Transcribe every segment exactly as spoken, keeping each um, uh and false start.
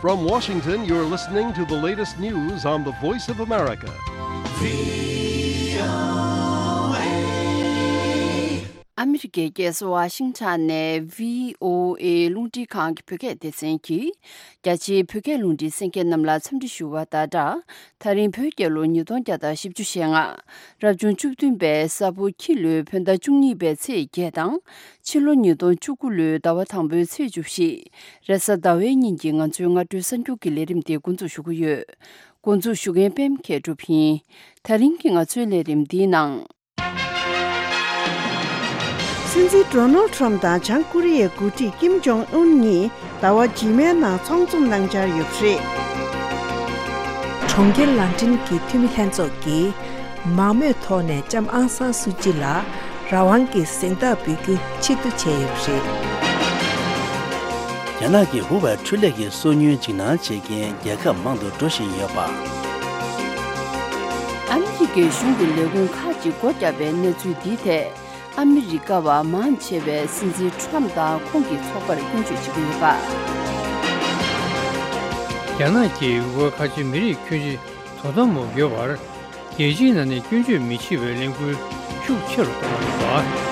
From Washington, you're listening to the latest news on the Voice of America. ཨ་མི་རི་ཀའི་རྒྱལ་ས་ཝ་ཤིང་ཊོན་ནས་བྷི་ཨོ་ཨེ་རླུང་འཕྲིན་ཁང་གི་བོད་སྐད་སྡེ་ཚན་གྱིས། རྒྱ་ཆེའི་བོད་སྐད་རླུང་འཕྲིན་གསན་མཁན་རྣམས་ལ་འཚམས་འདྲི་ཞུ་བ་དང་སྦྲགས། ད་རིང་བོད་རྒྱལ་ལོ་ཉིས་སྟོང་བརྒྱ་དང་བཞི་བཅུ་ཞེ་ལྔ། རབ་བྱུང་བཅུ་བདུན་པའི་ས་ཕོ་ཁྱི་ལོའི་བོད་ཟླ་བཅུ་གཉིས་པའི་ཚེས་བརྒྱད་དང་། ཕྱི་ལོ་ཉིས་སྟོང་བཅུ་དགུ་ལོའི་ཟླ་བ་དང་པོའི་ཚེས་བཅུ་བཞི། རེས་གཟའ་ཟླ་བའི་ཉིན་གྱི་ང་ཚོའི་སྔ་དྲོའི་གསར་འགྱུར་གྱི་ལས་རིམ་དེ་འགོ་འཛུགས་ཞུ་གི་ཡོད། འགོ་འཛུགས་ཞུ་མཁན་པད་མ་མཁས་གྲུབ་ཡིན། ད་རིང་གི་ང་ཚོའི་ལས་རིམ་འདིའི་ནང་། སྲིད་འཛིན་ཌོ་ནལ་ཁྲམ་དང་བྱང་ཀོ་རི་ཡའི་འགོ་ཁྲིད་ཀིམ་ཇོང་ཨུན་གཉིས་ཟླ་བ་རྗེས་མའི་ནང་ཚོགས་འཛོམས་གནང་འཆར་ཡོད་པ་རེད། གྲོང་ཁྱེར་ལན་ཀྲན་གྱི་འཐུས་མི་ལྷན་ཚོགས་ཀྱིས་མང་མོས་ཐོག་ནས་ལྕམ་ཨང་སང་སུ་ཅི་ལ་རང་དབང་གི་གཟེངས་རྟགས་འབུལ་རྒྱུ་ཕྱིར་བསྡུ་བྱས་ཡོད་པ་རེད། རྒྱ་ནག་གི་ཧུ་ཝེ་འཕྲུལ་ལས་ཀྱི་སོ་ཉུལ་འཇིགས་སྣང་བྱེད་མཁན་རྒྱལ་ཁབ་མང་དུ་འགྲོ་བཞིན་ཡོད་པ། ཨ་མི་རི་ཀའི་གཞུང་གི་ལས་ཁུངས་ཁག་ཅིག་སྒོ་བརྒྱབ་པའི་གནས་ཚུལ་འདིའི་ཐད། ཨ་མི་རི་ཀ་བ་མང་ཆེ་བས་སྲིད་འཛིན་ཁྲམ་དང་ཁོང་གི་ཚོགས་པར་སྐྱོན་བརྗོད་བྱེད་ཀྱི་ཡོད་པ། རྒྱ་ནག་གིས་ཝེ་ཁ་ཆེ་མི་རིགས་ཁྱོན་ཆེ་དོ་དམ་འོག་ཡོད་པར། རྒྱལ་སྤྱིའི་ནང་ནས་སྐྱོན་བརྗོད་མི་བྱེད་པའི་ལས་འགུལ་ཤུགས་ཆེ་རུ་གཏོང་བ་རེད་པ།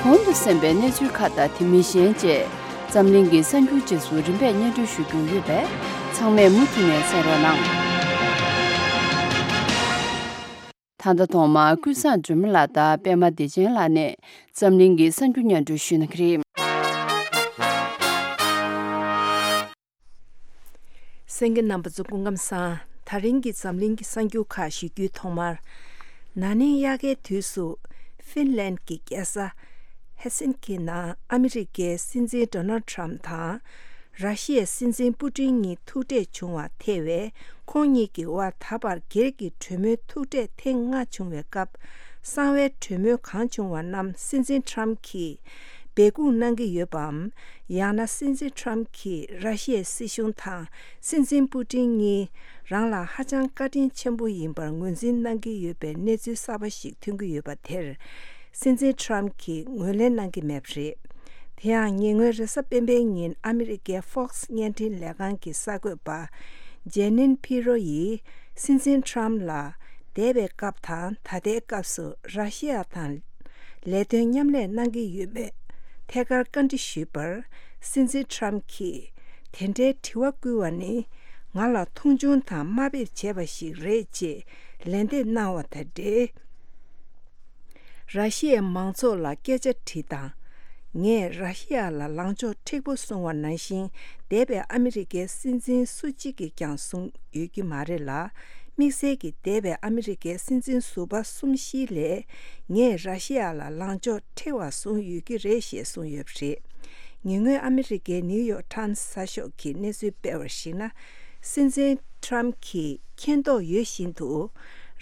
གོང་དུ་གསན་པའི་གནས་ཚུལ་ཁག་དང་དེ་མིན་གཞན་བཅས་འཛམ་གླིང་གི་གསར་འགྱུར་རྗེས་སུ་རིམ་པས་སྙན་སྒྲོན་ཞུ་རྒྱུ་ཡོད་པས་ཚང་མས་མུ་མཐུད་ནས་གསན་རོགས་གནང་། ད་ལྟ་ཐོག་མར་ཀུན་བཟང་སྒྲོལ་མ་ལགས་དང་པད་མ་བདེ་ཆེན་ལགས་ནས་འཛམ་གླིང་གི་གསར་འགྱུར་སྙན་སྒྲོན་ཞུ་གནང་གི་རེད། གསན་མཁན་རྣམ་པ་ཚོ་སྐུ་ཁམས་བཟང་། ད་རིང་གི་འཛམ་གླིང་གི་གསར་འགྱུར་ཁག་ཞུ་རྒྱུའི་ཐོག་མར། ན་ནིང་དབྱར་ཁའི་དུས་སུ་ཧྥིན་ལན་གྱི་རྒྱལ་ས་ཧེལ་སིན་ཀི་ནང་ཨ་མི་རི་ཀའི་སྲིད་འཛིན་ཌོ་ནལ་ཁྲམ་དང་ར་ཤི་ཡའི་སྲིད་འཛིན་པུ་ཏིན་གཉིས་ཐུག་འཕྲད་བྱུང་བ་ཐེ་བའི་ཁོང་གཉིས་ཀྱི་དབར་ད་བར་སྒེར་གྱི་གྲོས་མོལ་ཐུག་འཕྲད་ཐེངས་ལྔ་བྱུང་བའི་སྐབས། གསང་བའི་གྲོས་མོལ་གང་བྱུང་བ་རྣམས་སྲིད་འཛིན་ཁྲམ་གྱིས་སྦས་སྐུང་གནང་གི་ཡོད་པའམ། ཡང་ན་སྲིད་འཛིན་ཁྲམ་གྱིས་ར་ཤི་ཡའི་སྲིད་གཞུང་དང་སྲིད་འཛིན་པུ་ཏིན་གཉིས་རང་ལ་ཧ་ཅང་བཀའ་དྲིན་ཆེན་པོ་ཡིན་པར་ངོས་འཛིན་གནང་གི་ཡོད་པའི་གནས་ཚུལ་གསར་པ་ཞིག་ཐོན་གྱི་ཡོད་པ་དེར། སྲིད་འཛིན་ཁྲམ་གྱིས་ངོས་ལེན་གནང་གི་མེད་པ་རེད། དེ་ཡང་ཉེ་སྔོན་རེས་གཟའ་སྤེན་པའི་ཉིན་ཨ་མི་རི་ཀའི་Fox་བརྙན་འཕྲིན་ལས་ཁང་གི་གསར་འགོད་པ་ཇེ་ནིན་ཕི་རོ་ཡིས་སྲིད་འཛིན་ཁྲམ་ལ་འདས་པའི་སྐབས་དང་ད་ལྟའི་སྐབས་སུ་ར་ཤི་ཡ་དང་ལས་དོན་མཉམ་ལས་གནང་གི་ཡོད་མེད་ཐད་ཀར་བཀའ་འདྲི་ཞུས་པར། སྲིད་འཛིན་ཁྲམ་གྱིས་དེ་འདྲའི་དྲི་བ་བསྐུལ་བ་ནི་ང་ལ་མཐོང་ཆུང་དང་དམའ་འབེབས་བྱས་པ་ཞིག་རེད་ཅེས་ལན་འདེབས་གནང་བ་དང་འབྲེལ། ར་ཤི་ཡའི་མང་ཚོགས་ལ་སྐད་ཆ་དྲིས་དང་། ངས་ར་ཤི་ཡ་ལ་ལངས་ཕྱོགས་མཁྲེགས་པོ་བཟུང་བ་ནང་བཞིན་འདས་པའི་ཨ་མི་རི་ཀའི་སྲིད་འཛིན་སུ་གཅིག་གིས་ཀྱང་བཟུང་ཡོད་ཀྱི་མ་རེད་ལ། དམིགས་བསལ་གྱིས་འདས་པའི་ཨ་མི་རི་ཀའི་སྲིད་འཛིན་ཟུར་པ་གསུམ་བཞིའི་ལས་ངས་ར་ཤི་ཡ་ལ་ལངས་ཕྱོགས་མཁྲེགས་པ་བཟུང་ཡོད་ཀྱི་རེད་ཞེས་གསུངས་ཡོད་པ་རེད། ཉེ་སྔོན་ཨ་མི་རི་ཀའི་ནིའུ་ཡོག་ཊའིམ་གསར་ཤོག་གིས་གནས་ཚུལ་སྤེལ་བར་གཞིགས་ན། སྲིད་འཛིན་ཁྲམ་གྱིས་མཁྱེན་རྟོགས་ཡོད་བཞིན་དུ་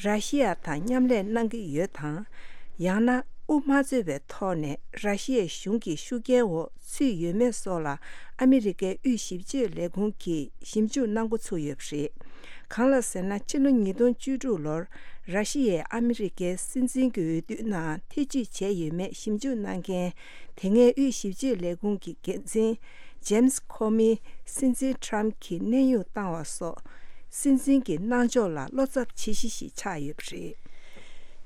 ར་ཤི་ཡ་དང་མཉམ་ལས་གནང་གི་ཡོད་དང་། ཡང་ན་དབུ་མ་རྩོད་པའི་ཐོག་ནས་ར་ཤི་ཡའི་གཞུང་གི་ཤུགས་རྐྱེན་འོག་ཚུད་ཡོད་མེད་སོགས་ལ་ཨ་མི་རི་ཀའི་དབུས་ཞིབ་དཔྱོད་ལས་ཁུངས་ཀྱིས་ཞིབ་འཇུག་གནང་འགོ་ཚུགས་ཡོད་པ་རེད། གང་ལ་ཟེར་ན། ཕྱི་ལོ་ཉིས་སྟོང་བཅུ་དྲུག་ལོར་ར་ཤི་ཡས་ཨ་མི་རི་ཀའི་སྲིད་འཛིན་གྱི་འོས་བསྡུ་ནང་ཐེ་བྱུས་བྱས་ཡོད་མེད་ཞིབ་འཇུག་གནང་མཁན། དེ་སྔའི་དབུས་ཞིབ་དཔྱོད་ལས་ཁུངས་ཀྱི་འགན་འཛིན་ཇེམ་སི་ཁོ་མིས་སྲིད་འཛིན་ཁྲམ་གྱི་གནས་དབྱུང་བཏང་བ་སོགས། སྲིད་འཛིན་གྱི་གནང་ཕྱོགས་ལ་བློ་འཚབ་བྱེད་གཞི་ཞིག་ཆགས་ཡོད་པ་རེད།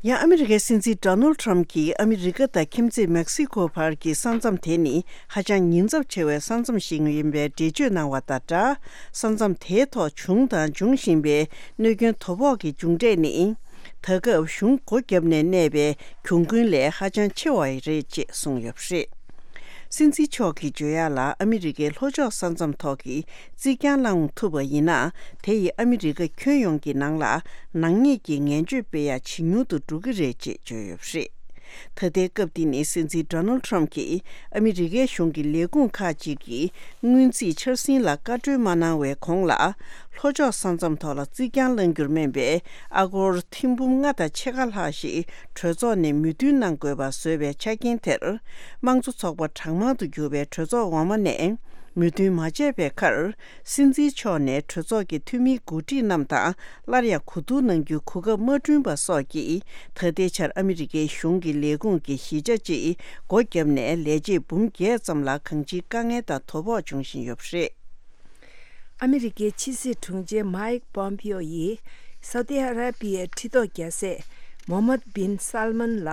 ཡང་ཨ་མི་རི་ཀའི་སྲིད་འཛིན་ཌོ་ནལ་ཁྲམ་གྱིས་ཨ་མི་རི་ཀ་དང་ཁྱིམ་མཚེས་མེག་སི་ཀོ་བར་གྱི་ས་མཚམས་དེ་ནི་ཧ་ཅང་ཉེན་ཚབས་ཆེ་བའི་ས་མཚམས་ཤིག་ཡིན་པའི་འགྲེལ་བརྗོད་གནང་བ་དང་སྦྲགས། ས་མཚམས་དེའི་ཐོག་བྱུང་དང་འབྱུང་བཞིན་པའི་གནོད་སྐྱོན་དོ་ཕོག་གི་མཇུག་འབྲས་ནི། ད་སྐབས་གཞུང་སྒོ་བརྒྱབ་ནས་གནས་པའི་གྱོང་གུན་ལས་ཧ་ཅང་ཆེ་བ་རེད་ཅེས་གསུངས་ཡོད་པ་རེད། སྲིད་འཛིན་མཆོག་གིས་བརྗོད་ཡག་ལ། ཨ་མི་རི་ཀའི་ལྷོ་ཕྱོགས་ས་མཚམས་ཐོག་གི་རྩིག་གྱང་བསླང་ཐུབ་པ་ཡིན་ན། དེ་ཡིས་ཨ་མི་རི་ཀ་ཁྱོན་ཡོངས་ཀྱི་ནང་ལ་ནག་ཉེས་ཀྱི་ངན་བྱུས་སྤེལ་ཡག་ཇེ་ཉུང་དུ་འགྲོ་གི་རེད་ཅེས་བརྗོད་ཡོད་པ་རེད། ད་ལྟའི་སྐབས་འདི་ནི་སྲིད་འཛིན་ཌོ་ནལ་ཁྲམ་གྱིས་ཨ་མི་རི་ཀའི་གཞུང་གི་ལས་ཁུངས་ཁག་ཅིག་གི་སྔོན་རྩིས་འཆར་ཟིན་ལ་བཀའ་འཁྲོལ་མ་གནང་བའི་གོང་ལ། ལྷོ་ཕྱོགས་ས་མཚམས་ཐོག་ལ་རྩིག་གྱང་བསླང་རྒྱུར་སྨན་པའི་ཨ་སྒོར་ཐེར་འབུམ་ལྔ་དང་ཕྱེད་ཀ་ལྷག་ཞིག་གྲོས་ཚོགས་ནས་མོས་མཐུན་གནང་དགོས་པ་བཟོས་པའི་ཆ་རྐྱེན་དེར། དམངས་གཙོ་ཚོགས་པ་གྲངས་མང་དུ་གྱུར་པའི་གྲོས་ཚོགས་འོག་མ་ནས་མོས་མཐུན་མ་བྱས་པའི་ཁར། སྲིད་འཛིན་མཆོག་ནས་གྲོས་ཚོགས་ཀྱི་འཐུས་མིའི་འགོ་ཁྲིད་རྣམས་དང་སླར་ཡང་གོ་བསྡུར་གནང་རྒྱུའི་གོ་སྐབས་མ་བསྐྲུན་པ་སོགས་ཀྱིས། ད་ལྟའི་ཆར་ཨ་མི་རི་ཀའི་གཞུང་གི་ལས་ཁུངས་ཀྱི་གཞིས་ཆགས་སྤྱིའི་སྒོ་བརྒྱབ་ནས་ལས་བྱེད་འབུམ་བརྒྱད་ཙམ་ལ་གང་ཅིའི་དཀའ་ངལ་དང་དོ་ཕོག་འབྱུང་བཞིན་ཡོད་པ་རེད། ཨ་མི་རི་ཀའི་ཕྱི་སྲིད་དྲུང་ཆེ་མཱིག་པོམ་པིའོ་ཡིས་སའུ་ཏི་ཨ་ར་པི་ཡའི་ཁྲི་ཐོག་རྒྱལ་སྲས་མོ་ཧམ་མད་བིན་སལ་མན་ལ་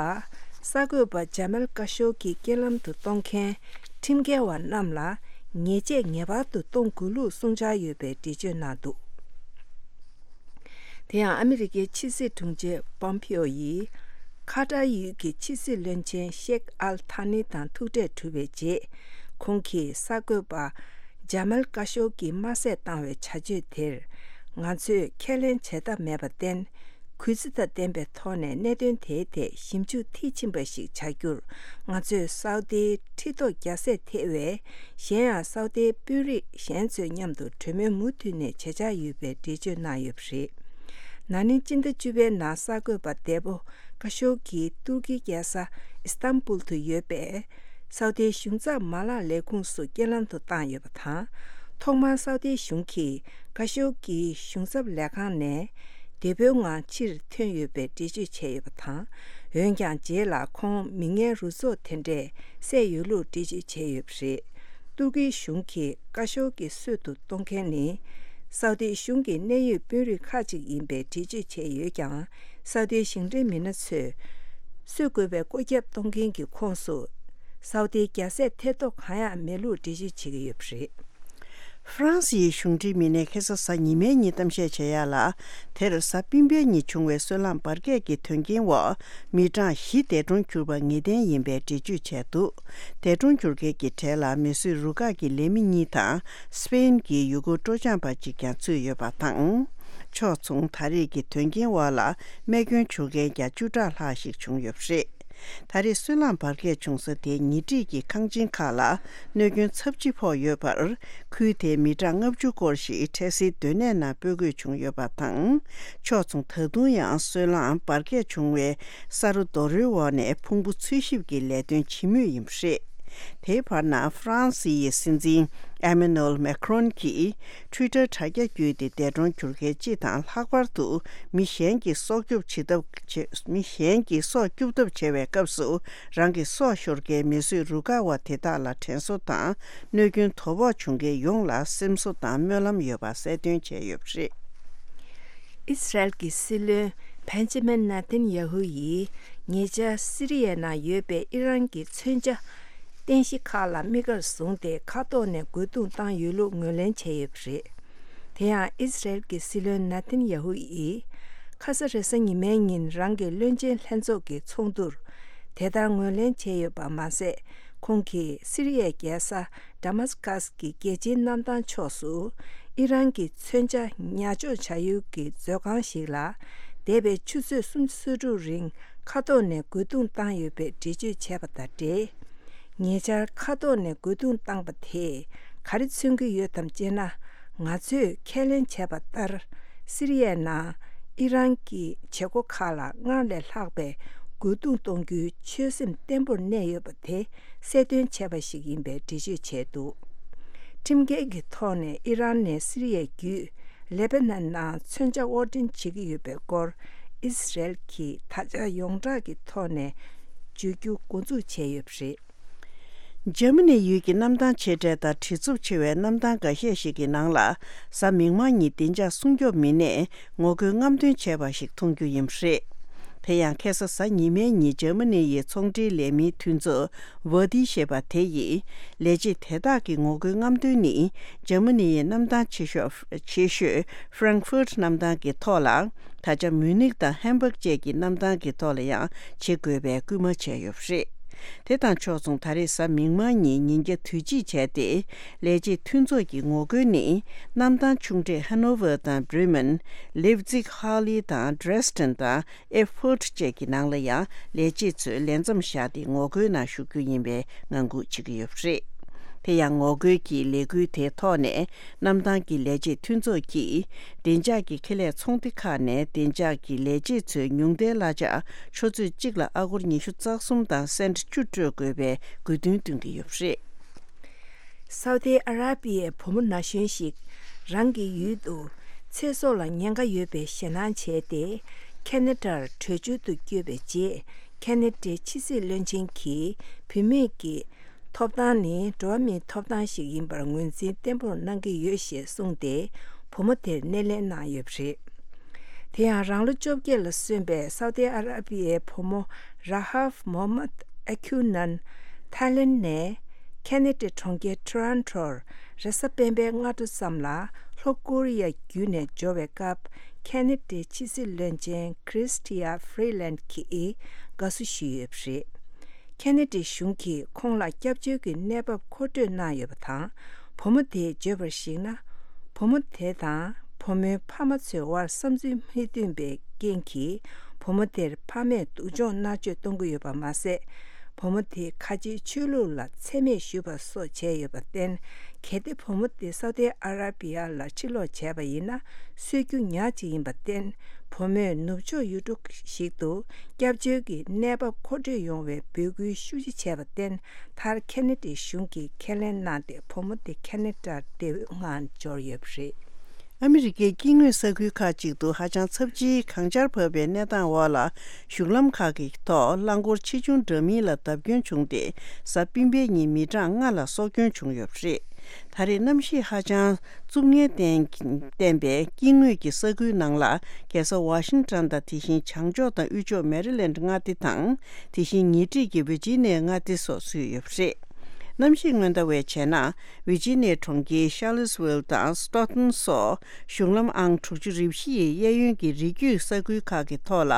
གསར་འགོད་པ་ཇ་མལ་ཀ་ཤོ་གིས་རྐྱེན་ལམ་དུ་གཏོང་མཁན་ཁྲིམས་འགལ་བ་རྣམས་ལ་ཉེས་ཆད་ངེས་པར་དུ་གཏོང་དགོས་ལུགས་གསུངས་འཆར་ཡོད་པའི་འགྲེལ་བརྗོད་གནང་འདུག་དེ་ཡང་ཨ་མི་རི་ཀའི་ཕྱི་སྲིད་དྲུང་ཆེ་པོམ་པིའོ་ཡིས་ཁ་ཏར་ཡུལ་གྱི་ཕྱི་སྲིད་བློན་ཆེན་ཤེག་ཨལ་ཐ་ནི་དང་ཐུག་འཕྲད་གྲུབ་པའི་རྗེས། ཁོང་གིས་གསར་འགོད་པ་ཇ་མལ་ཀ་ཤོ་གིས་དམར་གསོད་བཏང་བའི་བྱ་སྤྱོད་དེར་ང་ཚོས་ཁས་ལེན་བྱེད་ཐབས་མེད་པར་བརྟེན། གུས་བརྩི་དང་ལྡན་པའི་ཐོག་ནས་གནད་དོན་དེའི་ཐད་ཞིབ་འཇུག་མཐིལ་ཕྱིན་པ་ཞིག་བྱ་རྒྱུར་ང་ཚོས་སའུ་ཏིའི་ཁྲི་ཐོག་རྒྱལ་སྲས་ཐེ་བའི་གཞན་ཡང་སའུ་ཏིའི་དཔོན་རིགས་གཞན་ཚོའི་མཉམ་དུ་གྲོས་མོལ་མུ་མཐུད་ནས་བྱེད་འཆར་ཡོད་པའི་འགྲེལ་བརྗོད་གནང་ཡོད་པ་རེད། ན་ནིང་སྤྱི་ཟླ་བཅུ་པའི་ནང་གསར་འགོད་པ་འདས་པོ་ཀ་ཤོ་གིས་ཏུར་ཀིའི་རྒྱལ་ས་ཨི་སྟན་བུལ་དུ་ཡོད་པའི་སའུ་ཏིའི་གཞུང་ཚབ་མ་ལག་ལས་ཁུངས་སུ་རྐྱེན་ལམ་དུ་བཏང་ཡོད་པ་དང་། ཐོག་མར་སའུ་ཏིའི་གཞུང་གིས་ཀ་ཤོ་གི་གཞུང་ཚབ་ལས་ཁང་ནས་བདེ་པོའི་ངང་ཕྱིར་ཐོན་ཡོད་པའི་འགྲེལ་བརྗོད་བྱས་ཡོད་པ་དང་། འོན་ཀྱང་རྗེས་ལ་ཁོང་མི་ངན་རུ་ཚོགས་དེ་འདྲས་བསད་ཡོད་ལུགས་འགྲེལ་བརྗོད་བྱས་ཡོད་པ་རེད། ཏུར་ཀིའི་གཞུང་གིས་ཀ་ཤོ་གི་གསོད་དུ་གཏོང་མཁན་ནི་སའུ་ཏིའི་གཞུང་གི་གནད་ཡོད་དཔོན་རིགས་ཁག་ཅིག་ཡིན་པའི་འགྲེལ་བརྗོད་བྱས་ཡོད་ཀྱང་། སའུ་ཏིའི་གཞུང་འབྲེལ་མི་སྣ་ཚོས་གསོད་དགོས་པའི་བཀོད་ཁྱབ་གཏོང་མཁན་གྱི་ཁོངས་སུ་སའུ་ཏིའི་རྒྱལ་སྲས་ཐེ་ཐོག་གང་ཡང་མེད་ལུགས་འགྲེལ་བརྗོད་བྱེད་ཀྱི་ཡོད་པ་རེད། ཧྥ་རན་སིའི་གཞུང་འབྲེལ་མི་སྣས་ཁ་སང་གཟའ་ཉི་མའི་ཉིན་གཏམ་བཤད་བྱེད་ཡག་ལ། དེར་གཟའ་སྤེན་པའི་ཉིན་བྱུང་བའི་སོལ་རླངས་འབར་གས་ཀྱི་དོན་རྐྱེན་འོག་མི་གྲངས་བཞི་འདས་གྲོངས་གྱུར་པ་ངེས་གཏན་ཡིན་པའི་འགྲེལ་བརྗོད་བྱས་འདུག་འདས་གྲོངས་གྱུར་མཁན་གྱི་གྲས་ལ་མི་བཟོས་རུ་ཁག་གི་ལས་མི་གཉིས་དང་སྤེན་གྱི་ཡུ་གུར་སྤྲོ་འཆམ་པ་གཅིག་ཀྱང་ཚུད་ཡོད་པ་དང་། ཕྱོགས་མཚུངས་ད་རེས་ཀྱི་དོན་རྐྱེན་འོག་ལ་རྨས་སྐྱོན་བྱུང་མཁན་བརྒྱ་བཅུ་ཕྲག་ལྷག་ཞིག་བྱུང་ཡོད་པ་རེད། ད་རེས་སོལ་རླངས་འབར་གས་བྱུང་ས་དེའི་ཉེ་འཁྲིས་ཀྱི་ཁང་ཆེན་ཁག་ལ་གནོད་སྐྱོན་ཚབས་ཆེ་ཕོག་ཡོད་པར། ཁུལ་དེའི་མི་གྲངས་ལྔ་བཅུ་སྐོར་ཞིག་འཕྲལ་སེལ་སྡོད་གནས་ནང་སྤོ་དགོས་བྱུང་ཡོད་པ་དང་། ཕྱོགས་མཚུངས་ད་དུང་ཡང་སོལ་རླངས་འབར་གས་བྱུང་བའི་ས་རོ་རྡོ་རོལ་འོག་ནས་ཕུང་པོ་འཚོལ་ཞིབ་ཀྱི་ལས་དོན་བྱེད་མུས་ཡིན་པ་རེད། དེའི་བར་ན་ཧྥ་རན་སི་ཡི་སྲིད་འཛིན་ཨེ་མེ་ནུ་ཨེལ་མེ་ཁ་རོན་གྱིས། ཊུའི་ཊར་དྲ་རྒྱ་བརྒྱུད་དེ་འདས་གྲོངས་གྱུར་མཁན་སྤྱི་དང་། ལྷག་པར་དུ་མི་གཞན་གྱིས་སྲོག་སྐྱོབ་བྱེད་ཐབས་བྱེད། མི་གཞན་གྱིས་སྲོག་སྐྱོབ་ཐབས་བྱེད་པའི་སྐབས་སུ། རང་གི་སྲོག་ཤོར་མཁན་མི་བཟོས་རུ་ཁག་པ་དེ་དག་ལ་དྲན་གསོ་དང་། གནོད་སྐྱོན་དོ་ཕོག་བྱུང་མཁན་ཡོངས་ལ་སེམས་གསོ་དང་སྨོན་ལམ་ཡོད་པ་གསལ་སྟོན་བྱས་ཡོད་པ་རེད། ཨི་སི་རལ་གྱི་སྲིད་བློན་བན་ཇི་མིན་ནེ་ཐན་ཡ་ཧུ་ཡིས་ཉེ་ཆར་སི་རི་ཡའི་ནང་ཡོད་པའི་ཨི་རན་གྱི་མཚོན་ཆ་རྟེན་གཞི་ཁག་ལ་དམིགས་བཀར་བཟུང་སྟེ་མཁའ་ཐོག་ནས་རྒོལ་རྡུང་བཏང་ཡོད་ལུགས་ངོས་ལེན་བྱས་ཡོད་པ་རེད། དེ་ཡང་ཨི་སི་རལ་གྱི་སྲིད་བློན་ནེ་ཐན་ཡ་ཧུ་ཡིས་ཁ་ས་རེས་གཟའ་ཉི་མའི་ཉིན་རང་གི་བློན་ཆེན་ལྷན་ཚོགས་ཀྱི་ཚོགས་འདུར་དེ་ལྟར་ངོས་ལེན་བྱས་ཡོད་པ་མ་ཟད། ཁོང་གིས་སི་རི་ཡའི་རྒྱལ་ས་ཌ་མཱ་སི་ཀཱས་ཀྱི་རྒྱལ་སྤྱིའི་གནམ་ཐང་ཕྱོགས་སུ་ཨི་རན་གྱི་མཚོན་ཆ་ཉར་འཇོག་བྱ་ཡུལ་གྱི་མཛོད་ཁང་ཞིག་ལ་འདས་པའི་ཆུ་ཚོད་སུམ་ཅུ་སོ་དྲུག་རིང་མཁའ་ཐོག་ནས་རྒོལ་རྡུང་བཏང་ཡོད་པའི་འགྲེལ་བརྗོད་བྱས་པ་དང་འབྲེལ། ཉེ་ཆར་མཁའ་ཐོག་ནས་རྒོལ་རྡུང་བཏང་པ་དེས་ག་རེ་མཚོན་གྱི་ཡོད་དམ་ཅེ་ན། ང་ཚོས་ཁས་ལེན་བྱས་པ་ལྟར། སི་རི་ཡའི་ནང་ཨི་རན་གྱི་བྱེད་སྒོ་ཁག་ལ་སྔར་ལས་ལྷག་པའི་རྒོལ་རྡུང་གཏོང་རྒྱུའི་ཆོད་སེམས་བརྟན་པོར་གནས་ཡོད་པ་དེ་གསལ་སྟོན་བྱས་པ་ཞིག་ཡིན་པའི་འགྲེལ་བརྗོད་བྱས་འདུག་ཁྲིམས་འགལ་གྱི་ཐོག་ནས་ཨི་རན་ནས་སི་རི་ཡ་བརྒྱུད་ལེ་པ་ནན་ནང་མཚོན་ཆ་དབོར་འདྲེན་བྱེད་ཀྱི་ཡོད་པའི་སྐོར་ཨི་སི་རལ་གྱིས་ད་ཆ་ཡོངས་གྲགས་ཀྱི་ཐོག་ནས་བརྗོད་རྒྱུ་འགོ་འཛུགས་བྱས་ཡོད་པ་རེད། འཇར་མ་ནི་ཡུལ་གྱི་གནམ་ཐང་ཆེ་གྲས་དང་བྲེལ་འཚུབ་ཆེ་བའི་གནམ་ཐང་འགའ་ཤས་ཤིག་གི་ནང་ལ་གཟའ་མིག་དམར་ཉིན་བདེ་འཇགས་སྲུང་སྐྱོབ་མི་སྣས་ངོ་རྒོལ་རྔམ་སྟོན་བྱས་པ་ཞིག་མཐོང་རྒྱུ་ཡིན་པ་རེད། དེ་ཡང་ཁ་སང་གཟའ་ཉི་མའི་ཉིན་འཇར་མ་ནི་ཡི་ཚོང་འབྲེལ་ལས་མིའི་མཐུན་ཚོགས་ཝར་ཌི་ཞེས་པ་དེ་ཡིས་ལས་བྱེད་དེ་དག་གི་ངོ་རྒོལ་རྔམ་སྟོན་ནི་འཇར་མ་ནི་ཡི་གནམ་ཐང་ཆེ་ཤོས་ཆེ་ཤོས་ཧྥ་རང་ཧྥུར་གནམ་ཐང་གི་ཐོག་ལ། ད་ཆ་མུ་ནིག་དང་ཧམ་བྷག་བཅས་ཀྱི་གནམ་ཐང་གི་ཐོག་ལ་ཡང་བྱེད་དགོས་པའི་སྐུལ་མ་བྱས་ཡོད་པ་རེད། དེ་དང་ཕྱོགས་མཚུངས་ད་རེས་གཟའ་མིག་དམར་ཉིན་ཉིན་རྒྱབ་དུས་ཆེན་བྱས་ཏེ། ལས་བྱེད་མཐུན་ཚོགས་ཀྱི་ངོ་རྒོལ་ནི་གནམ་ཐང་ཆུང་གྲས་ཧ་ནོ་ཝར་དང་བྷི་རི་མན། ལེབ་ཛིག་ཧར་ལི་དང་ཌྲེ་སི་ཌེན་དང་ཨེ་ཕུར་ཊི་བཅས་ཀྱི་ནང་ལ་ཡང་ལས་བྱེད་ཚོས་ལས་མཚམས་བཞག་སྟེ་ངོ་རྒོལ་ནང་ཞུགས་རྒྱུ་ཡིན་པའི་ངང་སྒུག་བྱེད་ཀྱི་ཡོད་པ་རེད། དེ་ཡང་ངོ་རྒོལ་གྱི་ལས་འགུལ་དེའི་ཐོག་ནས། གནམ་ཐང་གི་ལས་བྱེད་མཐུན་ཚོགས་ཀྱིས་བདེ་འཇགས་ཀྱི་ཁེ་ལས་ཚོང་སྡེ་ཁག་ནས་བདེ་འཇགས་ཀྱི་ལས་བྱེད་ཚོའི་ཉུང་མཐའི་གླ་ཆ་ཆུ་ཚོད་གཅིག་ལ་ཨ་སྒོར་ཉི་ཤུ་རྩ་གསུམ་དང་སེན་ཊི་བཅུ་སྤྲོད་དགོས་པའི་དགོས་འདུན་བཏོན་གྱི་ཡོད་པ་རེད། སའུ་ཏི་ཨ་ར་པི་ཡའི་བུ་མོ་ན་གཞོན་ཞིག་རང་གི་ཡུལ་དུ་ཚེ་སྲོག་ལ་ཉེན་ཁ་ཡོད་པའི་ཞེད་སྣང་བྱས་ཏེ། ཁེ་ན་ཌར་བྲོས་བྱོལ་དུ་བསྐྱོད་པའི་རྗེས། ཁེ་ན་ཌའི་ཕྱི་སྲིད་བློན་ཆེན་གྱིས་བུད་མེད་ཀྱི་ ཐོབ་ཐང་ནི་འགྲོ་བ་མིའི་ཐོབ་ཐང་ཞིག་ཡིན་པར་ངོས་འཛིན་བརྟན་པོར་གནང་གི་ཡོད་ཞེས་གསུངས་ཏེ། བུ་མོ་དེར་སྣེ་ལེན་གནང་ཡོད་པ་རེད། དེ་ཡང་རང་ལོ་བཅོ་བརྒྱད་ལ་སོན་པའི་སའུ་ཏི་ཨ་ར་པི་ཡའི་བུ་མོ་ར་ཧབ་མོ་མད་ཨ་ཁུ་ནན། ཐའི་ལེན་ནས་ཁེ་ནེ་ཌའི་གྲོང་ཁྱེར་ཊོ་རོན་ཊོར་རེས་གཟའ་སྤེན་པའི་སྔ་དྲོ་ཙམ་ལ་ལྷོ་ཀོ་རི་ཡ་བརྒྱུད་ནས་འབྱོར་བའི་སྐབས། ཁེ་ནེ་ཌའི་ཕྱི་སྲིད་བློན་ཆེན་ཁྲིས་ཊི་ཡ་ཧྥི་རི་ལན་གྱིས་དགའ་བསུ་ཞུས་ཡོད་པ་རེད། ཁེ་ནེ་ཌི་གཞུང་གིས་ཁོང་ལ་སྐྱབས་བཅོལ་གྱི་གནས་བབ་མཁོ་སྤྲོད་གནང་ཡོད་པ་དང་། བུ་མོ་དེས་བརྗོད་པར་གཞིགས་ན། བུ་མོ་དེ་དང་བུ་མོའི་ཕ་མ་ཚོའི་དབར་བསམ་ཚུལ་མི་མཐུན་པའི་རྐྱེན་གྱིས། བུ་མོ་དེར་ཕ་མས་སྡུག་སྦྱོང་མནར་གཅོད་གཏོང་གི་ཡོད་པ་མ་ཟད། བུ་མོ་དེས་ཁ་ཆེའི་ཆོས་ལུགས་ལ་མཚན་སྨད་ཞུས་པ་སོགས་བྱས་ཡོད་པར་བརྟེན། གལ་ཏེ་བུ་མོ་དེ་སའུ་ཏི་ཨ་ར་པི་ཡ་ལ་ཕྱིར་ལོག་བྱས་པ་ཡིན་ན། གསོད་རྒྱུ་ཉག་ཅིག་ཡིན་པར་བརྟེན། བུ་མོས་ནུབ་ཕྱོགས་ཡུལ་གྲུ་ཞིག་ཏུ་སྐྱབས་བཅོལ་གྱི་གནས་བབ་མཁོ་སྤྲོད་ཡོང་བའི་འབོད་སྐུལ་ཤུགས་ཆེ་བྱས་པར་བརྟེན། མཐར་ཁེ་ནེ་ཌི་གཞུང་གིས་ཁས་ལེན་གནང་སྟེ། བུ་མོ་དེ་ཁེ་ནེ་ཌར་བདེ་པོའི་ངང་འབྱོར་ཡོད་པ་རེད། ཨ་མི་རི་ཀའི་སྐྱེ་དངོས་ས་ཁུལ་ཁག་ཅིག་ཏུ་ཧ་ཅང་ཚབས་ཆེའི་གངས་ཆར་བབས་པའི་གནས་སྟངས་འོག་ལ། གཞུང་ལམ་ཁག་གི་ཐོག་རླངས་འཁོར་ཆེ་ཆུང་འདྲ་མིན་ལ་བརྡབ་སྐྱོན་བྱུང་སྟེ། གཟའ་སྤེན་པའི་ཉིན་མི་གྲངས་ལྔ་ལ་སྲོག་སྐྱོན་བྱུང་ཡོད་པ་རེད། ད་རེས་གནམ་གཤིས་ཧ་ཅང་རྩུབ་ངལ་བརྟེན་བརྟེན་པའི་སྐྱེ་དངོས་ཀྱི་ས་ཁུལ་ནང་ལ། རྒྱལ་ས་ཝ་ཤིང་ཊོན་དང་། དེ་བཞིན་བྱང་ཕྱོགས་དང་དབུས་ཕྱོགས་མེ་རི་ལེན་ཌི་མངའ་སྡེ་དང་། དེ་བཞིན་ཉེ་འཁྲིས་ཀྱི་ཝི་ཇི་ནི་ཡ་མངའ་སྡེ་སོགས་ཚུད་ཡོད་པ་རེད། གནམ་གཤིས་སྔོན་བརྡ་བས་བྱས་ན། ཝི་ཇི་ནི་ཡ་གྲོང་ཁྱེར་ཤར་ལི་སི་ཝིལ་དང་སི་ཊོག་ཊོན་སོགས་གཞུང་ལམ་ཨང་དྲུག་ཅུ་རེ་བཞི་ཡི་གཡས་གཡོན་གྱི་རི་རྒྱུད་ས་ཁུལ་ཁག་གི་ཐོག་ལ་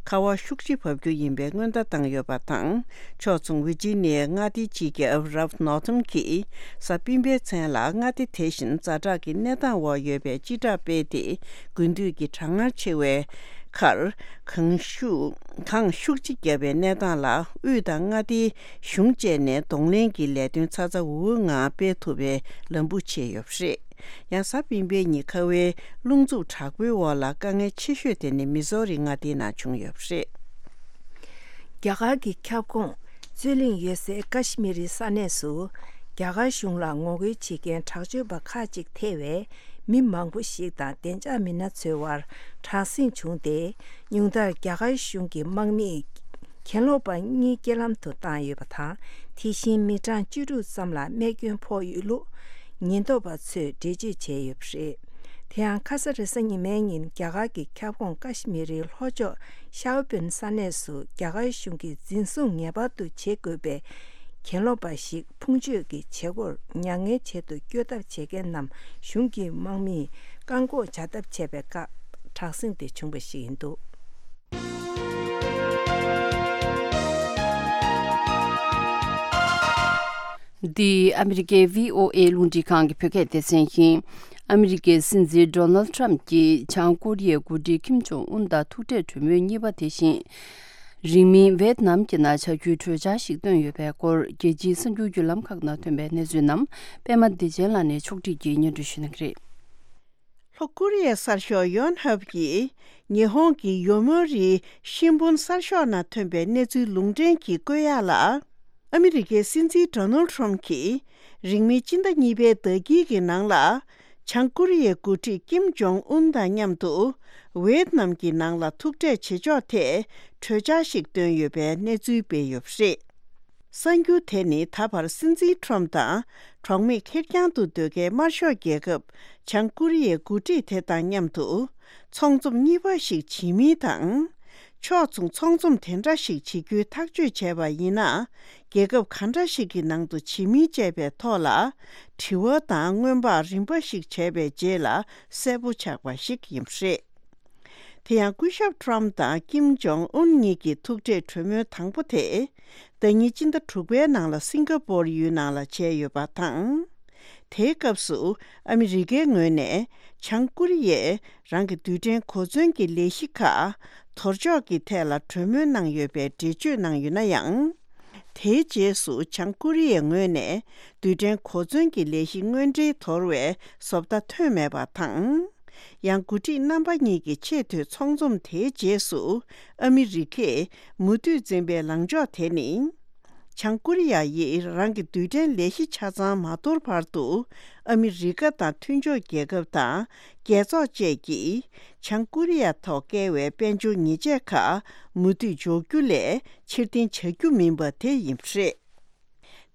ཁ་བ་ཤུགས་ཆེ་བབས་རྒྱུ་ཡིན་པའི་སྔོན་བརྡ་བཏང་ཡོད་པ་དང་། ཕྱོགས་མཚུངས་ཝི་ཇི་ནི་ཡའི་མངའ་སྡེའི་སྤྱི་ཁྱབ་རལཕ་ནོར་ཐོན་གྱིས་གཟའ་སྤེན་པའི་མཚན་ལ་མངའ་སྡེ་དེ་བཞིན་ཛ་དྲག་གི་གནས་སྟངས་འོག་ཡོད་པའི་སྤྱི་བསྒྲགས་སྤེལ་ཏེ། དགུན་དུས་ཀྱི་གྲང་ངར་ཆེ་བའི་ཁར། གངས་ཤུགས་གངས་ཤུགས་ཆེ་བརྒྱབ་པའི་གནས་སྟངས་ལ། དབུས་དང་མངའ་སྡེའི་གཞུང་བཅས་ནས་གདོང་ལེན་གྱི་ལས་དོན་ཚ་ཚ་འུར་འུར་ངང་སྤེལ་ཐུབ་པའི་ལམ་འབུ་ཕྱེ་ཡོད་པ་རེད། ཡང་གཟའ་སྤེན་པའི་ཉིན་ཁ་བའི་རླུང་འཚུབ་དྲག་པོའི་འོག་ལ་དཀའ་ངལ་ཆེ་ཤོས་དེ་ནི་མི་ཟོ་རི་མངའ་སྡེའི་ནང་བྱུང་ཡོད་པ་རེད། རྒྱ་གར་གྱི་ཁྱབ་ཁོངས་རྩོད་གླེང་ཡོད་སའི་ཀ་ཤི་མི་རི་ས་གནས་སུ། རྒྱ་གར་གཞུང་ལ་ངོ་རྒོལ་བྱེད་མཁན་དྲག་སྤྱོད་པ་ཁག་ཅིག་ཐེ་བའི་མི་མང་པོ་ཞིག་དང་བདེ་འཇགས་མི་སྣ་ཚོའི་དབར་དྲག་ཟིང་བྱུང་སྟེ། ཉུང་མཐར་རྒྱ་གར་གཞུང་གི་དམག་མིས་གྱེན་ལོག་པ་གཉིས་རྐྱེན་ལམ་དུ་བཏང་ཡོད་པ་དང་། དེ་བཞིན་མི་གྲངས་བཅུ་དྲུག་ཙམ་ལ་རྨས་སྐྱོན་ཕོག་ཡོད་ལུགས་ཉེན་རྟོག་པ་ཚོས་འགྲེལ་བརྗོད་བྱས་ཡོད་པ་རེད། དེ་ཡང་ཁ་ས་རེས་གཟའ་ཉི་མའི་ཉིན་རྒྱ་གར་གྱི་ཁྱབ་ཁོངས་ཀ་ཤི་མི་རིའི་ལྷོ་ཕྱོགས་ཤའོ་པིན་ས་གནས་སུ་རྒྱ་གར་གཞུང་གིས་འཛིན་བཟུང་ངེས་པར་དུ་བྱེད་དགོས་པའི་གྱེན་ལོག་པ་ཞིག་ཕུང་མཆོད་ཀྱི་བྱེད་སྒོར་མྱ་ངན་བྱེད་དུ་བསྐྱོད་ཐབས་བྱེད་མཁན་རྣམས་གཞུང་གི་དམག་མིས་བཀག་འགོག་བྱ་ཐབས་བྱས་པའི་སྐབས་དྲག་ཟིང་དེ་བྱུང་བ་ཞིག་ཡིན་འདུག། འདི་ཨ་མི་རི་ཀའི་བྷི་ཨོ་ཨེ་རླུང་འཕྲིན་ཁང་གི་བོད་སྐད་སྡེ་ཚན་ཡིན། ཨ་མི་རི་ཀའི་སྲིད་འཛིན་ཌོ་ནལ་ཊམ་གྱིས་བྱང་ཀོ་རི་ཡའི་འགོ་ཁྲིད་ཀིམ་ཇོང་ཨུན་དང་ཐུག་འཕྲད་གྲོས་མོལ་གཉིས་པ་དེ་བཞིན། རིང་མིན་ཝེད་ནམ་གྱི་ནང་བྱ་རྒྱུའི་གྲོས་འཆར་ཞིག་བཏོན་ཡོད་པའི་སྐོར། རྒྱལ་སྤྱིའི་གསར་འགྱུར་བརྒྱུད་ལམ་ཁག་ནང་ཐོན་པའི་གནས་ཚུལ་རྣམས་པད་མ་བདེ་ཆེན་ལགས་ནས་ཕྱོགས་སྒྲིག་གིས་སྙན་སྒྲོན་ཞུ་གནང་གི་རེད། ལྷོ་ཀོ་རི་ཡའི་གསར་ཤོག་ཡོན་ཧབ་ཀྱིས་ཉི་ཧོང་གི་ཡོ་མོ་རི་ཤིན་བུན་གསར་ཤོག་ནང་ཐོན་པའི་གནས་ཚུལ་ལུང་འདྲེན་གྱིས་བཀོད་ཡག་ལ། ཨ་མི་རི་ཀའི་སྲིད་འཛིན་ཌོ་ནལ་ཊམ་གྱིས་རིང་མིན་སྤྱི་ཟླ་གཉིས་པའི་ཟླ་དཀྱིལ་གྱི་ནང་ལ། བྱང་ཀོ་རི་ཡའི་འགོ་ཁྲིད་ཀིམ་ཇོང་ཨུན་དང་མཉམ་དུ་ཝེད་ནམ་གྱི་ནང་ལ་ཐུག་འཕྲད་བྱེད་ཕྱོགས་ཐད་གྲོས་འཆར་ཞིག་བཏོན་ཡོད་པའི་གནས་ཚུལ་སྤེལ་ཡོད་པ་རེད། གསར་འགྱུར་དེ་ནི་ད་བར་སྲིད་འཛིན་ཊམ་དང་གྲོགས་མེད་ཁེར་རྐྱང་དུ་སྡོད་མཁན་དམར་ཤོག་རྒྱལ་ཁབ་བྱང་ཀོ་རི་ཡའི་འགོ་ཁྲིད་དེ་དང་མཉམ་དུ་ཚོང་འཛོམས་གཉིས་པ་ཞིག་བྱེད་མིན་དང་། ཕྱོགས་མཚུངས་ཚོང་འཛོམས་དེ་འདྲ་ཞིག་བྱེད་རྒྱུའི་ཐག་གཅོད་བྱས་པ་ཡིན་ན། རྒྱལ་ཁབ་ག་འདྲ་ཞིག་གི་ནང་དུ་བྱེད་མིན་བཅས་པའི་ཐོག་ལ། དྲི་བ་དང་སྔོན་དཔག་རིམ་པ་ཞིག་བྱས་པའི་རྗེས་ལ་གསལ་པོ་ཆགས་པ་ཞིག་ཡིན་པ་རེད། དེ་ཡང་སྐུ་ཞབས་ཊམ་དང་ཀིམ་ཇོང་ཨུན་གཉིས་ཀྱི་ཐུག་འཕྲད་གྲོས་མོལ་དང་པོ་དེ། ཟླ་ཉིན་སྤྱི་ཟླ་དྲུག་པའི་ནང་ལ་སིང་ག་པོར་ཡུལ་ནང་ལ་བྱས་ཡོད་པ་དང་། དེའི་སྐབས་སུ་ཨ་མི་རི་ཀའི་ངོས་ནས་བྱང་ཀོ་རི་ཡས་རང་གི་རྡུལ་ཕྲན་གོ་མཚོན་གྱི་ལས་གཞི་ཁག་དོར་འཇོག་གི་ཐད་ལ་གྲོས་མོལ་གནང་ཡོད་པའི་འགྲེལ་བརྗོད་གནང་ཡོད་ན་ཡང་། དེའི་རྗེས་སུ་བྱང་ཀོ་རི་ཡའི་ངོས་ནས་རྡུལ་ཕྲན་གོ་མཚོན་གྱི་ལས་གཞི་དངོས་འབྲེལ་དོར་བའི་བཟོ་ལྟ་ཐོན་མེད་པ་དང་། ཡང་འགོ་ཁྲིད་རྣམ་པ་གཉིས་ཀྱི་ཆེས་མཐོའི་ཚོགས་འཛོམས་དེའི་རྗེས་སུ་ཨ་མི་རི་ཀས་མུ་མཐུད་འཛིན་པའི་ལངས་ཕྱོགས་དེ་ནི། བྱང་ཀོ་རི་ཡ་ཡིས་རང་གི་རྡུལ་ཕྲན་ལས་གཞི་ཆ་ཚང་མ་དོར་བར་དུ། ཨ་མི་རི་ཀ་དང་མཐུན་ཕྱོགས་རྒྱལ་ཁབ་དང་རྒྱལ་ཚོགས་བཅས་ཀྱིས་བྱང་ཀོ་རི་ཡ་ཐོག་བཀལ་བའི་དཔལ་འབྱོར་ཉེས་ཆད་ཁག་མུ་མཐུད་འཇོག་རྒྱུ་ལས་ཕྱིར་འཐེན་བྱ་རྒྱུ་མིན་པ་དེ་ཡིན་པ་རེད།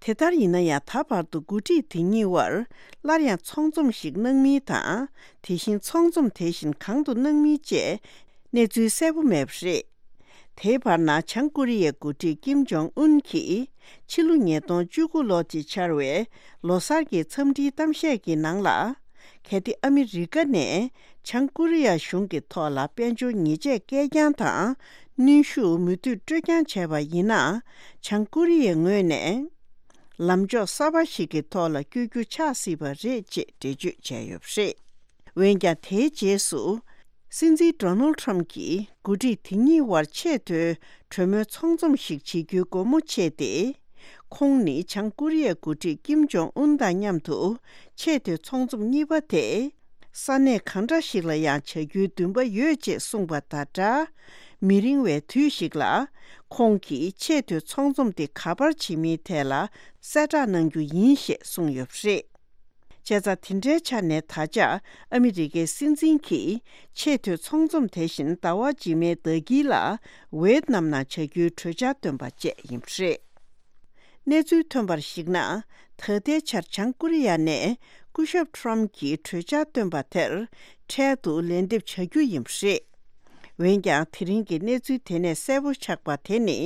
དེ་ལྟར་ཡིན་ན་ཡང་ད་བར་དུ་འགོ་ཁྲིད་དེ་གཉིས་དབར་སླར་ཡང་ཚོང་འཛོམས་ཤིག་གནང་མིན་དང་། དེ་བཞིན་ཚོང་འཛོམས་དེ་བཞིན་གང་དུ་གནང་མིན་བཅས་གནས་ཚུལ་གསལ་པོ་མེད་པ་རེད། དེའི་བར་ན་བྱང་ཀོ་རི་ཡའི་འགོ་ཁྲིད་ཀིམ་ཇོང་ཨུན་གྱིས་ཕྱི་ལོ་ཉིས་སྟོང་བཅུ་དགུ་ལོ་དེ་འཆར་བའི་ལོ་གསར་གྱི་འཚམས་འདྲིའི་གཏམ་བཤད་ཀྱི་ནང་ལ། གལ་ཏེ་ཨ་མི་རི་ཀ་ནས་བྱང་ཀོ་རི་ཡ་གཞུང་གི་ཐོག་ལ་དཔལ་འབྱོར་ཉེས་ཆད་བཀལ་རྐྱང་དང་གནོན་ཤུགས་མུ་མཐུད་སྤྲོད་རྐྱང་བྱས་པ་ཡིན་ན། བྱང་ཀོ་རི་ཡའི་ངོས་ནས་ལམ་ཕྱོགས་གསར་པ་ཞིག་གི་ཐོག་ལ་བསྐྱོད་རྒྱུ་ཆགས་སྲིད་པ་རེད་ཅེས་འགྲེལ་བརྗོད་བྱས་ཡོད་པ་རེད། འོན་ཀྱང་དེའི་རྗེས་སུ། སྲིད་འཛིན་ཌོ་ནལ་ཁྲམ་གྱིས་འགོ་ཁྲིད་དེ་གཉིས་དབར་ཆེས་མཐོའི་གྲོས་མོལ་ཚོང་འཛོམས་ཤིག་བྱེད་རྒྱུའི་སྒོ་མོ་ཕྱེས་ཏེ། ཁོང་ནི་བྱང་ཀོ་རི་ཡའི་འགོ་ཁྲིད་ཀིམ་ཇོང་ཨུན་དང་མཉམ་དུ་ཆེས་མཐོའི་ཚོང་འཛོམས་གཉིས་པ་དེ། ས་གནས་གང་འདྲ་ཞིག་ལ་ཡང་བྱ་རྒྱུའི་འདུན་པ་ཡོད་ཅེས་གསུངས་པ་དང་སྦྲགས། མི་རིང་བའི་དུས་ཤིག་ལ། ཁོང་གིས་ཆེས་མཐོའི་ཚོང་འཛོམས་དེ་ག་པར་བྱེད་མིན་ཐད་ལ་གསལ་བསྒྲགས་གནང་རྒྱུ་ཡིན་ཞེས་གསུངས་ཡོད་པ་རེད། བྱས་ཙང་དེ་འདྲའི་ཆ་ནས་ད་ཆ་ཨ་མི་རི་ཀའི་སྲིད་འཛིན་གྱིས་ཆེས་མཐོའི་ཚོང་འཛོམས་དེ་བཞིན་ཟླ་བ་རྗེས་མའི་ཟླ་དཀྱིལ་ལ་ཝེད་ནམ་ནང་བྱ་རྒྱུའི་གྲོས་འཆར་བཏོན་པ་བཅས་ཡིན་པ་རེད། གནས་ཚུལ་ཐོན་པར་གཞིགས་ན། ད་ལྟའི་ཆར་བྱང་ཀོ་རི་ཡ་ནས་སྐུ་ཞབས་ཁྲོམ་གྱིས་གྲོས་འཆར་བཏོན་པ་དེར་འཕྲལ་དུ་ལན་འདེབས་བྱ་རྒྱུ་ཡིན་པ་རེད། འོན་ཀྱང་དེ་རིང་གི་གནས་ཚུལ་དེ་ནས་གསལ་པོ་ཆགས་པ་དེ་ནི།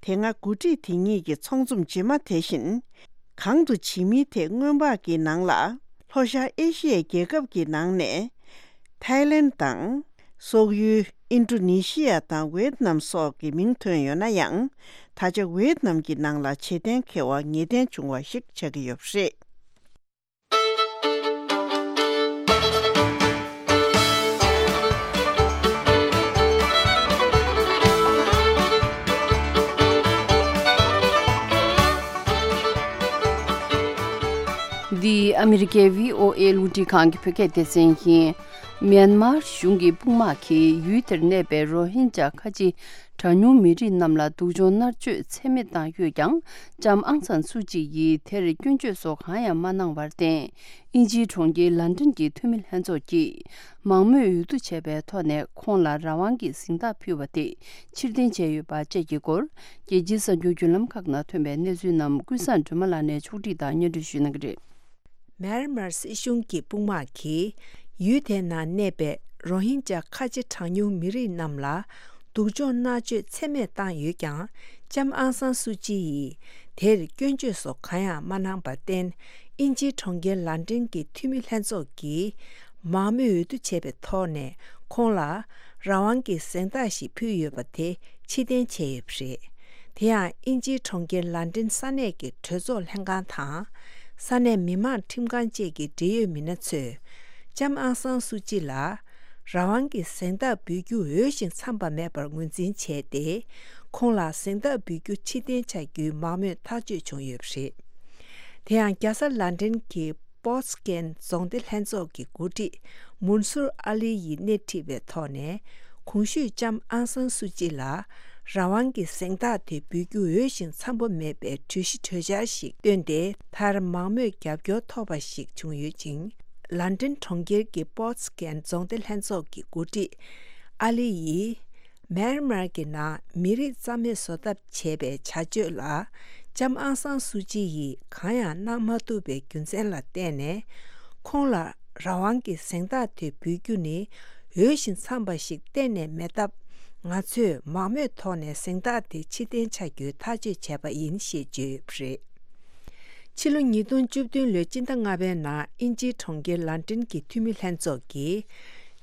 དེ་སྔ་འགོ་ཁྲིད་དེ་གཉིས་ཀྱི་ཚོང་འཛོམས་རྗེས་མ་དེ་བཞིན་གང་དུ་བྱེད་མིན་ཐད་སྔོན་དཔག་གི་ནང་ལ། ལྷོ་ཤར་ཨེ་ཤི་ཡའི་རྒྱལ་ཁབ་ཀྱི་ནང་ནས་ཐའི་ལེན་དང་། སོག་ཡུལ་ཨིན་ཌོ་ནེ་ཤི་ཡ་དང་ཝེད་ནམ་སོགས་ཀྱི་མིང་ཐོན་ཡོད་ན་ཡང་། ད་ཆ་ཝེད་ནམ་གྱི་ནང་ལ་བྱེད་གཏན་འཁེལ་བ་ངེས་གཏན་བྱུང་བ་ཞིག་ཆགས་ཀྱི་ཡོད་པ་རེད། འདི་ཨ་མི་རི་ཀའི་བྷི་ཨོ་ཨེ་རླུང་འཕྲིན་ཁང་གི་བོད་སྐད་སྡེ་ཚན་ཡིན། མྱན་མར་གཞུང་གི་དཔུང་དམག་གིས་ཡུལ་དེར་གནས་པའི་རོ་ཧིན་ཇཱ་ཁ་ཆེ་གྲངས་ཉུང་མི་རིགས་རྣམས་ལ་སྡུག་སྦྱོང་མནར་གཅོད་ཚད་མེད་བཏང་ཡོད་ཀྱང་། ལྕམ་ཨང་སན་སུ་ཅི་ཡིས་དེར་སྐྱོན་བརྗོད་སོགས་གང་ཡང་མ་གནང་བར་བརྟེན། དབྱིན་ཇིའི་གྲོང་ཁྱེར་ལན་ཀྲན་གྱི་འཐུས་མི་ལྷན་ཚོགས་ཀྱིས་མང་མོས་འོས་བསྡུ་བྱས་པའི་ཐོག་ནས་ཁོང་ལ་རང་དབང་གི་གཟེངས་རྟགས་ཕུལ་བ་དེ་ཕྱིར་འཐེན་བྱས་ཡོད་པ་བཅས་ཀྱི་སྐོར། རྒྱལ་སྤྱིའི་གསར་འགྱུར་བརྒྱུད་ལམ་ཁག་ནང་ཐོན་པའི་གནས་ཚུལ་རྣམས་ཀུན་བཟང་སྒྲོལ་མ་ལགས་ནས་ཕྱོགས་སྒྲིག་དང་སྙན་སྒྲོན་ཞུ་གནང་གི་རེད། མེན་མར་སྲིད་གཞུང་གི་དཔུང་དམག་གིས་ཡུལ་དེའི་ནང་གནས་པའི་རོ་ཧིན་ཇཱ་ཁ་ཆེ་གྲངས་ཉུང་མི་རིགས་རྣམས་ལ་སྡུག་སྦྱོང་མནར་གཅོད་ཚད་མེད་བཏང་ཡོད་ཀྱང་། ལྕམ་ཨང་སན་སུ་ཅི་ཡིས་དེར་སྐྱོན་བརྗོད་སོགས་གང་ཡང་མ་གནང་བར་བརྟེན། དབྱིན་ཇིའི་གྲོང་ཁྱེར་ལན་ཀྲན་གྱི་འཐུས་མི་ལྷན་ཚོགས་ཀྱིས་མང་མོས་འོས་བསྡུ་བྱས་པའི་ཐོག་ནས་ཁོང་ལ་རང་དབང་གི་གཟེངས་རྟགས་ཤིག་ཕུལ་ཡོད་པ་དེ་ཕྱིར་འཐེན་བྱས་ཡོད་པ་རེད། དེ་ཡང་དབྱིན་ཇིའི་གྲོང་ཁྱེར་ལན་ཀྲན་ས་གནས་ཀྱི་གྲོས་ཚོགས་ལྷན་ཁང་དང་། ས་གནས་མི་མང་ཁྲིམས་ཁང་བཅས་ཀྱི་འབྲེལ་ཡོད་མི་སྣ་ཚོས་ལྕམ་ཨང་སན་སུ་ཅི་ལ་རང་དབང་གི་གཟེངས་རྟགས་འབུལ་རྒྱུ་འོས་ཤིང་འཚམས་པ་མེད་པར་ངོས་འཛིན་བྱས་ཏེ། ཁོང་ལ་གཟེངས་རྟགས་འབུལ་རྒྱུ་ཕྱིར་འཐེན་བྱ་རྒྱུའི་མང་མོས་ཐག་གཅོད་བྱུང་ཡོད་པ་རེད། དེ་ཡང་རྒྱལ་ས་ལན་ཀྲན་གྱི་པོར་ཊུ་གལ་རྫོང་སྡེ་ལྷན་ཚོགས་ཀྱི་འགོ་ཁྲིད་མུན་སུར་ཨ་ལི་ཡིས་སྣེ་ཁྲིད་པའི་ཐོག་ནས། གོང་ཞུས་ལྕམ་ཨང་སན་སུ་ཅི་ལ་རང་དབང་གི་གཟེངས་རྟགས་དེ་འབུལ་རྒྱུ་འོས་ཤིང་འཚམ་པོ་མེད་པའི་གྲོས་གཞི་གྲོས་འཆར་ཞིག་བཏོན་ཏེ། མཐར་མང་མོས་རྒྱབ་སྐྱོར་ཐོབ་པ་ཞིག་བྱུང་ཡོད་ཅིང་། ལན་ཀྲན་གྲོང་ཁྱེར་གྱི་པོར་ཊུ་གལ་རྫོང་སྡེ་ལྷན་ཚོགས་ཀྱི་འགོ་ཁྲིད་ཨ་ལི་ཡིས། མེན་མར་གྱི་ནང་མི་རིགས་རྩ་མེད་བཟོ་ཐབས་བྱས་པའི་བྱ་སྤྱོད་ལ། ལྕམ་ཨང་སང་སུ་ཅི་ཡིས་གང་ཡང་གནང་མ་ཐུབ་པའི་རྒྱུ་མཚན་ལ་བརྟེན་ནས། ཁོང་ལ་རང་དབང་གི་གཟེངས་རྟགས་དེ་འབུལ་རྒྱུ་ནི་འོས་ཤིང་འཚམས་པ་ཞིག་གཏན་ནས་མེད་སྟབས། ང་ཚོས་མང་མོས་ཐོག་ནས་གཟེངས་རྟགས་དེ་ཕྱིར་འཐེན་བྱ་རྒྱུའི་ཐག་གཅོད་བྱས་པ་ཡིན་ཞེས་བརྗོད་ཡོད་པ་རེད། ཕྱི་ལོ་ཉིས་སྟོང་བཅུ་བདུན་ལོའི་སྤྱི་ཟླ་ལྔ་པའི་ནང་དབྱིན་ཇིའི་གྲོང་ཁྱེར་ལན་ཀྲན་གྱི་འཐུས་མི་ལྷན་ཚོགས་ཀྱིས།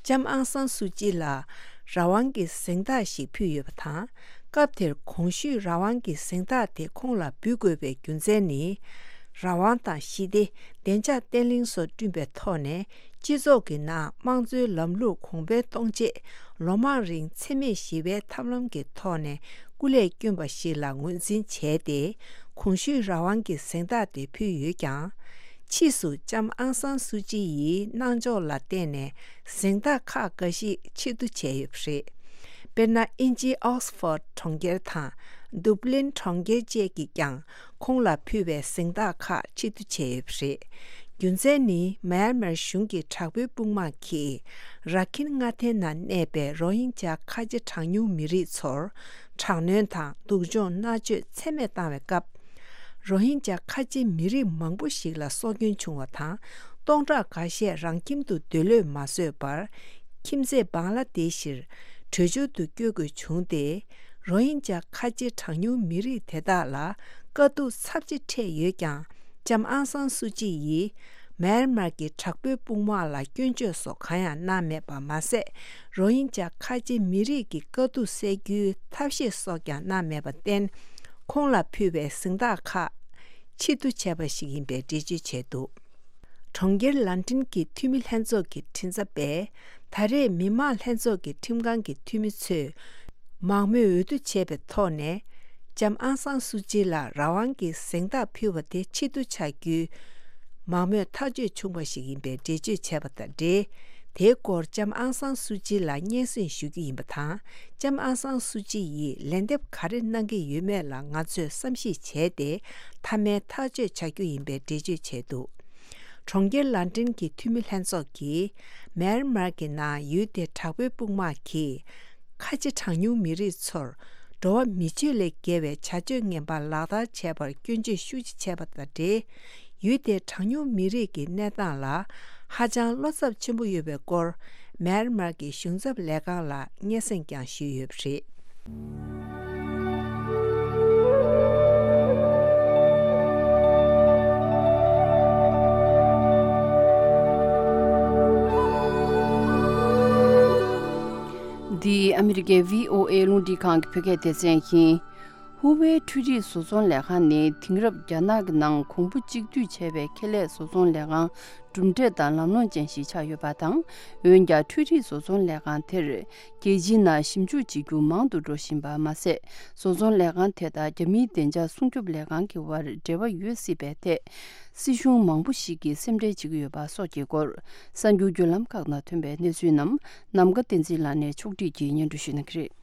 ལྕམ་ཨང་སང་སུ་ཅི་ལ་རང་དབང་གི་གཟེངས་རྟགས་ཤིག་ཕུལ་ཡོད་པ་དང་། སྐབས་དེར་གོང་ཞུས་རང་དབང་གི་གཟེངས་རྟགས་དེ་ཁོང་ལ་འབུལ་དགོས་པའི་རྒྱུ་མཚན་ནི། རང་དབང་དང་ཞི་བདེ། བདེ་འཇགས་བརྟན་ལྷིང་སོགས་བསྐྲུན་པའི་ཐོག་ནས། སྤྱི་ཚོགས་ཀྱི་ནང་དམངས་གཙོའི་ལམ་ལུགས་གོང་འཕེལ་གཏོང་ཆེད། ལོ་མང་རིང་འཚེ་མེད་ཞི་བའི་ཐབས་ལམ་གྱི་ཐོག་ནས་སྐུ་ལས་བསྐྱོན་པ་ཞིག་ལ་ངོས་འཛིན་བྱས་ཏེ། གོང་ཞུས་རང་དབང་གི་གཟེངས་རྟགས་དེ་ཕུལ་ཡོད་ཀྱང་། ཕྱིས་སུ་ལྕམ་ཨང་སང་སུ་ཅི་ཡི་གནང་ཕྱོགས་ལ་བརྟེན་ནས་གཟེངས་རྟགས་ཁག་འགའ་ཞིག་ཕྱིར་བསྡུ་བྱས་ཡོད་པ་རེད། དཔེར་ན། དབྱིན་ཇིའི་ཨོག་སི་ཕོར་ཌི་གྲོང་ཁྱེར་དང་། དུབ་ལིན་གྲོང་ཁྱེར་བཅས་ཀྱིས་ཀྱང་། ཁོང་ལ་ཕུལ་བའི་གཟེངས་རྟགས་ཁག་ཕྱིར་བསྡུ་བྱས་ཡོད་པ་རེད། རྒྱུ་མཚན་ནི། མཱ་ཡན་མར་གཞུང་གི་དྲག་པོའི་དཔུང་དམག་གིས་ར་ཁིན་མངའ་སྡེའི་ནང་གནས་པའི་རོ་ཧིན་ཇཱ་ཁ་ཆེ་གྲངས་ཉུང་མི་རིགས་ཚོར་དྲག་གནོན་དང་སྡུག་སྦྱོང་མནར་གཅོད་ཚད་མེད་བཏང་བའི་སྐབས། རོ་ཧིན་ཇཱ་ཁ་ཆེ་མི་རིགས་མང་པོ་ཞིག་ལ་སྲོག་སྐྱོན་བྱུང་བ་དང་། སྟོང་ཕྲག་འགའ་ཤས་རང་ཁྱིམ་དུ་སྡོད་ལོས་མ་བཟོད་པར། ཁྱིམ་མཚེས་བང་ལ་དེ་ཤིར་བྲོས་བྱོལ་དུ་བསྐྱོད་དགོས་བྱུང་སྟེ། རོ་ཧིན་ཇཱ་ཁ་ཆེ་གྲངས་ཉུང་མི་རིགས་དེ་དག་ལ་དཀའ་སྡུག་ཚབས་ཆེ་འཕྲད་ཡོད་ཀྱང་། ལྕམ་ཨང་སང་སུ་ཅི་ཡིས་མེན་མར་གྱི་དྲག་པོའི་དཔུང་དམག་ལ་སྐྱོན་བརྗོད་སོགས་གང་ཡང་གནང་མེད་པ་མ་ཟད། རོ་ཧིན་ཇཱ་ཁ་ཆེ་མི་རིགས་ཀྱི་དཀའ་སྡུག་སེལ་རྒྱུའི་ཐབས་ཤེས་སོགས་ཀྱང་གནང་མེད་པར་བརྟེན། ཁོང་ལ་ཕུལ་བའི་གཟེངས་རྟགས་ཁག་ཕྱིར་བསྡུ་བྱས་པ་ཞིག་ཡིན་པའི་འགྲེལ་བརྗོད་བྱས་འདུག་གྲོང་ཁྱེར་ལན་ཀྲན་གྱི་འཐུས་མི་ལྷན་ཚོགས་ཀྱི་མགྲིན་ཚབ་པས། ད་རེས་མི་དམངས་ལྷན་ཚོགས་ཀྱི་ཁྲིམས་ཁང་གི་འཐུས་མི་ཚོས་མང་མོས་འོས་བསྡུ་བྱས་པའི་ཐོག་ནས། ལྕམ་ཨང་སང་སུ་ཅི་ལ་རང་དབང་གི་གཟེངས་རྟགས་ཕུལ་བ་དེ་ཕྱིར་བསྡུ་བྱ་རྒྱུའི་མང་མོས་ཐག་གཅོད་བྱུང་བ་ཞིག་ཡིན་པའི་འགྲེལ་བརྗོད་བྱས་པ་དང་འབྲེལ། དེའི་སྐོར་ལྕམ་ཨང་སང་སུ་ཅི་ལ་སྙན་སེང་ཞུ་རྒྱུ་ཡིན་པ་དང་། ལྕམ་ཨང་སང་སུ་ཅི་ཡིས་ལན་འདེབས་ག་རེ་གནང་གི་ཡོད་མེད་ལ་ང་ཚོས་བསམ་གཞིག་བྱས་ཏེ། མཐའ་མའི་ཐག་གཅོད་བྱ་རྒྱུ་ཡིན་པའི་འགྲེལ་བརྗོད་བྱས་འདུག་གྲོང་ཁྱེར་ལན་ཀྲན་གྱི་འཐུས་མི་ལྷན་ཚོགས་ཀྱིས། མེན་མར་གྱི་ནང་ཡུལ་དེའི་དྲག་པོའི་དཔུང་དམག་གིས། ཁ་ཆེ་གྲངས་ཉུང་མི་རིགས་ཚོར། འགྲོ་བ་མི་སྤྱོད་ལས་བརྒལ་བའི་བྱ་སྤྱོད་ངན་པ་ལག་བསྟར་བྱས་པར་སྐྱོན་བརྗོད་ཤུགས་ཆེ་བྱས་པ་དང་འབྲེལ། ཡུལ་དེའི་གྲངས་ཉུང་མི་རིགས་ཀྱི་གནས་སྟངས་ལ། ཧ་ཅང་བློ་འཚབ་ཆེན་པོ་ཡོད་པའི་སྐོར། མེན་མར་གྱི་གཞུང་ཚབ་ལས་ཁང་ལ་སྙན་སེང་ཀྱང་ཞུས་ཡོད་པ་རེད། འདི་ཨ་མི་རི་ཀའི་བྷི་ཨོ་ཨེ་རླུང་འཕྲིན་ཁང་གི་བོད་སྐད་སྡེ་ཚན་ཡིན། ཧུ་ཝེ་འཕྲུལ་རིག་བཟོ་ཚོང་ལས་ཁང་ནི་དེང་རབས་རྒྱ་ནག་གི་ནང་གོང་བུ་གཅིག་བསྡུས་བྱས་པའི་ཁེ་ལས་བཟོ་ཚོང་ལས་ཁང་གྲུབ་འབྲས་དང་ལམ་ལྷོང་ཅན་ཞིག་ཆགས་ཡོད་པ་དང་། འོན་ཀྱང་འཕྲུལ་རིག་བཟོ་ཚོང་ལས་ཁང་དེར་རྒྱལ་སྤྱིའི་ནང་ཞིབ་འཇུག་བྱེད་རྒྱུ་མང་དུ་འགྲོ་བཞིན་པ་མ་ཟད། བཟོ་ཚོང་ལས་ཁང་དེ་དང་རྒྱ་མིའི་བདེ་འཇགས་སྲུང་སྐྱོབ་ལས་ཁང་གི་དབར་འབྲེལ་བ་ཡོད་སྲིད་པའི་ཐད། སྲིད་གཞུང་མང་པོ་ཞིག་གིས་སེམས་ཁྲལ་བྱེད་ཀྱི་ཡོད་པ་སོགས་ཀྱི་སྐོར། གསར་འགྱུར་བརྒྱུད་ལམ་ཁག་ནང་ཐོན་པའི་གནས་ཚུལ་རྣམས་ནམ་མཁའ་བསྟན་འཛིན་ལགས་ནས་ཕྱོགས་སྒྲིག་གིས་སྙན་སྒྲོན་ཞུ་གནང་གི་རེད།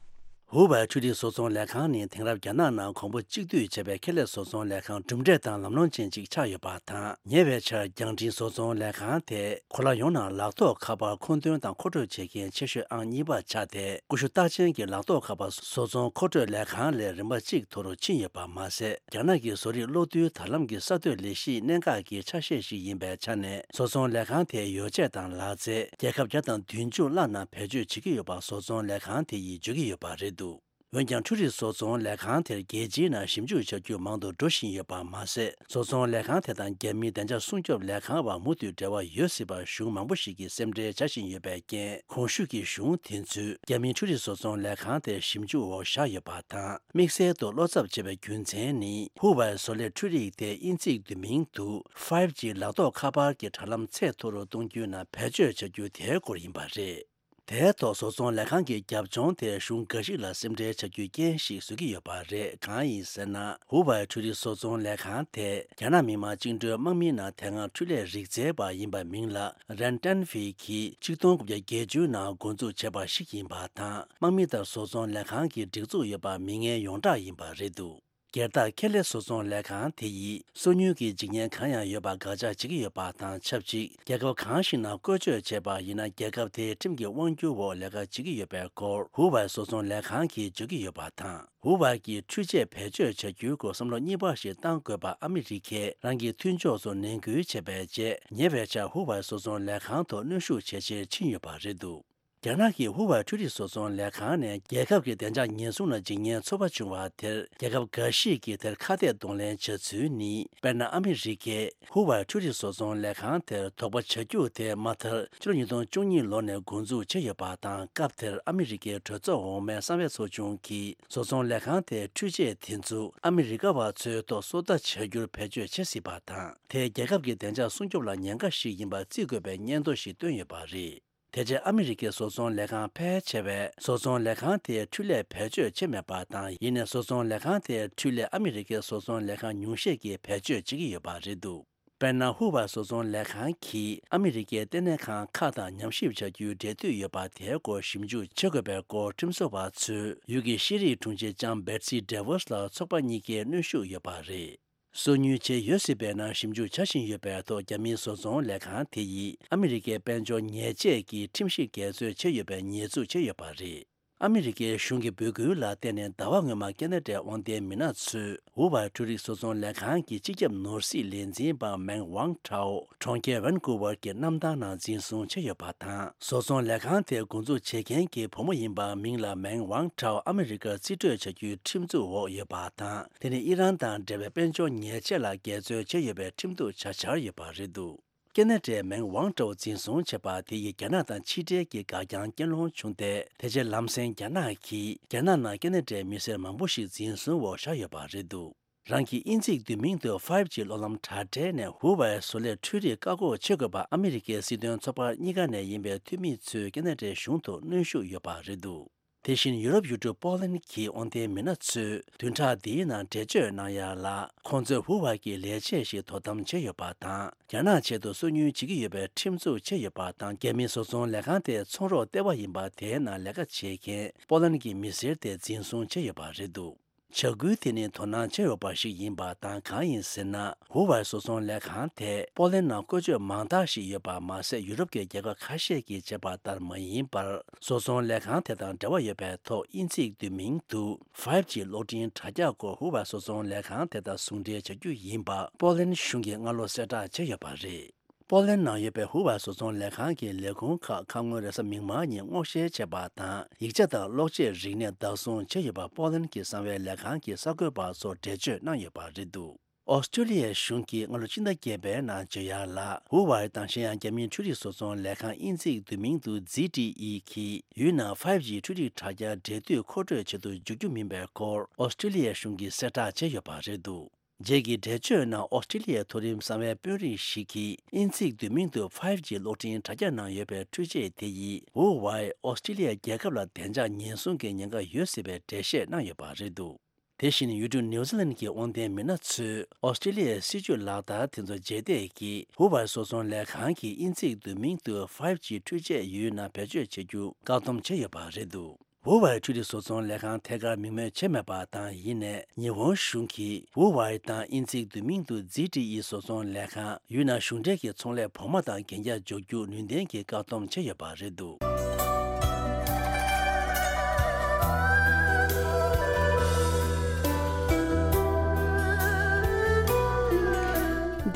ཧུ་ཝེ་འཕྲུལ་རིག་བཟོ་ཚོང་ལས་ཁང་ནི་དེང་རབས་རྒྱ་ནག་ནང་གོང་བུ་གཅིག་བསྡུས་བྱས་པའི་ཁེ་ལས་བཟོ་ཚོང་ལས་ཁང་གྲུབ་འབྲས་དང་ལམ་ལྷོང་ཅན་ཅིག་ཆགས་ཡོད་པ་དང་། ཉེ་བའི་ཆར་རྒྱང་འཕྲིན་བཟོ་ཚོང་ལས་ཁང་དེ་གོ་ལ་ཡོངས་ནང་ལག་ཐོགས་ཁ་པར་མཁོ་འདོན་དང་མཁོ་སྤྲོད་བྱེད་མཁན་ཆེ་ཤོས་ཨང་གཉིས་པ་ཆགས་ཏེ། ཀུ་ཤུ་རྟགས་ཅན་གྱི་ལག་ཐོགས་ཁ་པར་བཟོ་ཚོང་མཁོ་སྤྲོད་ལས་ཁང་ལས་རིམ་པ་གཅིག་མཐོ་རུ་ཕྱིན་ཡོད་པ་མ་ཟད། རྒྱ་ནག་གི་བཟོ་རིག་གློག་རྡུལ་དྲ་ལམ་གྱི་གསར་གཏོད་ལས་གཞིའི་གནད་འགག་གི་ཆ་ཤས་ཤིག་ཡིན་པའི་ཆ་ནས། བཟོ་ཚོང་ལས་ཁང་དེའི་ཡོ་བྱད་དང་ལག་རྩལ་རྒྱལ་ཁབ་བརྒྱ་དང་བདུན་ཅུ་ལྷག་ནང་བེད་སྤྱོད་བྱེད་ཀྱི་ཡོད་པ་བཟོ་ཚོང་ལས་ཁང་དེ་ཡིས་བརྗོད་ཀྱི་ཡོད་པ་རེད་འདུག་འོན་ཀྱང་། འཕྲུལ་རིག་བཟོ་ཚོང་ལས་ཁང་དེར་རྒྱལ་སྤྱིའི་ནང་ཞིབ་འཇུག་བྱ་རྒྱུ་མང་དུ་འགྲོ་བཞིན་ཡོད་པ་མ་ཟད། བཟོ་ཚོང་ལས་ཁང་དེ་དང་རྒྱ་མིའི་བདེ་འཇགས་སྲུང་སྐྱོབ་ལས་ཁང་བར་མུ་མཐུད་འབྲེལ་བ་ཡོད་སྲིད་པར་གཞུང་མང་པོ་ཞིག་གིས་སེམས་ཁྲལ་བྱ་བཞིན་ཡོད་པའི་རྐྱེན། གོང་ཞུས་ཀྱི་གཞུང་དེ་ཚོས་རྒྱ་མིའི་འཕྲུལ་རིག་བཟོ་ཚོང་ལས་ཁང་དེ་ཞིབ་འཇུག་འོག་བཞག་ཡོད་པ་དང་། དམིགས་བསལ་དུ་བློ་འཚབ་བྱེད་པའི་རྒྱུ་མཚན་ནི། ཧུ་ཝེ་བཟོ་ལས་འཕྲུལ་རིག་དེ་དབྱིན་ཚིག་བསྡུས་མིང་དུ་ཕའིབ་ཇི་ལག་ཐོགས་ཁ་པར་གྱི་དྲ་ལམ་ཚད་མཐོ་རུ་གཏོང་རྒྱུའི་ནང་བེད་སྤྱོད་བྱ་རྒྱུ་དེའི་སྐོར་ཡིན་པ་རེད། དེའི་ཐོག་བཟོ་ཚོང་ལས་ཁང་གི་རྒྱབ་ལྗོངས་དེ་གཞུང་འགའ་ཞིག་ལ་སེམས་ཁྲལ་བྱ་རྒྱུའི་རྐྱེན་ཞིག་བཟོ་གི་ཡོད་པ་རེད། གང་ཡིན་ཟེར་ན། ཧུ་ཝེ་འཕྲུལ་རིག་བཟོ་ཚོང་ལས་ཁང་དེ་རྒྱ་ནག་མི་དམངས་བཅིངས་འགྲོལ་དམག་མིའི་ནང་དེ་སྔ་འཕྲུལ་ལས་རིག་རྩལ་པ་ཡིན་པ་མིང་ལ་རན་ཏན་ཧྥི་གིས་ཆིག་སྟོང་དགུ་བརྒྱ་བརྒྱད་ཅུ་ནང་འགོ་འཛུགས་བྱས་པ་ཞིག་ཡིན་པ་དང་། དམག་མི་དང་བཟོ་ཚོང་ལས་ཁང་གི་སྒྲིག་འཛུགས་ཡོད་པ་མི་ངན་ཡོངས་གྲགས་ཡིན་པ་རེད་འདུག་སྒེར་བདག་ཁེ་ལས་བཟོ་ཚོང་ལས་ཁང་དེ་ཡིས་སོ་ཉུལ་གྱི་འཇིགས་ཉེན་གང་ཡང་ཡོད་པ་དགག་བྱ་བྱེད་ཀྱི་ཡོད་པ་དང་ཆབས་ཅིག་རྒྱལ་ཁབ་གང་ཞིག་ནང་བཀོལ་སྤྱོད་བྱས་པ་ཡིན་ན། རྒྱལ་ཁབ་དེའི་ཁྲིམས་ཀྱི་དབང་སྒྱུར་འོག་ལས་ཀ་བྱེད་ཀྱི་ཡོད་པའི་སྐོར། ཧུ་ཝེ་བཟོ་ཚོང་ལས་ཁང་གིས་བརྗོད་ཀྱི་ཡོད་པ་དང་། ཧུ་ཝེ་གིས་འཕྲུལ་ཆས་བེད་སྤྱོད་བྱ་རྒྱུའི་སྐོར་བསམ་བློ་གཉིས་པ་ཞིག་བཏང་དགོས་པ་ཨ་མི་རི་ཀས་རང་གི་མཐུན་ཕྱོགས་ཚོར་ནན་སྐུལ་བྱས་པའི་རྗེས། ཉེ་བའི་ཆར་ཧུ་ཝེ་བཟོ་ཚོང་ལས་ཁང་ཐོག་གནོན་ཤུགས་ཇེ་ཆེར་ཕྱིན་ཡོད་པ་རེད་འདུག་རྒྱ་ནག་གི་ཧུ་ཝེ་འཕྲུལ་རིག་བཟོ་ཚོང་ལས་ཁང་ནས་རྒྱལ་ཁབ་ཀྱི་བདེ་འཇགས་ཉེན་སྲུང་ལ་འཇིགས་ཉེན་ཚོར་བ་བྱུང་བ་དེར། རྒྱལ་ཁབ་འགའ་ཞིག་གིས་དེར་ཁ་གཏད་གདོང་ལེན་བྱ་ཚུལ་ནི། དཔེར་ན། ཨ་མི་རི་ཀས་ཧུ་ཝེ་འཕྲུལ་རིག་བཟོ་ཚོང་ལས་ཁང་དེར་དོགས་པ་བྱ་རྒྱུ་དེ་མ་མཐར་ཕྱི་ལོ་ཉིས་སྟོང་བཅུ་གཉིས་ལོ་ནས་འགོ་འཛུགས་བྱས་ཡོད་པ་དང་། སྐབས་དེར་ཨ་མི་རི་ཀའི་གྲོས་ཚོགས་འོག་མའི་གསང་བའི་ཚོགས་ཆུང་གིས། བཟོ་ཚོང་ལས་ཁང་དེའི་འཕྲུལ་ཆས་དེ་ཚོ་ཨ་མི་རི་ཀ་བ་ཚོའི་ཐོག་སོ་ལྟ་བྱ་རྒྱུར་བེད་སྤྱོད་བྱེད་སྲིད་པ་དང་། དེས་རྒྱལ་ཁབ་ཀྱི་བདེ་འཇགས་སྲུང་སྐྱོབ་ལ་ཉེན་ཁ་ཞིག་ཡིན་པ་བརྩི་དགོས་པའི་སྙན་ཐོ་ཞིག་བཏོན་ཡོད་པ་རེད། དེ་རྗེས་ཨ་མི་རི་ཀའི་བཟོ་ཚོང་ལས་ཁང་ཕལ་ཆེ་བས་བཟོ་ཚོང་ལས་ཁང་དེའི་འཕྲུལ་ལས་བེད་སྤྱོད་བྱེད་མེད་པ་དང་། ཡིན་ནའི་བཟོ་ཚོང་ལས་ཁང་དེའི་འཕྲུལ་ལས་ཨ་མི་རི་ཀའི་བཟོ་ཚོང་ལས་ཁང་ཉུང་ཤས་ཀྱིས་བེད་སྤྱོད་བྱེད་ཀྱི་ཡོད་པ་རེད་འདུག་དཔེར་ན། ཧུ་ཝེ་བཟོ་ཚོང་ལས་ཁང་གིས་ཨ་མི་རི་ཀའི་ལྟེ་གནས་ཁང་ཁག་དང་ཉམས་ཞིབ་བྱ་རྒྱུའི་འབྲེལ་མཐུད་ཡོད་པ་དེའི་སྐོར་ཞིབ་འཇུག་བྱེད་དགོས་པའི་སྐོར་ཁྲིམས་བཟོ་བ་ཚོས་ཡུལ་གྱི་ཤེས་རིག་དྲུང་ཆེ་ལྕམ་བེ་ཊི་སི་ཌེ་ཝོས་ལ་ཚོགས་པ་གཉིས་ཀའི་གནོན་ཤུགས་ཡོད་པ་རེད། སོ་ཉུལ་བྱས་ཡོད་སྲིད་པའི་ནང་ཞིབ་འཇུག་བྱ་བཞིན་ཡོད་པའི་ཐོག་རྒྱ་མིའི་བཟོ་ཚོང་ལས་ཁང་དེ་ཡིས་ཨ་མི་རི་ཀའི་དཔལ་འབྱོར་ཉེས་ཆད་ཀྱི་ཁྲིམས་གཞི་འགལ་འཛོལ་བྱས་ཡོད་པའི་ཉེས་འཛུགས་བྱས་ཡོད་པ་རེད། ཨ་མི་རི་ཀའི་གཞུང་གི་འབོད་སྐུལ་ལ་བརྟེན་ནས་ཟླ་བ་སྔོན་མ་ཁེ་ན་ཌའི་དབང་ལྡན་མི་སྣ་ཚོས་ཧུ་ཝའི་འཕྲུལ་རིག་བཟོ་ཚོང་ལས་ཁང་གི་སྤྱི་ཁྱབ་ནོར་སྲིད་ལས་འཛིན་པ་མེང་ཝང་ཁྲའོ་གྲོང་ཁྱེར་ཝན་ཀུ་ཝར་གྱི་གནམ་ཐང་ནང་འཛིན་བཟུང་བྱས་ཡོད་པ་དང་། བཟོ་ཚོང་ལས་ཁང་དེ་འགོ་འཛུགས་བྱེད་མཁན་གྱི་བུ་མོ་ཡིན་པ་མིང་ལ་མེང་ཝང་ཁྲའོ་ཨ་མི་རི་ཀར་རྩིས་སྤྲོད་བྱ་རྒྱུའི་ཁྲིམས་འཛུགས་འོག་ཡོད་པ་དང་། དེ་ནི་ཨི་རན་དང་འབྲེལ་བའི་དཔལ་འབྱོར་ཉེས་ཆད་ལ་འགལ་འཛོལ་བྱས་ཡོད་པའི་ཁྲིམས་གཏུག་བྱ་འཆར་ཡོད་པ་རེད་འདུག་ཁེ་ན་ཌའི་མེང་ཝང་ཁྲའོ་འཛིན་བཟུང་བྱས་པ་དེ་ཡིས་རྒྱ་ནག་དང་ཕྱི་འབྲེལ་གྱི་འགག་རྐྱང་རྐྱེན་སློང་བྱུང་སྟེ། དེ་རྗེས་ལམ་སེང་རྒྱ་ནག་གིས་རྒྱ་ནག་ནང་ཁེ་ན་ཌའི་མི་སེར་མང་པོ་ཞིག་འཛིན་བཟུང་འོག་བཞག་ཡོད་པ་རེད་འདུག་རང་གི་དབྱིན་ཚིག་བསྡུས་མིང་དུ་ཕའིབ་ཇི་གློག་ལམ་དྲ་སྦྲེལ་ནས་ཧུ་ཝའི་བཟོ་ལས་འཕྲུལ་རིག་བཀག་འགོག་བྱེད་དགོས་པ་ཨ་མི་རི་ཀའི་སྲིད་དོན་ཚོགས་པ་གཉིས་ཀ་ནས་ཡིན་པའི་འཐུས་མི་ཚོས་ཁེ་ན་ཌའི་གཞུང་ཐོག་གནོན་ཤུགས་ཡོད་པ་རེད་འདུག་དེ་བཞིན་ཡུ་རོབ་ཡུལ་གྲུ་པོ་ལན་གྱི་དབང་ལྡན་མི་སྣ་ཚོས་བདུན་ཕྲག་འདིའི་ནང་འགྲེལ་བརྗོད་གནང་ཡ་ལ། ཁོང་ཚོས་ཧུ་ཝའི་གི་ལས་བྱེད་ཞིག་དོ་དམ་བྱས་ཡོད་པ་དང་། རྒྱ་ནག་ཆེད་དུ་སོ་ཉུལ་བྱེད་ཀྱི་ཡོད་པའི་ཁྲིམས་འཛུགས་བྱས་ཡོད་པ་དང་། རྒྱ་མིའི་བཟོ་ཚོང་ལས་ཁང་དེའི་ཚོང་རོགས་ལྟེ་བ་ཡིན་པ་དེའི་ནང་ལས་ཀ་བྱེད་མཁན་པོ་ལན་གྱི་མི་སེར་དེ་འཛིན་བཟུང་བྱས་ཡོད་པ་རེད་འདུག་བྱ་འགུལ་དེ་ནི་དོ་སྣང་བྱས་ཡོད་པ་ཞིག་ཡིན་པ་དང་། གང་ཡིན་ཟེར་ན། ཧུ་ཝའི་བཟོ་ཚོང་ལས་ཁང་དེ་པོ་ལན་ནང་བཀོལ་སྤྱོད་མང་དག་ཞིག་ཡོད་པ་མ་ཟད། ཡུ་རོབ་ཀྱི་རྒྱལ་ཁབ་ཁ་ཤས་ཀྱིས་བྱས་པ་ལྟར་མ་ཡིན་པར། བཟོ་ཚོང་ལས་ཁང་དེ་དང་འབྲེལ་བ་ཡོད་པའི་ཐོག་དབྱིན་ཚིག་བསྡུས་མིང་དུ་ཕའིབ་ཇི་གློག་འཕྲིན་དྲ་རྒྱ་སྐོར་ཧུ་ཝའི་བཟོ་ཚོང་ལས་ཁང་དེ་དང་ཟུང་འབྲེལ་བྱ་རྒྱུ་ཡིན་པ་པོ་ལན་གཞུང་གིས་སྔ་ལོ་གསལ་བསྒྲགས་བྱས་ཡོད་པ་རེད། པོ་ལན་ནང་ཡོད་པའི་ཧུ་ཝའི་བཟོ་ཚོང་ལས་ཁང་གི་ལས་ཁུངས་ཁག་ཁ་སྔོན་རེས་གཟའ་མིག་དམར་ཉིན་སྔོག་བཤེར་བྱས་པ་དང་། ཡིག་ཆ་དང་གློག་ཆས་རིག་གནས་བདག་བཟུང་བྱས་ཡོད་པ་པོ་ལན་གྱི་གསང་བའི་ལས་ཁང་གི་གསར་འགོད་པ་ཚོར་འགྲེལ་བརྗོད་གནང་ཡོད་པ་རེད་འདུག་ཨོ་སི་ཀྲི་ལི་ཡའི་གཞུང་གིས་སྔ་ལོ་སྤྱི་ཟླ་བརྒྱད་པའི་ནང་བརྗོད་ཡ་ལ། ཧུ་ཝའི་དང་གཞན་ཡང་རྒྱ་མིའི་འཕྲུལ་རིག་བཟོ་ཚོང་ལས་ཁང་དབྱིན་ཚིག་བསྡུས་མིང་དུ་ཛི་ཏི་ཨི་གིས་ཡུལ་ནང་ཕའིབ་ཇི་འཕྲུལ་རིག་དྲ་རྒྱ་འབྲེལ་མཐུད་མཁོ་སྤྲོད་བྱེད་དུ་འཇུག་རྒྱུ་མིན་པའི་སྐོར་ཨོ་སི་ཀྲི་ལི་ཡའི་གཞུང་གིས་གསལ་བསྒྲགས་བྱས་ཡོད་པ་རེད་འདུག་རྗེས་ཀྱི་འགྲེལ་བརྗོད་ནང་ཨོ་སི་ཀྲི་ལི་ཡའི་མཐོ་རིམ་གསང་བའི་དཔོན་རིགས་ཤིག་གིས་དབྱིན་ཚིག་བསྡུས་མིང་དུ་ཕའིབ་ཇི་གློག་འཕྲིན་དྲ་རྒྱ་ནང་ཡོད་པའི་འཕྲུལ་ཆས་དེ་ཡིས་ཧུ་ཝའི་ཨོ་སི་ཀྲི་ལི་ཡ་རྒྱལ་ཁབ་ལ་བདེ་འཇགས་ཉེན་སྲུང་གི་ཉེན་ཁ་ཡོད་སྲིད་པའི་འགྲེལ་བཤད་གནང་ཡོད་པ་རེད་འདུག་དེ་བཞིན་ཡུལ་གྲུ་ནིའུ་ཛི་ལན་གྱི་དབང་ལྡན་མི་སྣ་ཚོས་ཨོ་སི་ཀྲི་ལི་ཡའི་སྲིད་ཇུས་ལག་བསྟར་དེ་ཚོ་རྗེས་འདེད་ཀྱིས་ཧུ་ཝའི་བཟོ་ཚོང་ལས་ཁང་གིས་དབྱིན་ཚིག་བསྡུས་མིང་དུ་ཕའིབ་ཇི་འཕྲུལ་ཆས་ཡུལ་ནང་བེད་སྤྱོད་བྱེད་རྒྱུ་བཀག་སྡོམ་བྱས་ཡོད་པ་རེད་འདུག་ཧུ་ཝའི་འཕྲུལ་རིག་བཟོ་ཚོང་ལས་ཁང་ཐད་ཀར་མིང་སྨོས་བྱས་མེད་པ་དང་། ཡིན་ནའི་ཉི་ཧོང་གཞུང་གིས་ཧུ་ཝའི་དང་དབྱིན་ཚིག་བསྡུས་མིང་དུ་ཛི་ཏི་ཨི་བཟོ་ཚོང་ལས་ཁང་ཡུལ་ནང་གཞུང་འབྲེལ་གྱི་ཚོང་ལས་བོགས་མ་དང་གན་རྒྱ་འཇོག་རྒྱུ་ནུས་ལྡན་གྱིས་བཀག་སྡོམ་བྱས་ཡོད་པ་རེད་འདུག་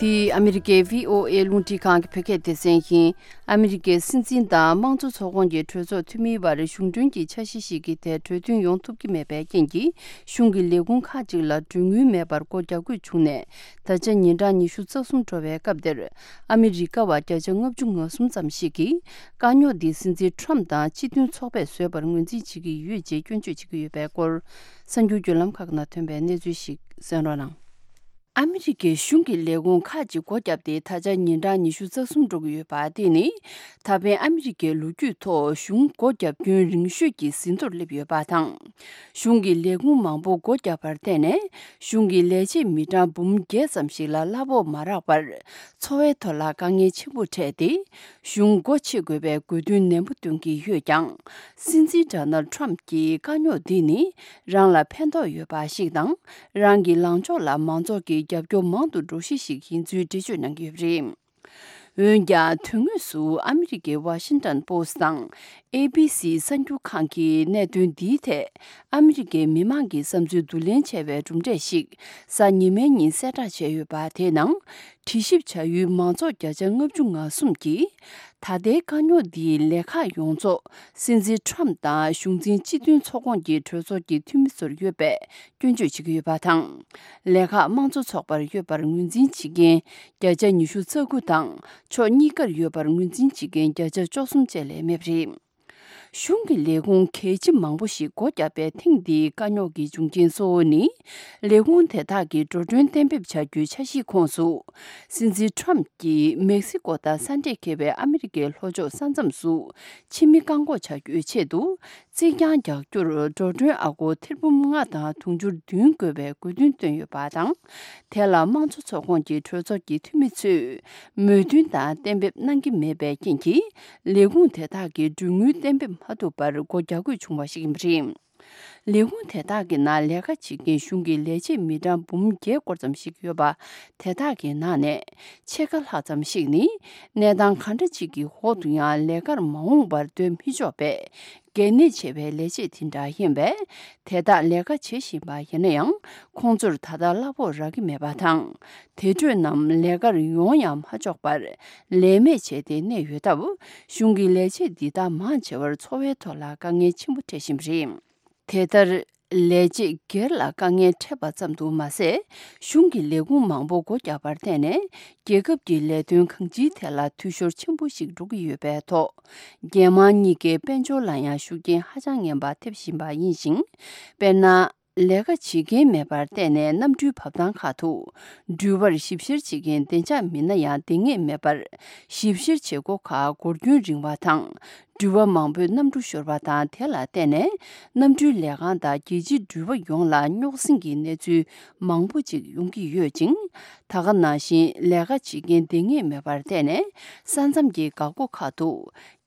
འདི་ཨ་མི་རི་ཀའི་བྷི་ཨོ་ཨེ་རླུང་འཕྲིན་ཁང་གི་བོད་སྐད་སྡེ་ཚན་ཡིན། ཨ་མི་རི་ཀའི་སྲིད་འཛིན་དང་དམངས་གཙོ་ཚོགས་ཁོངས་ཀྱི་གྲོས་ཚོགས་འཐུས་མིའི་བར་གཞུང་གྲོན་གྱི་འཆར་གཞི་ཞིག་གི་ཐད་གྲོས་མཐུན་ཡོང་ཐུབ་ཀྱི་མེད་པའི་རྐྱེན་གྱིས། གཞུང་གི་ལས་ཁུངས་ཁག་ཅིག་ལ་གྲོན་དངུལ་མེད་པར་སྒོ་རྒྱག་དགོས་བྱུང་ནས། ད་ཆ་ཉིན་གྲངས་ཉི་ཤུ་རྩ་གསུམ་འགྲོ་བའི་སྐབས་འདིར། ཨ་མི་རི་ཀ་བ་བརྒྱ་ཆ་ལྔ་བཅུ་ང་གསུམ་ཙམ་ཞིག་གིས། དཀའ་རྙོག་འདི་སྲིད་འཛིན་ཁྲོམ་དང་སྤྱི་མཐུན་ཚོགས་པས་བཟོས་པར་ངོས་འཛིན་བྱེད་ཀྱི་ཡོད་ཅེས་སྐྱོན་བརྗོད་བྱེད་ཀྱི་ཡོད་པའི་སྐོར། གསར་འགྱུར་བརྒྱུད་ལམ་ཁག་ནང་ཐོན་པའི་གནས་ཚུལ་ཞིག་གསན་རོགས་གནང་། ཨ་མི་རི་ཀའི་གཞུང་གི་ལས་ཁུངས་ཁག་ཅིག་སྒོ་བརྒྱབ་སྟེ། ད་ཆ་ཉིན་གྲངས་ཉི་ཤུ་རྩ་གསུམ་འགྲོ་གི་ཡོད་པ། དེ་ནི་ད་ཕན་ཨ་མི་རི་ཀའི་ལོ་རྒྱུས་ཐོག་གཞུང་སྒོ་བརྒྱབ་སྐྱོན་རིང་ཤོས་ཀྱི་ཟིན་ཐོར་སླེབས་ཡོད་པ་དང་། གཞུང་གི་ལས་ཁུངས་མང་པོ་སྒོ་བརྒྱབ་པར་བརྟེན་ནས། གཞུང་གི་ལས་བྱེད་མི་གྲངས་འབུམ་བརྒྱད་ཙམ་ཞིག་ལ་གླ་ཕོགས་མ་རག་པར། འཚོ་བའི་ཐོག་ལ་དཀའ་ངལ་ཆེན་པོ་འཕྲད་དེ། གཞུང་སྒོ་ཕྱེ་དགོས་པའི་དགོས་འདུན་ནན་པོ་འདོན་གྱི་ཡོད་ཀྱང་། སྲིད་འཛིན་ཌོ་ནལ་ཌི་ཊརམ་ཕི་གྱིས་དཀའ་རྙོག་འདི་ནི་རང་ལ་ཕན་ཐོགས་ཡོད་པ་ཞིག་དང་། རང་གི་ལངས་ཕྱོགས་ལ་མང་ཚོགས་ཀྱི་རྒྱབ་སྐྱོར་མང་དུ་འགྲོ་གཞི་ཞིག་ཡིན་ཚུལ་འགྲེལ་བརྗོད་གནང་གི་ཡོད་པ་རེད། འོན་ཀྱང་། དོན་དངོས་སུ་ཨ་མི་རི་ཀའི་ཝ་ཤིང་ཊོན་པོ་སི་ཊི་དང་། ཨེ་བི་སི་གསར་འགྱུར་ཁང་གིས་གནད་དོན་འདིའི་ཐད་ཨ་མི་རི་ཀའི་མི་མང་གི་བསམ་ཚུལ་བསྡུ་ལེན་བྱས་པའི་གྲུབ་འབྲས་ཤིག་གཟའ་ཉི་མའི་ཉིན་གསལ་བསྒྲགས་བྱས་ཡོད་པ། དེའི་ནང་། དྲི་ཞིབ་བྱ་ཡུལ་མང་ཚོགས་བརྒྱ་ཆ་ལྔ་བཅུ་ང་གསུམ་གྱིས། ད་ལྟའི་དཀའ་རྙོག་འདིའི་ལས་ཁག་ཡོངས་རྫོགས་སྲིད་འཛིན་ཁྲོམ་དང་གཞུང་འཛིན་སྤྱི་མཐུན་ཚོགས་ཁོངས་ཀྱི་གྲོས་ཚོགས་ཀྱི་འཐུས་མི་ཚོར་ཡོད་པའི་སྐྱོན་བརྗོད་བྱེད་ཀྱི་ཡོད་པ་དང་། ལས་ཁག་དམངས་གཙོ་ཚོགས་པར་ཡོད་པར་ངོས་འཛིན་བྱེད་མཁན་བརྒྱ་ཆ་ཉི་ཤུ་རྩ་དགུ་དང་། ཕྱོགས་གཉིས་ཀར་ཡོད་པར་ངོས་འཛིན་བྱེད་མཁན་བརྒྱ་ཆ་བཅུ་གསུམ་བཅས་ལས་མེད་པ་རེད། གཞུང་གི་ལས་ཁུངས་གལ་ཆེ་མང་པོ་ཞིག་སྒོ་བརྒྱབ་པའི་ཐེངས་འདིའི་དཀའ་རྙོག་གི་འབྱུང་རྐྱེན་གཙོ་བོ་ནི། ལས་ཁུངས་དེ་དག་གིས་འགྲོ་གྲོན་གཏན་འབེབས་བྱ་རྒྱུའི་འཆར་གཞིའི་ཁོངས་སུ། སྲིད་འཛིན་ཁྲོམ་གྱིས་མེག་སི་ཀོ་དང་ས་འདྲེས་འཁེལ་བའི་ཨ་མི་རི་ཀའི་ལྷོ་ཕྱོགས་ས་མཚམས་སུ་ཕྱི་མི་བཀག་འགོག་བྱ་རྒྱུའི་ཆེད་དུ། རྩིག་གྱང་རྒྱག་རྒྱུར་འགྲོ་གྲོན་ཨ་སྒོར་ཐེར་འབུམ་ལྔ་དང་དུང་ཕྱུར་བདུན་དགོས་པའི་དགོས་འདུན་བཏོན་ཡོད་པ་དང་། དེ་ལ་དམངས་གཙོ་ཚོགས་ཁོངས་ཀྱི་གྲོས་ཚོགས་ཀྱི་འཐུས་མི་ཚོས་མོས་མཐུན་དང་གཏན་འབེབས་གནང་གི་མེད་པའི་རྐྱེན་གྱིས། ལས་ཁུངས་དེ་དག་གིས་གྲོན་དངུལ་གཏན་འབེབས་མ་ཐུབ་པར་སྒོ་རྒྱག་དགོས་བྱུང་བ་ཞིག་ཡིན་པ་རེད། ལས་ཁུངས་དེ་དག་གི་ནང་ལས་ཀ་བྱེད་མཁན་གཞུང་གི་ལས་བྱེད་མི་གྲངས་འབུམ་བརྒྱད་སྐོར་ཙམ་ཞིག་ཡོད་པ། དེ་དག་གི་ནང་ནས་ཕྱེད་ཀ་ལྷག་ཙམ་ཞིག་ནི་གནས་སྟངས་གང་འདྲ་ཅིག་གི་འོག་ཏུ་ཡང་ལས་ཀར་མ་འོངས་པར་སྡོད་མི་ཆོག་པའི་གལ་གནད་ཆེ་བའི་ལས་བྱེད་དེ་འདྲ་ཡིན་པས། དེ་དག་ལས་ཀ་བྱེད་བཞིན་པ་ཡིན་ན་ཡང་། ཁོང་ཚོར་ད་ལྟ་གླ་ཕོགས་རག་གི་མེད་པ་དང་། དེ་འཕྲོས་ནམ་ལས་ཀར་ཡོང་ཡང་མ་ཆོག་པར་ལས་མེད་བྱས་ཏེ་གནས་ཡོད་སྟབས། གཞུང་གི་ལས་བྱེད་འདི་དག་མང་ཆེ་བར་འཚོ་བའི་ཐོག་ལ་དཀའ་ངལ་ཆེན་པོ་འཕྲད་བཞིན་པ་རེད། དེ་ལྟར། ལས་བྱེད་སྒེར་ལ་དཀའ་ངལ་འཕྲད་པ་ཙམ་དུ་མ་ཟད། གཞུང་གི་ལས་ཁུངས་མང་པོ་སྒོ་བརྒྱབ་པར་བརྟེན་ནས། རྒྱལ་ཁབ་ཀྱི་ལས་དོན་གང་ཅིའི་ཐད་ལ་འཐུས་ཤོར་ཆེན་པོ་ཞིག་འགྲོ་གི་ཡོད་པའི་ཐོག་རྒྱལ་དམངས་གཉིས་ཀའི་དཔལ་འབྱོར་ལ་ཡང་ཤུགས་རྐྱེན་ཧ་ཅང་ངན་པ་ཐེབས་བཞིན་པ་ཡིན་ཞིང་། དཔེར་ན། ལས་ཀ་བྱེད་མཁན་མེད་པར་བརྟེན་ནས་གནམ་གྲུའི་བབས་ཐང་ཁག་ཏུ། འགྲུལ་པར་ཞིབ་བཤེར་བྱེད་མཁན་བདེ་འཇགས་མི་སྣ་ཡང་འདང་ངེས་མེད་པར། ཞིབ་བཤེར་བྱེད་སྒོ་ཁག་འགོར་རྒྱུན་རིང་བ་དང་། འགྲུལ་པ་མང་པོས་གནམ་གྲུ་ཤོར་བ་དང་། དེ་ལ་བརྟེན་ནས་གནམ་གྲུའི་ལས་ཁང་དང་རྒྱལ་སྤྱིའི་འགྲུལ་པ་ཡོངས་ལ་རྙོག་ཟིང་གི་གནས་ཚུལ་མང་པོ་ཅིག་ཡོང་གི་ཡོད་ཅིང་། ད་ག་ནང་བཞིན་ལས་ཀ་བྱེད་མཁན་འདང་ངེས་མེད་པར་བརྟེན་ནས་ས་མཚམས་ཀྱི་འགག་སྒོ་ཁག་ཏུ།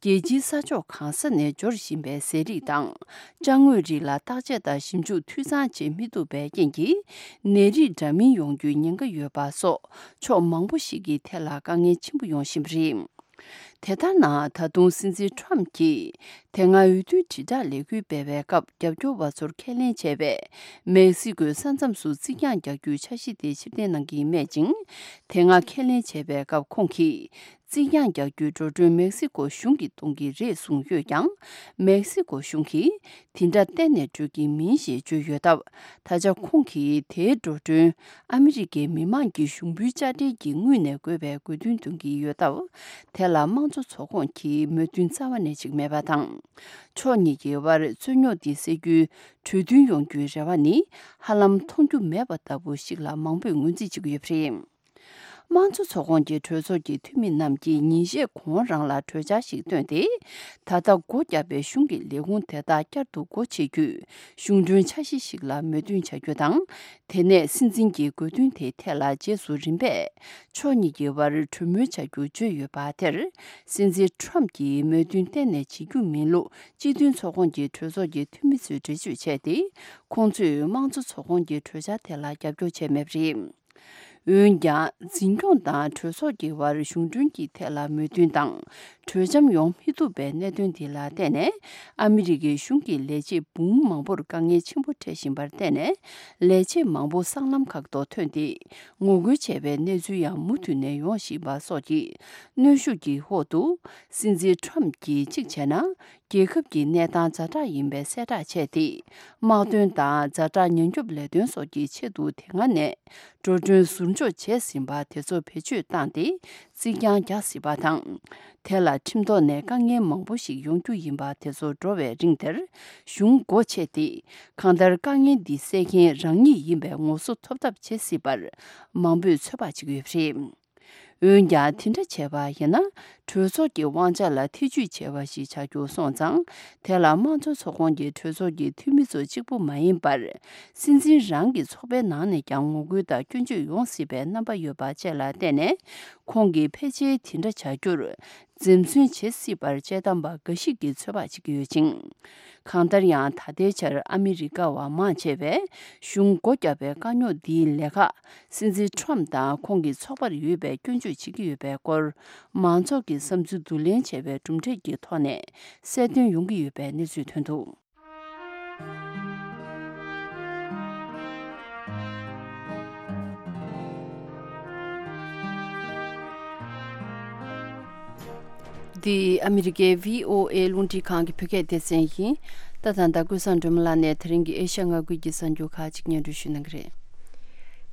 རྒྱལ་སྤྱིའི་ས་ཕྱོགས་གང་ས་ནས་འབྱོར་བཞིན་པའི་ཟས་རིགས་དང་། ཅ་དངོས་རིགས་ལ་བརྟག་དཔྱད་དང་ཞིབ་འཇུག་འཐུས་ཚང་བྱེད་མི་ཐུབ་པའི་རྐྱེན་གྱིས། ནད་རིགས་འདྲ་མིན་ཡོང་རྒྱུའི་ཉེན་ཁ་ཡོད་པ་སོགས་ཕྱོགས་མང་པོ་ཞིག་གི་ཐད་ལ་དཀའ་ངལ་ཆེན་པོ་ཡོང་བཞིན་པ་རེད། དེ་ལྟར་ན། ད་དུང་སྲིད་འཛིན་ཁྲོམ་གྱིས་དེ་སྔ་འོས་བསྡུའི་དྲིལ་བསྒྲགས་ལས་འགུལ་སྤེལ་བའི་སྐབས། རྒྱབ་སྐྱོར་བ་ཚོར་ཁས་ལེན་བྱས་པའི་མེག་སི་ཀོའི་ས་མཚམས་སུ་རྩིག་གྱང་རྒྱག་རྒྱུའི་འཆར་གཞི་དེ་ཕྱིར་འཐེན་གནང་གི་མེད་ཅིང་། དེ་སྔ་ཁས་ལེན་བྱས་པའི་སྐབས། ཁོང་གིས་རྩིག་གྱང་རྒྱག་རྒྱུའི་འགྲོ་གྲོན་མེག་སི་ཀོ་གཞུང་གིས་གཏོང་གི་རེད་གསུངས་ཡོད་ཀྱང་། མེག་སི་ཀོ་གཞུང་གིས་དེ་འདྲ་གཏན་ནས་སྤྲོད་ཀྱི་མིན་ཞེས་བརྗོད་ཡོད་སྟབས། ད་ཆ་ཁོང་གིས་དེའི་འགྲོ་གྲོན་ཨ་མི་རི་ཀའི་མི་མང་གི་ཞུགས་འབུལ་དཔྱ་ཁྲལ་གྱི་དངུལ་ནས་བགོས་པའི་དགོས་འདུན་འདོན་གྱི་ཡོད་སྟབས། དེ་ལ་དམངས་གཙོ་ཚོགས་ཁོངས་ཀྱིས་མོས་མཐུན་རྩ་བ་ནས་བྱེད་ཀྱི་མེད་པ་དང་། ཕྱོགས་གཉིས་ཀྱི་དབར་རྩོད་རྙོག་འདི་སེལ་རྒྱུའི་གྲོས་མཐུན་ཡོང་རྒྱུའི་རེ་བ་ནི་ཧ་ལམ་མཐོང་རྒྱུ་མེད་པ་ལྟ་བུ་ཞིག་ལ་མང་པོས་ངོས་འཛིན་བྱེད་ཀྱི་ཡོད་པ་རེད། དམངས་གཙོ་ཚོགས་ཁོངས་ཀྱི་གྲོས་ཚོགས་ཀྱི་འཐུས་མི་རྣམས་ཀྱིས་ཉིན་ཤས་གོང་རང་ལ་གྲོས་འཆར་ཞིག་བཏོན་ཏེ། ད་ལྟ་སྒོ་བརྒྱབ་པའི་གཞུང་གི་ལས་ཁུངས་དེ་དག་བསྐྱར་དུ་སྒོ་ཕྱེ་རྒྱུའི་གཞུང་གྲོན་འཆར་གཞི་ཞིག་ལ་མོས་མཐུན་བྱ་རྒྱུ་དང་། དེ་ནས་སྲིད་འཛིན་གྱི་དགོས་འདུན་དེའི་ཐད་ལ་རྗེས་སུ་རིམ་པས་ཕྱོགས་གཉིས་ཀྱི་དབར་གྲོས་མོལ་བྱ་རྒྱུ་བརྗོད་ཡོད་པ་དེར། སྲིད་འཛིན་ཁྲོམ་གྱིས་མོས་མཐུན་གཏན་ནས་བྱེད་རྒྱུ་མིན་ལུགས་སྤྱི་མཐུན་ཚོགས་ཁོངས་ཀྱི་གྲོས་ཚོགས་ཀྱི་འཐུས་མི་ཚོས་འགྲེལ་བརྗོད་བྱས་ཏེ། ཁོང་ཚོས་དམངས་གཙོ་ཚོགས་ཁོངས་ཀྱི་གྲོས་འཆར་དེ་ལ་རྒྱབ་སྐྱོར་བྱས་མེད་པ་རེད། འོན་ཀྱང་། འཛིན་སྐྱོང་དང་གྲོས་ཚོགས་ཀྱི་དབར་གཞུང་གྲོན་གྱི་ཐད་ལ་མོས་མཐུན་དང་། གྲོས་འཆམ་ཡོང་མི་ཐུབ་པའི་གནད་དོན་འདི་ལ་བརྟེན་ནས། ཨ་མི་རི་ཀའི་གཞུང་གི་ལས་བྱེད་འབུམ་མང་པོར་དཀའ་ངལ་ཆེན་པོ་འཕྲད་བཞིན་པར་བརྟེན་ནས། ལས་བྱེད་མང་པོ་སྲང་ལམ་ཁག་ཏུ་ཐོན་ཏེ། ངོ་རྒོལ་བྱས་པའི་གནས་ཚུལ་ཡང་མུ་མཐུད་ནས་ཡོང་བཞིན་པ་སོགས་ཀྱི་གནོན་ཤུགས་ཀྱི་འོག་ཏུ། སྲིད་འཛིན་ཁྲོམ་གྱིས་གཅིག་བྱས་ན། རྒྱལ་ཁབ་ཀྱི་གནས་སྟངས་ཛ་དྲག་ཡིན་པའི་གསལ་བསྒྲགས་བྱས་ཏེ། དམག་དོན་དང་ཛ་དྲག་ཉེན་སྐྱོབ་ལས་དོན་སོགས་ཀྱི་ཆེད་དུ་དེ་སྔ་ནས་འགྲོ་གྲོན་ཟུར་འཇོག་བྱས་ཟིན་པ་དེ་ཚོ་བེད་སྤྱོད་བཏང་སྟེ་རྩིག་གྱང་རྒྱག་སྲིད་པ་དང་། དེ་ལ་ཁྲིམས་ཐོག་ནས་དཀའ་ངལ་མང་པོ་ཞིག་ཡོང་རྒྱུ་ཡིན་པ་དེ་ཚོ་འགྲོ་བའི་རིང་དེར་གཞུང་སྒོ་ཕྱེ་སྟེ། གང་ལྟར་དཀའ་ངལ་འདི་སེལ་མཁན་རང་ཉིད་ཡིན་པའི་ངོ་སོ་ཐོབ་ཐབས་བྱེད་སྲིད་པར་མང་པོས་ཚོད་དཔག་བྱེད་ཀྱི་ཡོད་པ་རེད། འོན་ཀྱང་། དེ་འདྲ་བྱས་པ་ཡིན་ན། གྲོས་ཚོགས་ཀྱི་དབང་ཆ་ལ་ཐེ་ཇུས་བྱས་པ་ཞིག་ཆགས་རྒྱུ་སོང་ཙང་། དེ་ལ་དམངས་གཙོ་ཚོགས་ཁོངས་ཀྱི་གྲོས་ཚོགས་ཀྱི་འཐུས་མི་ཚོ་གཅིག་པུ་མ་ཡིན་པར། སྲིད་འཛིན་རང་གི་ཚོགས་པའི་ནང་ནས་ཀྱང་ངོ་རྒོལ་དང་སྐྱོན་བརྗོད་ཡོང་སྲིད་པའི་རྣམ་པ་ཡོད་པ་བཅས་ལ་བརྟེན་ནས། ཁོང་གིས་ཕལ་ཆེར་དེ་འདྲ་བྱ་རྒྱུར་འཛེམ་ཟོན་བྱེད་སྲིད་པར་དཔྱད་གཏམ་པ་འགའ་ཞིག་གིས་ཚོད་དཔག་བྱེད་ཀྱི་ཡོད་ཅིང་། གང་ལྟར་ཡང་། ད་ལྟའི་ཆར་ཨ་མི་རི་ཀ་བ་མང་ཆེ་བས་གཞུང་སྒོ་བརྒྱབ་པའི་དཀའ་རྙོག་འདིའི་ལས་ཀ་སྲིད་འཛིན་ཁྲོམ་དང་ཁོང་གི་ཚོགས་པར་ཡོད་པའི་སྐྱོན་བརྗོད་བྱེད་ཀྱི་ཡོད་པའི་སྐོར། མང་ཚོགས་ཀྱི་བསམ་ཚུལ་བསྡུ་ལེན་བྱས་པའི་གྲུབ་འབྲས་ཀྱི་ཐོག་ནས་གསལ་སྟོན་ཡོང་གི་ཡོད་པའི་གནས་ཚུལ་ཐོན་འདུག། འདི་ཨ་མི་རི་ཀའི་བྷི་ཨོ་ཨེ་རླུང་འཕྲིན་ཁང་གི་བོད་སྐད་སྡེ་ཚན་ཡིན། ད་ད་ལྟ་ཀུན་བཟང་སྒྲོལ་མ་ལགས་ནས་དེ་རིང་གི་ཨེ་ཤ་ཡ་མངའ་ཁུལ་གྱི་གསར་འགྱུར་ཁག་ཅིག་སྙན་སྒྲོན་ཞུ་གནང་གི་རེད།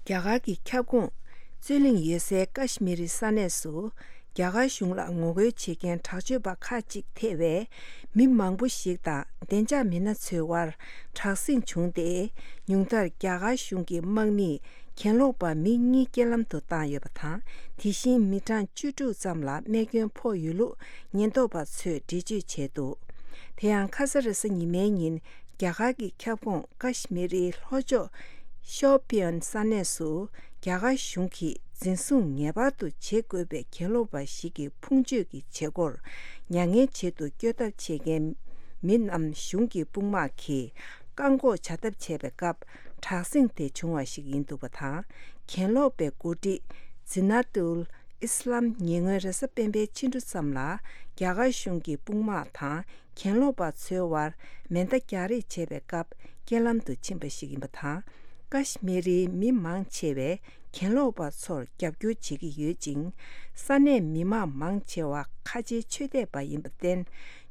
རྒྱ་གར་གྱི་ཁྱབ་ཁོངས་རྩོད་གླེང་ཡོད་སའི་ཀ་ཤི་མི་རི་ས་གནས་སུ། རྒྱ་གར་གཞུང་ལ་ངོ་རྒོལ་བྱེད་མཁན་དྲག་སྤྱོད་པ་ཁག་ཅིག་ཐེ་བའི་མི་མང་པོ་ཞིག་དང་བདེ་འཇགས་མི་སྣ་ཚོའི་དབར་དྲག་ཟིང་བྱུང་སྟེ། ཉུང་མཐར་རྒྱ་གར་གཞུང་གི་དམག་མིས་གྱེན་ལོག་པ་མི་གཉིས་རྐྱེན་ལམ་དུ་བཏང་ཡོད་པ་དང་། དེ་བཞིན་མི་གྲངས་བཅུ་དྲུག་ཙམ་ལ་རྨས་སྐྱོན་ཕོག་ཡོད་ལུགས་ཉེན་རྟོག་པ་ཚོས་འགྲེལ་བརྗོད་བྱས་འདུག། དེ་ཡང་ཁ་ས་རེས་གཟའ་ཉི་མའི་ཉིན། རྒྱ་གར་གྱི་ཁྱབ་ཁོངས་ཀ་ཤི་མི་རིའི་ལྷོ་ཕྱོགས་ཤོ་པི་ཡན་ས་གནས་སུ། རྒྱ་གར་གཞུང་གིས་འཛིན་བཟུང་ངེས་པར་དུ་བྱེད་དགོས་པའི་གྱེན་ལོག་པ་ཞིག་གི་ཕུང་མཆོད་ཀྱི་བྱེད་སྒོར་མྱ་ངན་བྱེད་དུ་བསྐྱོད་ཐབས་བྱེད་མཁན་མི་རྣམས་གཞུང་གི་དཔུང་དམག་གིས། ཨ་འགོག་བྱ་ཐབས་བྱས་པའི་སྐབས་དྲག་ཟིང་དེ་བྱུང་བ་ཞིག་ཡིན་འདུག་པ་དང་། གྱེན་ལོག་པའི་འགོ་ཁྲིད་ཛི་ན་ཏུལ་ཨི་སི་ལམ་ཉེ་སྔོན་རེས་གཟའ་སྤེན་པའི་ཕྱི་དྲོ་ཙམ་ལ་རྒྱ་གར་གཞུང་གི་དཔུང་དམག་དང་གྱེན་ལོག་པ་ཚོའི་དབར་མེ་མདའ་རྒྱག་རེས་བྱས་པའི་སྐབས་རྐྱེན་ལམ་དུ་ཕྱིན་པ་ཞིག་ཡིན་པ་དང་། ཀ་ཤི་མི་རིའི་མི་མང་ཆེ་བས་གྱེན་ལོག་པ་ཚོར་རྒྱབ་སྐྱོར་བྱེད་ཀྱི་ཡོད་ཅིང་། ས་གནས་མི་མང་མང་ཆེ་བ་ཁ་ཆེའི་ཆོས་དད་པ་ཡིན་པར་བརྟེན།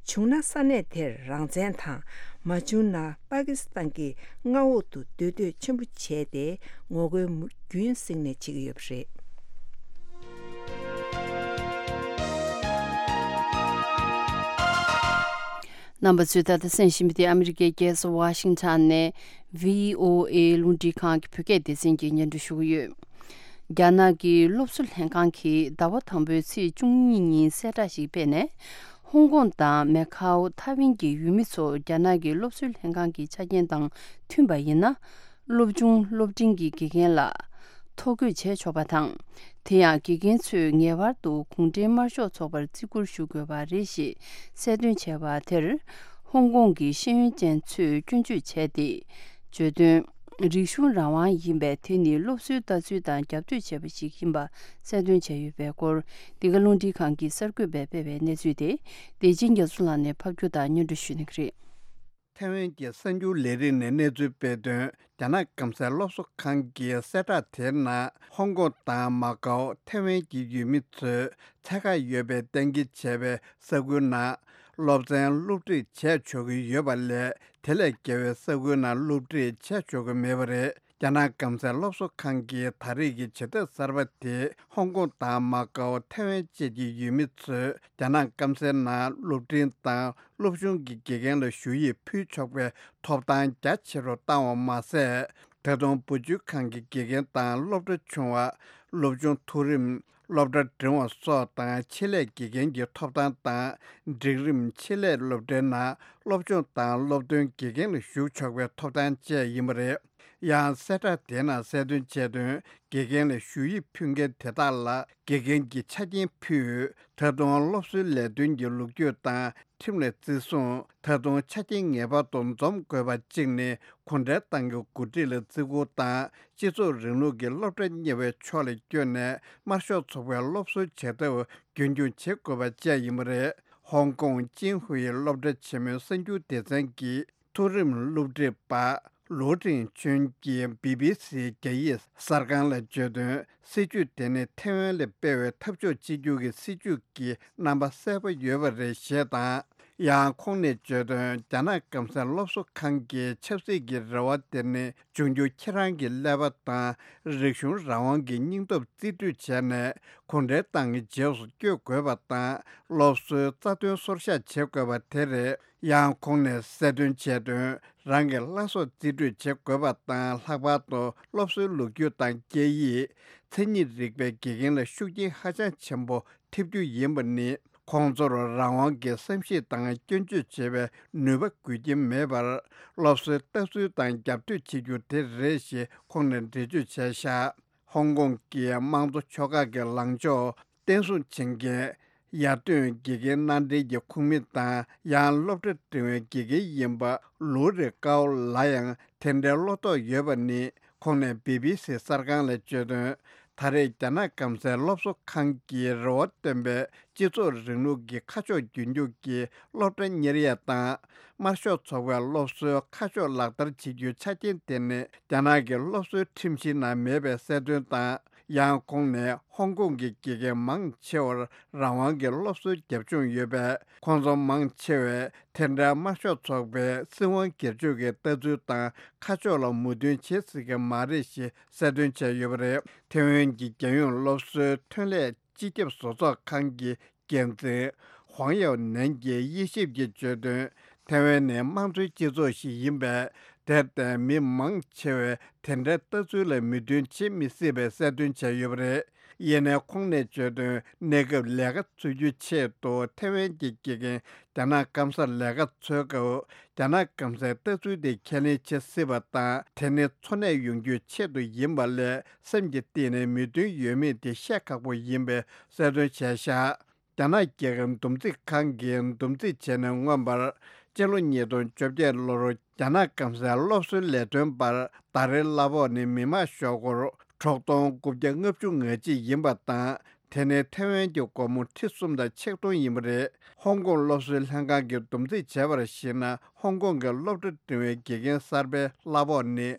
བྱུང་ན་ས་གནས་དེར་རང་བཙན་དང་། མ་བྱུང་ན་པ་ཀི་སི་ཐན་གྱི་མངའ་འོག་ཏུ་སྡོད་འདོད་ཆེན་པོ་བྱས་ཏེ་ངོ་རྒོལ་རྒྱུན་བསྲིངས་ནས་བྱེད་ཀྱི་ཡོད་པ་རེད། རྣམ་པ་ཚོས་ད་ལྟ་གསན་བཞིན་པ་དེ་ཨ་མི་རི་ཀའི་རྒྱལ་ས་ཝ་ཤིང་ཊོན་ནས་བྷི་ཨོ་ཨེ་རླུང་འཕྲིན་ཁང་གི་བོད་སྐད་སྡེ་ཚན་གྱིས་སྙན་སྒྲོན་ཞུ་གི་ཡོད། རྒྱ་ནག་གི་སློབ་གསོ་ལྷན་ཁང་གིས་ཟླ་བ་དང་པོའི་ཚེས་བཅུ་གཉིས་ཉིན་གསལ་བསྒྲགས་ཤིག་སྤེལ་ནས། ཧོང་ཀོང་དང་མེ་ཁའོ་ཐའེ་ཝན་གྱི་ཡུལ་མི་ཚོ་རྒྱ་ནག་གི་སློབ་གསོའི་ལྷན་ཁང་གི་ཆ་རྐྱེན་དང་མཐུན་པ་ཡིན་ན། སློབ་ཆུང་སློབ་འབྲིང་གི་དགེ་རྒན་ལ་ཐོ་འགོད་བྱས་ཆོག་པ་དང་། དེ་ཡང་དགེ་རྒན་ཚོས་ངེས་པར་དུ་གུང་ཁྲན་དམར་ཤོག་ཚོགས་པར་བརྩི་བཀུར་ཞུ་དགོས་པ་རེད་ཞེས་གསལ་སྟོན་བྱས་པ་དེར། ཧོང་ཀོང་གི་ཤེས་ཡོན་ཅན་ཚོས་སྐྱོན་བརྗོད་བྱས་ཏེ། བརྗོད་དོན། རིག་གཞུང་རང་དབང་ཡིན་པས། དེ་ནི་སློབ་གསོའི་ལྟ་ཚུལ་དང་རྒྱབ་གཏོད་བྱས་པ་ཞིག་ཡིན་པ་གསལ་སྟོན་བྱས་ཡོད་པའི་སྐོར། འདི་ག་རླུང་འཕྲིན་ཁང་གི་གསར་འགོད་པས་སྤེལ་བའི་གནས་ཚུལ་དེ། བདེ་ཆེན་རྒྱ་མཚོ་ལགས་ནས་ཕབ་སྒྱུར་དང་སྙན་སྒྲོན་ཞུ་གནང་གི་རེད། ཐའེ་ཝན་གྱི་གསར་འགྱུར་ལས་རིགས་ནས་གནས་ཚུལ་སྤེལ་དོན། རྒྱ་ནག་སྐམ་སའི་སློབ་གསོ་ཁང་གི་གསལ་བསྒྲགས་དེའི་ནང་། ཧོང་ཀོང་དང་མ་ཀའོ་ཐའེ་ཝན་གྱི་ཡུལ་མི་ཚོས་ཚད་བཀག་ཡོད་པའི་གཏན་འཁེལ་བྱས་པའི་ས་ཁུལ་ནང་སློབ་ཚན་སློབ་ཁྲིད་བྱས་ཆོག་གི་ཡོད་པ་ལས། དེ་ལས་བརྒལ་བའི་ས་ཁུལ་ནང་སློབ་ཁྲིད་བྱས་ཆོག་གི་མེད་པ་རེད། རྒྱ་ནག་སྐམ་སའི་སློབ་གསོ་ཁང་གིས་ད་རེས་ཀྱི་བྱེད་ཐབས་གསར་པ་དེས་ཧོང་ཀོང་དང་མ་ཀའོ་ཐའེ་ཝན་བཅས་ཀྱི་ཡུལ་མི་ཚོས་རྒྱ་ནག་སྐམ་སའི་ནང་སློབ་འབྲིང་དང་སློབ་ཆུང་གི་དགེ་རྒན་ལ་ཞུ་ཡིག་ཕུལ་ཆོག་པའི་ཐོབ་ཐང་རྒྱ་ཆེ་རུ་བཏང་བ་མ་ཟད། ད་དུང་བུ་བཅོལ་ཁང་གི་དགེ་རྒན་དང་སློབ་གྲྭ་ཆུང་བ། སློབ་ཆུང་མཐོ་རིམ། སློབ་གྲྭ་འབྲིང་བ་སོགས་དང་ཆེད་ལས་དགེ་རྒན་གྱི་ཐོབ་ཐང་དང་། འབྲིང་རིམ་ཆེད་ལས་སློབ་གྲྭའི་ནང་སློབ་སྦྱོང་དང་སློབ་ཐོན་དགེ་རྒན་ལ་ཞུགས་ཆོག་པའི་ཐོབ་ཐང་བཅས་ཡིན་པ་རེད། ཡང་གསལ་བསྒྲགས་དེའི་ནང་གསལ་སྟོན་བྱས་དོན། དགེ་རྒན་ལ་ཞུ་ཡིག་ཕུལ་མཁན་དེ་དག་ལ་དགེ་རྒན་གྱི་ཆ་རྐྱེན་ཕུལ། ད་དུང་སློབ་གསོའི་ལས་དོན་གྱི་ལོ་རྒྱུས་དང་ཁྲིམས་ལ་བརྩི་སྲུང་། ད་དུང་ཆ་རྐྱེན་ངེས་པར་དུ་འཛོམས་དགོས་པ་གཅིག་ནི་གུང་ཁྲན་ཏང་གི་འགོ་ཁྲིད་ལ་བརྩི་བཀུར་དང་། སྤྱི་ཚོགས་རིང་ལུགས་ཀྱི་སློབ་གྲྭ་གཉེར་བའི་ཕྱོགས་ལ་བསྐྱོད་ནས་དམར་ཤོག་ཚོགས་པའི་སློབ་གསོའི་བྱ་ཐབས་རྒྱུན་འཁྱོངས་བྱེད་དགོས་པ་བཅས་ཡིན་པ་རེད། ཧོང་ཀོང་ཅིན་ཧུའེ་སློབ་གྲྭ་ཆེན་མོའི་གསར་འགྱུར་སྡེ་ཚན་གྱི་མཐོ་རིམ་སློབ་ཁྲིད་པ་ལུའུ་ཀྲིན་ཆོན་གྱིས་བི་བི་སིའི་རྒྱ་ཡིག་གསར་ཁང་ལ་བརྗོད་དོན། སྲིད་ཇུས་དེ་ནི་ཐའེ་ཝན་ལ་སྤེལ་བའི་འཐབ་ཕྱོགས་གཅིག་གྱུར་གྱི་སྲིད་ཇུས་ཀྱི་རྣམ་པ་གསལ་པོ་ཡོད་པ་རེད་ཞེས་དང་། ཡང་ཁོང་ནས་བརྗོད་དོན། རྒྱ་ནག་སྐམ་སའི་སློབ་གསོ་ཁང་གི་ཆབ་སྲིད་ཀྱི་རེ་བ་དེ་ནི་འབྱུང་འགྱུར་ཁྱེད་རང་གི་ཀླད་པ་དང་། རིག་གཞུང་རང་དབང་གི་སྙིང་སྟོབས་རྩིས་སྤྲོད་བྱས་ནས་གུང་ཁྲན་ཏང་གི་རྗེས་སུ་བསྐྱོད་དགོས་པ་དང་། སློབ་གསོའི་རྩ་དོན་སོར་བཞག་བྱེད་དགོས་པ་དེ་རེད། ཡང་ཁོང་ནས་གསལ་སྟོན་བྱས་དོན། རང་གི་བླ་སྲོག་རྩིས་སྤྲོད་བྱེད་དགོས་པ་དང་། ལྷག་པར་དུ་སློབ་གསོའི་ལོ་རྒྱུས་དང་སྐད་ཡིག་མཚན་ཉིད་རིག་པའི་དགེ་རྒན་ལ་ཤུགས་རྐྱེན་ཧ་ཅང་ཆེན་པོ་ཐེབས་རྒྱུ་ཡིན་པ་ནི། ཁོང་ཚོར་རང་དབང་གི་བསམ་ཤེས་དང་སྐྱོན་བརྗོད་བྱེད་པའི་ནུས་པ་དགོས་ཀྱི་མེད་པར། སློབ་གསོའི་ལྟ་ཚུལ་དང་རྒྱབ་གཏོད་བྱེད་རྒྱུ་དེ་རེད་ཞེས་ཁོང་ནས་འགྲེལ་བརྗོད་བྱས་བཞག་ཧོང་ཀོང་གི་དམངས་གཙོ་ཕྱོགས་ཁག་གི་ལངས་ཕྱོགས་བརྟན་སྲུང་བྱེད་མཁན། ཡར་ཐོན་དགེ་རྒན་མནའ་འབྲེལ་གྱི་ཁོངས་མི་དང་། ཡང་སློབ་གྲྭ་འབྲིང་བའི་དགེ་རྒན་ཡིན་པ་ལུའུ་རེ་ཀའོ་ལ་ཡང་དེ་འདྲའི་བློ་དོགས་ཡོད་པ་ནི། ཁོང་ནས་བི་བི་སི་གསར་ཁང་ལ་བརྗོད་དོན། ད་རེས་རྒྱ་ནག་སྐམ་སའི་སློབ་གསོ་ཁང་གིས་རེ་བ་བཏོན་པའི་སྤྱི་ཚོགས་རིང་ལུགས་ཀྱི་ཁ་ཕྱོགས་རྒྱུན་འཁྱོངས་ཀྱི་སློབ་གྲྭ་གཉེར་ཡས་དང་། དམར་ཤོག་ཚོགས་པའི་སློབ་གསོའི་ཁ་ཕྱོགས་ལག་བསྟར་བྱེད་རྒྱུའི་ཆ་རྐྱེན་དེ་ནི་རྒྱ་ནག་གི་སློབ་གསོའི་ཁྲིམས་གཞི་ནང་མེད་པའི་གསལ་སྟོན་དང་། ཡང་ཁོང་ནས་ཧོང་ཀོང་གི་དགེ་རྒན་མང་ཆེ་བར་རང་དབང་གི་སློབ་གསོའི་རྒྱབ་ལྗོངས་ཡོད་པས། ཁོང་ཚོ་མང་ཆེ་བས་དེ་འདྲའི་དམར་ཤོག་ཚོགས་པའི་སྲིད་དབང་སྒེར་གཅོད་ཀྱི་ལྟ་ཚུལ་དང་ཁ་ཕྱོགས་ལ་མོས་མཐུན་བྱེད་སྲིད་ཀྱི་མ་རེད་ཞེས་གསལ་སྟོན་བྱས་ཡོད་པ་རེད། ཐེ་ཝན་གྱི་རྒྱལ་ཡོངས་སློབ་གསོའི་ཐོན་ལས་སྤྱི་ཁྱབ་བཟོ་ཚོགས་ཁང་གི་འགན་འཛིན་ཧུང་ཡའོ་ནན་གྱིས་དབྱེ་ཞིབ་ཀྱིས་བརྗོད་དོན། ཐེ་ཝན་ནི་དམངས་གཙོའི་སྤྱི་ཚོགས་ཤིག་ཡིན་པས། དེར་བརྟེན་མི་མང་ཆེ་བས་དེ་འདྲའི་ལྟ་ཚུལ་ལ་མོས་མཐུན་བྱེད་མི་སྲིད་པའི་གསལ་སྟོན་བྱས་ཡོད་པ་རེད། ཡིན་ནའི་ཁོང་ནས་བརྗོད་དོན། གནས་སྐབས་ལས་ཀ་འཚོལ་རྒྱུའི་ཆེད་དུ་ཐེ་ཝན་གྱི་དགེ་རྒན་རྒྱ་ནག་སྐམ་སར་ལས་ཀ་འཚོལ་སྐབས། རྒྱ་ནག་སྐམ་སའི་ལྟ་ཚུལ་དེ་ཁས་ལེན་བྱེད་སྲིད་པ་དང་། དེ་ནི་འཚོ་གནས་ཡོང་རྒྱུའི་ཆེད་དུ་ཡིན་པ་ལས། སེམས་ཀྱི་གཏིང་ནས་མོས་མཐུན་ཡོད་མེད་དེ་བཤད་ཁག་པོ་ཡིན་པའི་གསལ་སྟོན་བྱས་བཞག་རྒྱ་ནག་རྒྱལ་ཁབ་འདུམ་འགྲིག་ཁང་གིས་འདུམ་འགྲིག་བྱས་ནས་མངོན་པར། སྤྱི་ལོ་ཉིས་སྟོང་བཅོ་བརྒྱད་ལོར་རྒྱ་ནག་སྐམ་སའི་སློབ་གསོའི་ལས་དོན་པར་ཟླ་རེའི་གླ་ཕོགས་ནི་མི་མང་ཤོག་སྒོར་དྲུག་སྟོང་དགུ་བརྒྱ་ལྔ་བཅུ་ང་གཅིག་ཡིན་པ་དང་། དེ་ནི་ཐའེ་ཝན་གྱི་སྒོར་མོ་ཁྲི་གསུམ་དང་ཆིག་སྟོང་ཡིན་པ་རེད། ཧོང་ཀོང་སློབ་གསོའི་ལྷན་ཁང་གིས་བསྡོམས་རྩིས་བྱས་པར་གཞིགས་ན། ཧོང་ཀོང་གི་སློབ་གྲྭ་འབྲིང་བའི་དགེ་རྒན་གསར་པའི་གླ་ཕོགས་ནི་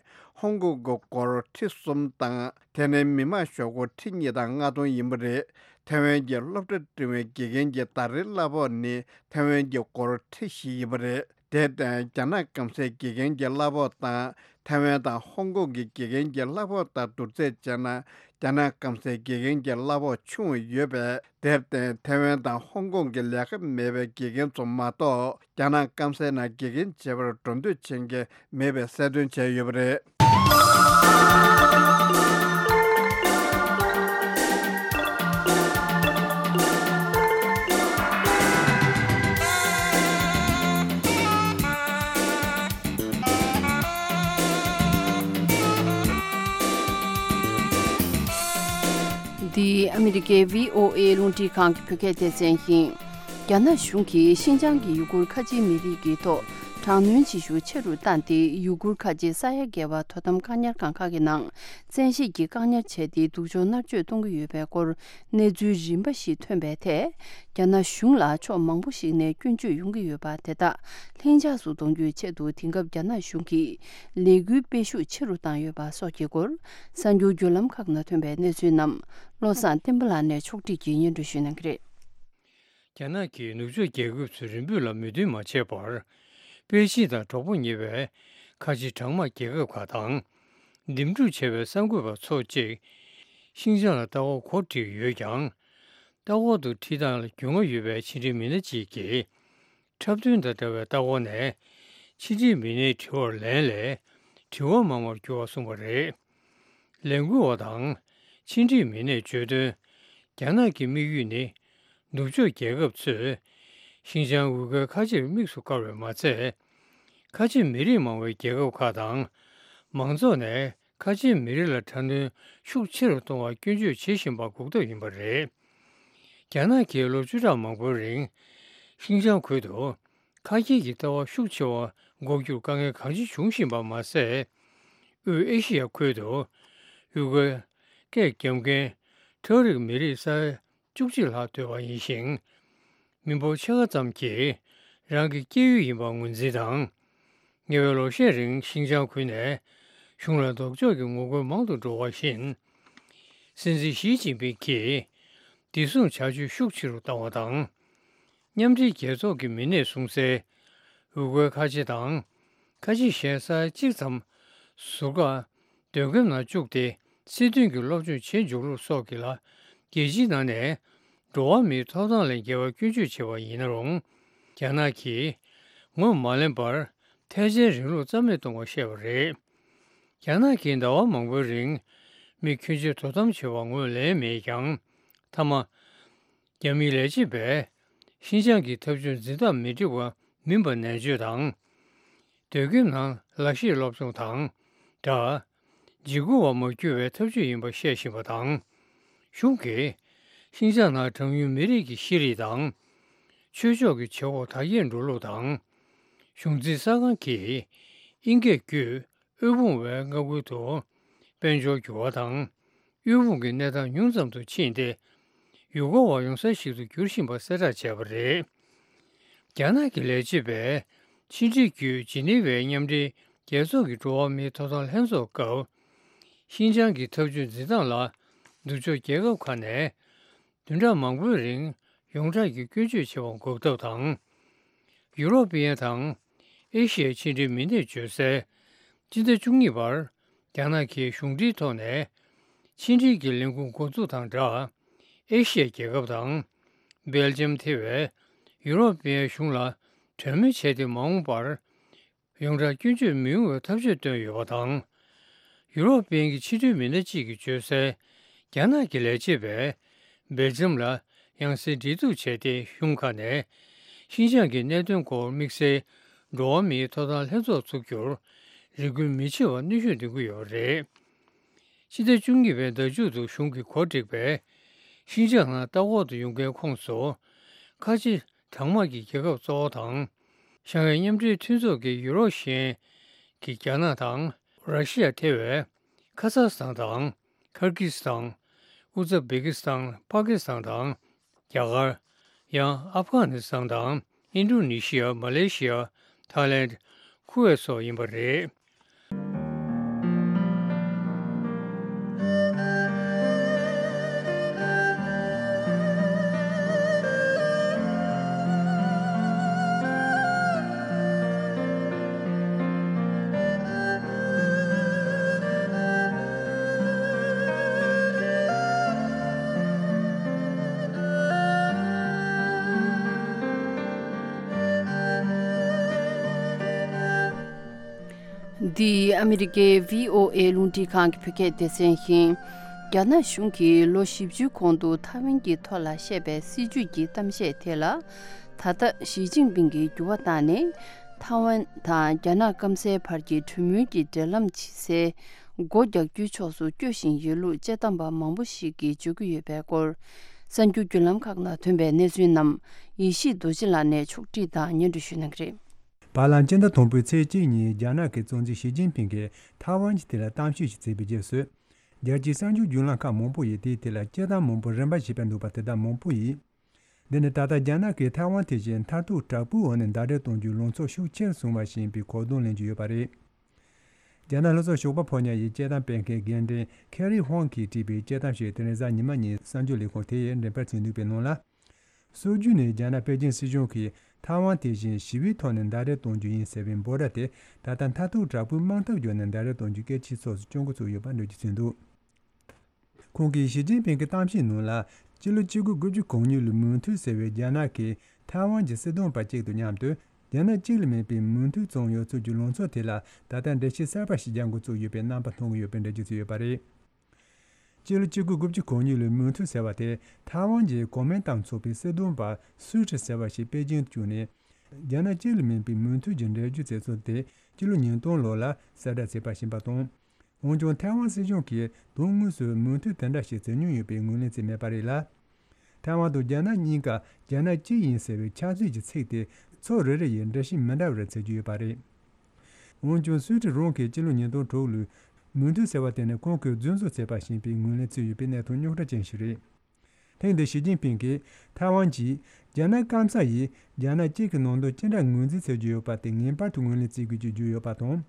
ཧོང་ཀོང་གི་སྒོར་ཁྲི་གསུམ་དང་། དེ་ནི་མི་མང་ཤོག་སྒོར་ཁྲི་གཉིས་དང་ལྔ་སྟོང་ཡིན་པ་རེད། ཐའེ་ཝན་གྱི་སློབ་གྲྭ་འབྲིང་བའི་དགེ་རྒན་གྱི་ཟླ་རེའི་གླ་ཕོགས་ནི་ཐའེ་ཝན་གྱི་སྒོར་ཁྲི་བཞི་ཡིན་པ་རེད། དེར་བརྟེན་རྒྱ་ནག་སྐམ་སའི་དགེ་རྒན་གྱི་གླ་ཕོགས་དང་ཐའེ་ཝན་དང་ཧོང་ཀོང་གི་དགེ་རྒན་གྱི་གླ་ཕོགས་དང་བསྡུར་ཚད་བྱས་ན། རྒྱ་ནག་སྐམ་སའི་དགེ་རྒན་གྱི་གླ་ཕོགས་ཆུང་བ་ཡོད་པས། དེར་བརྟེན་ཐའེ་ཝན་དང་ཧོང་ཀོང་གི་ལས་ཀ་མེད་པའི་དགེ་རྒན་ཚོ་མ་གཏོགས། རྒྱ་ནག་སྐམ་སའི་ནང་དགེ་རྒན་བྱེད་པར་འགྲོ་འདོད་བྱེད་མཁན་མེད་པའི་གསལ་སྟོན་བྱས་ཡོད་པ་རེད། འདི་ཨ་མི་རི་ཀའི་བྷི་ཨོ་ཨེ་རླུང་འཕྲིན་ཁང་གི་བོད་སྐད་སྡེ་ཚན་ཡིན། རྒྱ་ནག་གཞུང་གིས་ཤིན་ཅང་གི་ཡུ་གུར་ཁ་ཆེའི་མི་རིགས་ཀྱི་ཐོག་དྲག་གནོན་བྱེད་ཤུགས་ཆེ་རུ་བཏང་སྟེ། ཡུ་གུར་ཁ་ཆེ་ས་ཡ་བརྒལ་བ་དོ་དམ་བཀག་ཉར་ཁང་ཁག་གི་ནང་བཙན་ཤེད་ཀྱིས་བཀག་ཉར་བྱས་ཏེ། སྡུག་སྦྱོང་མནར་གཅོད་གཏོང་གི་ཡོད་པའི་སྐོར་གནས་ཚུལ་རིམ་པ་ཞིག་ཐོན་པའི་ཐད། རྒྱ་ནག་གཞུང་ལ་ཕྱོགས་མང་པོ་ཞིག་ནས་སྐྱོན་བརྗོད་ཡོང་གི་ཡོད་པ་དེ་དག་ལྷིང་འཇགས་སུ་གཏོང་རྒྱུའི་ཆེད་དུ། དེང་སྐབས་རྒྱ་ནག་གཞུང་གིས་ལས་འགུལ་སྤེལ་ཤུགས་ཆེ་རུ་བཏང་ཡོད་པ་སོགས་ཀྱི་སྐོར། གསར་འགྱུར་བརྒྱུད་ལམ་ཁག་ནང་ཐོན་པའི་གནས་ཚུལ་རྣམས་བློ་བཟང་བསྟན་པ་ལགས་ནས་ཕྱོགས་སྒྲིག་གིས་སྙན་སྒྲོན་ཞུ་གནང་གི་རེད། རྒྱ་ནག་གིས་ནུབ་ཕྱོགས་རྒྱལ་ཁབ་ཚོའི་རེ་འབོད་ལ་མོས་མཐུན་མ་བྱས་པར། པེ་ཅིན་དང་གྲོགས་པོ་ཉེ་བའི་ཁ་ཆེ་གྲངས་མང་རྒྱལ་ཁབ་ཁག་དང་འདེམས་སྒྲུག་བྱས་པའི་གསར་འགོད་པ་ཚོ་གཅིག་ཤིན་ཅང་ལ་ལྟ་སྐོར་གོ་སྒྲིག་ཡོད་ཀྱང་། ལྟ་སྐོར་དུ་ཁྲིད་སྟངས་ལ་རྒྱུས་མངའ་ཡོད་པའི་ཕྱི་འབྲེལ་མི་སྣ་གཅིག་གིས། འཁྲབ་སྟོན་དང་འདྲ་བའི་ལྟ་སྐོར་ནས་ཕྱི་འབྲེལ་མི་སྣའི་དྲི་བར་ལན་ལས་དྲི་བ་མང་བར་འགྱུར་བ་གསུངས་པ་རེད། ལས་འགུལ་བ་དང་ཕྱི་འབྲེལ་མི་སྣས་བརྗོད་དོན། རྒྱ་ནག་གི་དམིགས་ཡུལ་ནི། ནུབ་ཕྱོགས་རྒྱལ་ཁབ་ཚོས་ཤིན་ཅང་ཝུ་ཁུའི་ཁ་ཆེར་དམིགས་སུ་བཀར་བས་མ་ཚད། ཁ་ཆེ་མི་རིགས་མང་བའི་རྒྱལ་ཁབ་ཁག་དང་མང་ཚོགས་ནས་ཁ་ཆེ་མི་རིགས་ལ་དྲག་གནོན་ཤུགས་ཆེ་རུ་གཏོང་བར་སྐྱོན་བརྗོད་བྱེད་བཞིན་པ་འགོག་ཐབས་ཡིན་པ་རེད། རྒྱ་ནག་གིས་ལོ་བཅུ་ཕྲག་མང་པོའི་རིང་ཤིན་ཅང་ཁུལ་དུ་ཁ་སྐྱེད་ཀྱི་ལྟ་བ་ཤུགས་ཆེ་བ་འགོག་རྒྱུར་དཀའ་ངལ་གང་ཅི་འབྱུང་བཞིན་པ་མ་ཟད། དབུས་ཨེ་ཤི་ཡ་ཁུལ་དུ་ཡུ་གུར་སྐད་རྒྱབ་མཁན་ཁྲག་རིགས་མི་རིགས་ས་ཡ་བཅུ་གཅིག་ལྷག་སྡོད་པ་ཡིན་ཞིང་། མི་འབོར་ཕྱེད་ཀ་ཙམ་གྱིས་རང་གི་སྐྱེས་ཡུལ་ཡིན་པར་ངོས་འཛིན་དང་། ཉེ་བའི་ལོ་ཤས་རིང་ཤིན་ཅང་ཁུལ་ནས་གཞུང་ལ་ལྡོག་ཕྱོགས་ཀྱི་ངོ་རྒོལ་མང་དུ་འགྲོ་བ་བཞིན། སྲིད་འཛིན་ཞི་ཅིན་ཕིང་གིས་བདེ་སྲུང་བྱ་སྤྱོད་ཤུགས་ཆེ་རུ་བཏང་བ་དང་། མཉམ་འབྲེལ་རྒྱལ་ཚོགས་ཀྱི་མི་སྣས་གསུངས་གསལ། ཝུ་གུའི་ཁ་ཆེ་དང་། ཁ་ཆེ་གཞན་ས་ཡ་གཅིག་ཙམ་ཟུར་བཀག་སྡོད་ཁང་ནང་བཅུག་སྟེ། སྲིད་དོན་གྱི་སློབ་སྦྱོང་བྱེད་འཇུག་ལུགས་སོགས་ཀྱི་ལ་རྒྱལ་སྤྱིའི་ནང་ནས་འགྲོ་བ་མིའི་ཐོབ་ཐང་ལས་འགལ་བར་སྐྱོན་བརྗོད་བྱས་པ་ཡིན་ན་རུང་། རྒྱ་ནག་གིས་ངོས་མ་ལེན་པར་ཐལ་ཆེན་རིང་ལུགས་རྩ་མེད་གཏོང་བར་བཤད་པ་རེད། རྒྱ་ནག་གིས་ཟླ་བ་མང་པོའི་རིང་མི་ཁྱོན་ཆེ་དོ་དམ་བྱས་པར་ངོས་ལེན་མེད་ཀྱང་། མཐའ་མ། རྒྱ་མིའི་ལས་བྱེད་པས་ཤིན་ཅང་གི་ཐབས་བྱུང་འཛིན་སྟངས་མི་འགྲིག་པ་མིན་པ་ནན་བརྗོད་དང་། སྡོད་ཁང་ནང་ལག་ཤེས་སློབ་སྦྱོང་དང་སྦྲགས། འཇིགས་སྐུལ་བ་མ་བསྐྱུར་བའི་ཐབས་ཇུས་ཡིན་པ་བཤད་བཞིན་པ་དང་། གཞུང་གིས་ཤིན་ཅང་ནང་གྲངས་ཉུང་མི་རིགས་ཀྱི་ཤེས་རིག་དང་། ཆོས་ཕྱོགས་ཀྱི་བྱེད་སྒོ་དར་རྒྱས་འགྲོ་ལུགས་དང་། གཞུང་འཛིན་གསར་ཁང་གིས་དབྱིན་སྐད་བརྒྱུད། དབུལ་ཕོངས་པའི་མངའ་ཁུལ་དུ་དཔལ་འབྱོར་འགྱུར་བ་དང་། དབུལ་ཕོངས་ཀྱི་གནས་སྟངས་ཉུང་ཙམ་དུ་ཕྱིན་ཏེ། ཡུལ་སྐོར་བ་ཡོང་ས་ཞིག་ཏུ་འགྱུར་བཞིན་པ་གསལ་བསྒྲགས་བྱས་པ་རེད། རྒྱ་ནག་གི་ལས་བྱེད་པས་ཕྱི་འབྲེལ་བརྒྱུད་ཇི་ནི་ཝའི་མཉམ་འབྲེལ་རྒྱལ་ཚོགས་ཀྱི་འགྲོ་བ་མིའི་ཐོབ་ཐང་ལྷན་ཚོགས་སྐབས། ཤིན་ཅང་གི་ཐབས་བྱུང་འཛིན་སྟངས་ལ་ནུབ་ཕྱོགས་རྒྱལ་ཁབ་ཁག་ནས། བདུན་ཕྲག་མང་པོའི་རིང་ཡོངས་གྲགས་ཀྱི་སྐྱོན་བརྗོད་བྱེད་པ་འགོག་ཐབས་དང་། ཡུ་རོབ་པའི་དང་ཨེ་ཤི་ཡའི་ཕྱི་འབྲེལ་མི་སྣས་བརྗོད་གསལ། སྤྱི་ཟླ་བཅུ་གཉིས་པར་རྒྱ་ནག་གིས་གཞུང་འབྲེལ་ཐོག་ནས་ཕྱི་འབྲེལ་གྱི་ལས་ཁུངས་འགོ་འཛུགས་དང་སྦྲགས། ཨེ་ཤི་ཡའི་རྒྱལ་ཁབ་དང་། སྦེལ་ཇམ་ཐེ་བའི་ཡུ་རོབ་པའི་གཞུང་ལ་གྲོས་མོལ་བྱས་ཏེ། མ་འོངས་པར། ཡོངས་གྲགས་སྐྱོན་བརྗོད་མི་ཡོང་བའི་ཐབས་ཇུས་བཏོན་ཡོད་པ་དང་། ཡུ་རོབ་པའི་གི་ཕྱི་འབྲེལ་མི་སྣ་གཅིག་གིས་བརྗོད་གསལ། རྒྱ་ནག་གི་ལས་བྱེད་པས་སྦེལ་ཇམ་ལ་ཡང་སེ་འབྲེལ་གཏུག་བྱས་ཏེ། གཞུང་ཁག་ནས་ཤིན་ཅང་གི་གནད་དོན་སྐོར་དམིགས་བསལ་འགྲོ་བ་མིའི་ཐོབ་ཐང་ལྷན་ཚོགས་འཛུགས་རྒྱུར་རེ་སྐུལ་མི་བྱེད་པར་གནོན་ཤུགས་འདོན་གྱི་ཡོད་པ་རེད། ཕྱི་ཟླ་བཅུ་གཉིས་པའི་ཟླ་མཇུག་ཏུ་གཞུང་གིས་གོ་སྒྲིག་པའི་ཤིན་ཅང་ནང་ལྟ་སྐོར་དུ་ཡོང་མཁན་ཁོངས་སུ། ཁ་ཆེ་གྲངས་མང་གི་རྒྱལ་ཁབ་གཙོ་བོ་དང་། ཤང་ཧའེ་མཉམ་འབྲེལ་མཐུན་ཚོགས་ཀྱི་ཡུ་རོབ་གཞན་གྱི་རྒྱ་ནག་དང་། ར་ཤི་ཡ་ཐེ་བའི་ཁ་ཛག་སི་ཐན་དང་། ཁར་གྷི་སི་ཐན། ཨུ་ཛ་བེ་ཀི་སི་ཐན། པ་ཀི་སི་ཐན་དང་། རྒྱ་གར། ཡང་ཨབ་གྷ་ནི་སི་ཐན་དང་། ཨིན་ཌོ་ནེ་ཤི་ཡ། མ་ལེ་ཤི་ཡ། ཐའི་ལེན། ཁུ་ཝེད་སོགས་ཡིན་པ་རེད། འདི་ཨ་མི་རི་ཀའི་བྷི་ཨོ་ཨེ་རླུང་འཕྲིན་ཁང་གི་བོད་སྐད་སྡེ་ཚན་ཡིན། རྒྱ་ནག་གཞུང་གིས་ལོ་བཞི་བཅུའི་གོང་དུ་ཐའེ་ཝན་གྱི་ཐོག་ལ་བཤད་པའི་སྲིད་ཇུས་ཀྱི་གཏམ་བཤད་དེ་ལ། ད་ལྟ་ཞི་ཅིན་ཕིང་གིས་འགྱུར་བ་བཏང་ནས། ཐའེ་ཝན་དང་རྒྱ་ནག་སྐམ་སའི་བར་གྱི་གྲོས་མོལ་གྱི་འབྲེལ་ལམ་བྱེད་སའི་སྒོ་རྒྱག་རྒྱུའི་ཕྱོགས་སུ་སྐྱོད་བཞིན་ཡོད་ལུགས་དཔྱད་གཏམ་པ་མང་པོ་ཞིག་གིས་བརྗོད་ཀྱི་ཡོད་པའི་སྐོར། གསར་འགྱུར་བརྒྱུད་ལམ་ཁག་ནང་ཐོན་པའི་གནས་ཚུལ་རྣམས་ཡེ་ཤེས་རྡོ་རྗེ་ལགས་ནས་ཕྱོགས་སྒྲིག་དང་སྙན་སྒྲོན་ཞུ་གནང་གི་རེད། བར་ལམ་སྤྱི་ཟླ་དང་པོའི་ཚེས་གཅིག་ཉིན་རྒྱ་ནག་གི་གཙོ་འཛིན་ཞི་ཅིན་ཕིང་གིས་ཐའེ་ཝན་གྱི་ཐད་ལ་གཏམ་བཤད་ཞིག་བྱས་པའི་རྗེས་སུ། རྒྱལ་སྤྱིའི་གསར་འགྱུར་བརྒྱུད་ལམ་ཁག་མང་པོ་ཡིས་དེའི་ཐད་ལ་དཔྱད་གཏམ་མང་པོ་རིམ་པ་བྱས་པ་འདུག་པ་དེ་དག་མང་པོ་ཡིས། འདི་ནི་ད་ལྟ་རྒྱ་ནག་གིས་ཐའེ་ཝན་དེ་བཞིན་མཐར་ཐུག་དྲག་པོའི་འོག་ནས་ཟླ་སྒྲིལ་གཏོང་རྒྱུའི་ལངས་ཕྱོགས་ཤུགས་ཆེར་སོང་བ་ཞིག་ཡིན་པའི་གོ་དོན་ལེན་གྱི་ཡོད་པ་རེད། རྒྱ་ནག་ལྷོ་ཕྱོགས་ཞོགས་པ་ཕོ་ཉ་ཡི་དཔྱད་གཏམ་སྤེལ་མཁན་རྒན་འབྲེལ་ཁེ་རི་ཧོང་གིས་བྲིས་པའི་དཔྱད་གཏམ་ཞིག་དེ་རིང་གཟའ་ཉི་མ་ཉིན་གསར་འགྱུར་ལས་ཁུངས་དེ་ཡིས་འགྲེམས་སྤེལ་བྱས་འདུག་པའི་ནང་ལ། སྲོལ་རྒྱུན་ནས་རྒྱ་ནག་པེ་ཅིང་སྲིད་གཞུང་གིས་ཐའེ་ཝན་དེ་བཞིན་ཞི་བའི་ཐོག་ནས་ཟླ་སྒྲིལ་གཏོང་རྒྱུ་ཡིན་ཟེར་བའི་འབོད་སྒྲ་དེ། ད་ལྟ་མཐར་ཐུག་དྲག་པོའི་དམག་འཐབ་བརྒྱུད་ནས་ཟླ་སྒྲིལ་གཏོང་རྒྱུའི་སྐད་ཆའི་ཕྱོགས་སུ་སྐྱོད་འགོ་ཚུགས་ཡོད་པ་འགྲེལ་བརྗོད་བྱས་འདུག་ཁོང་གིས་ཞི་ཅིན་ཕིང་གི་གཏམ་བཤད་ནང་ལ། སྤྱི་ལོ་གཅིག་སྟོང་དགུ་བརྒྱ་གོ་གཉིས་ལོའི་མོན་ཐུན་ཟེར་བའི་རྒྱ་ནག་གིས་ཐའེ་ཝན་གྱི་སྲིད་དོན་པ་གཅིག་དང་མཉམ་དུ། རྒྱ་ནག་གཅིག་ལས་མིན་པའི་མོན་ཐུན་བཙོང་ཡོད་ཚུལ་གྱི་ལངས་ཕྱོགས་དེ་ལ། ད་ལྟ་འགྲེལ་བཤད་གསར་པ་ཞིག་རྒྱག་འགོ་བཙུགས་ཡོད་པའི་རྣམ་པ་མཐོང་གི་ཡོད་པའི་འགྲེལ་བརྗོད་བྱས་ཡོད་པ་རེད། སྤྱི་ལོ་གཅིག་སྟོང་དགུ་བརྒྱ་གོ་གཉིས་ལོའི་མོན་ཐུན་ཟེར་བ་དེ། ཐའེ་ཝན་གྱི་གོ་མིན་ཏང་ཚོགས་པའི་སྲིད་དོན་པ་སུའུ་ཀྲི་ཟེར་བ་ཞིག་པེ་ཅིང་དུ་བསྐྱོད་ནས། རྒྱ་ནག་གཅིག་ལས་མིན་པའི་མོན་ཐུན་གྱི་འགྲེལ་བརྗོད་མཛད་ཚུལ་དེ། སྤྱི་ལོ་ཉིས་སྟོང་ལོ་ལ་གསལ་བསྒྲགས་བྱས་པ་ཞིག་ཡིན་པ་དང་། འོན་ཀྱང་། ཐའེ་ཝན་སྲིད་གཞུང་གིས་དོན་དངོས་སུ་མོན་ཐུན་དེ་འདྲ་ཞིག་བཙལ་མྱོང་ཡོད་པའི་ངོས་ལེན་བྱས་མེད་པ་རེད་ལ། ཐའེ་ཝན་དང་རྒྱ་ནག་གཉིས་ཀ་རྒྱ་ནག་གཅིག་ཡིན་ཟེར་བའི་ཁྱབ་ཚུལ་གྱི་ཚིག་དེ་ཕྱོགས་རེ་རེ་ཡིས་འགྲེལ་བཤད་མི་འདྲ་བར་བྱེད་ཀྱི་ཡོད་པ་རེད། འོན་ཀྱང་། སུའུ་ཀྲི་རང་གིས་སྤྱི་ལོ་ཉིས་སྟོང་དྲུག་ལོའི་མོན་ཐུན་ཟེར་བ་དེ་ནི་ཁོང་གིས་རྫུན་བཟོ་བྱས་པ་ཞིག་ཡིན་པའི་ངོས་ལེན་བྱས་ཡོད་པའི་གནད་དོན་རྙོག་དྲ་ཅན་ཞིག་རེད། ཐེངས་འདིར་ཞི་ཅིན་ཕིང་གིས་ཐའེ་ཝན་གྱིས་རྒྱ་ནག་སྐམ་ས་ཡིས་རྒྱ་ནག་གཅིག་གི་ནང་དོན་ཅི་འདྲ་ངོས་འཛིན་བྱེད་ཀྱི་ཡོད་པ་དེ་ངེས་པར་དུ་ངོས་ལེན་བྱེད་དགོས་ཀྱི་བརྗོད་ཡོད་པ་དང་།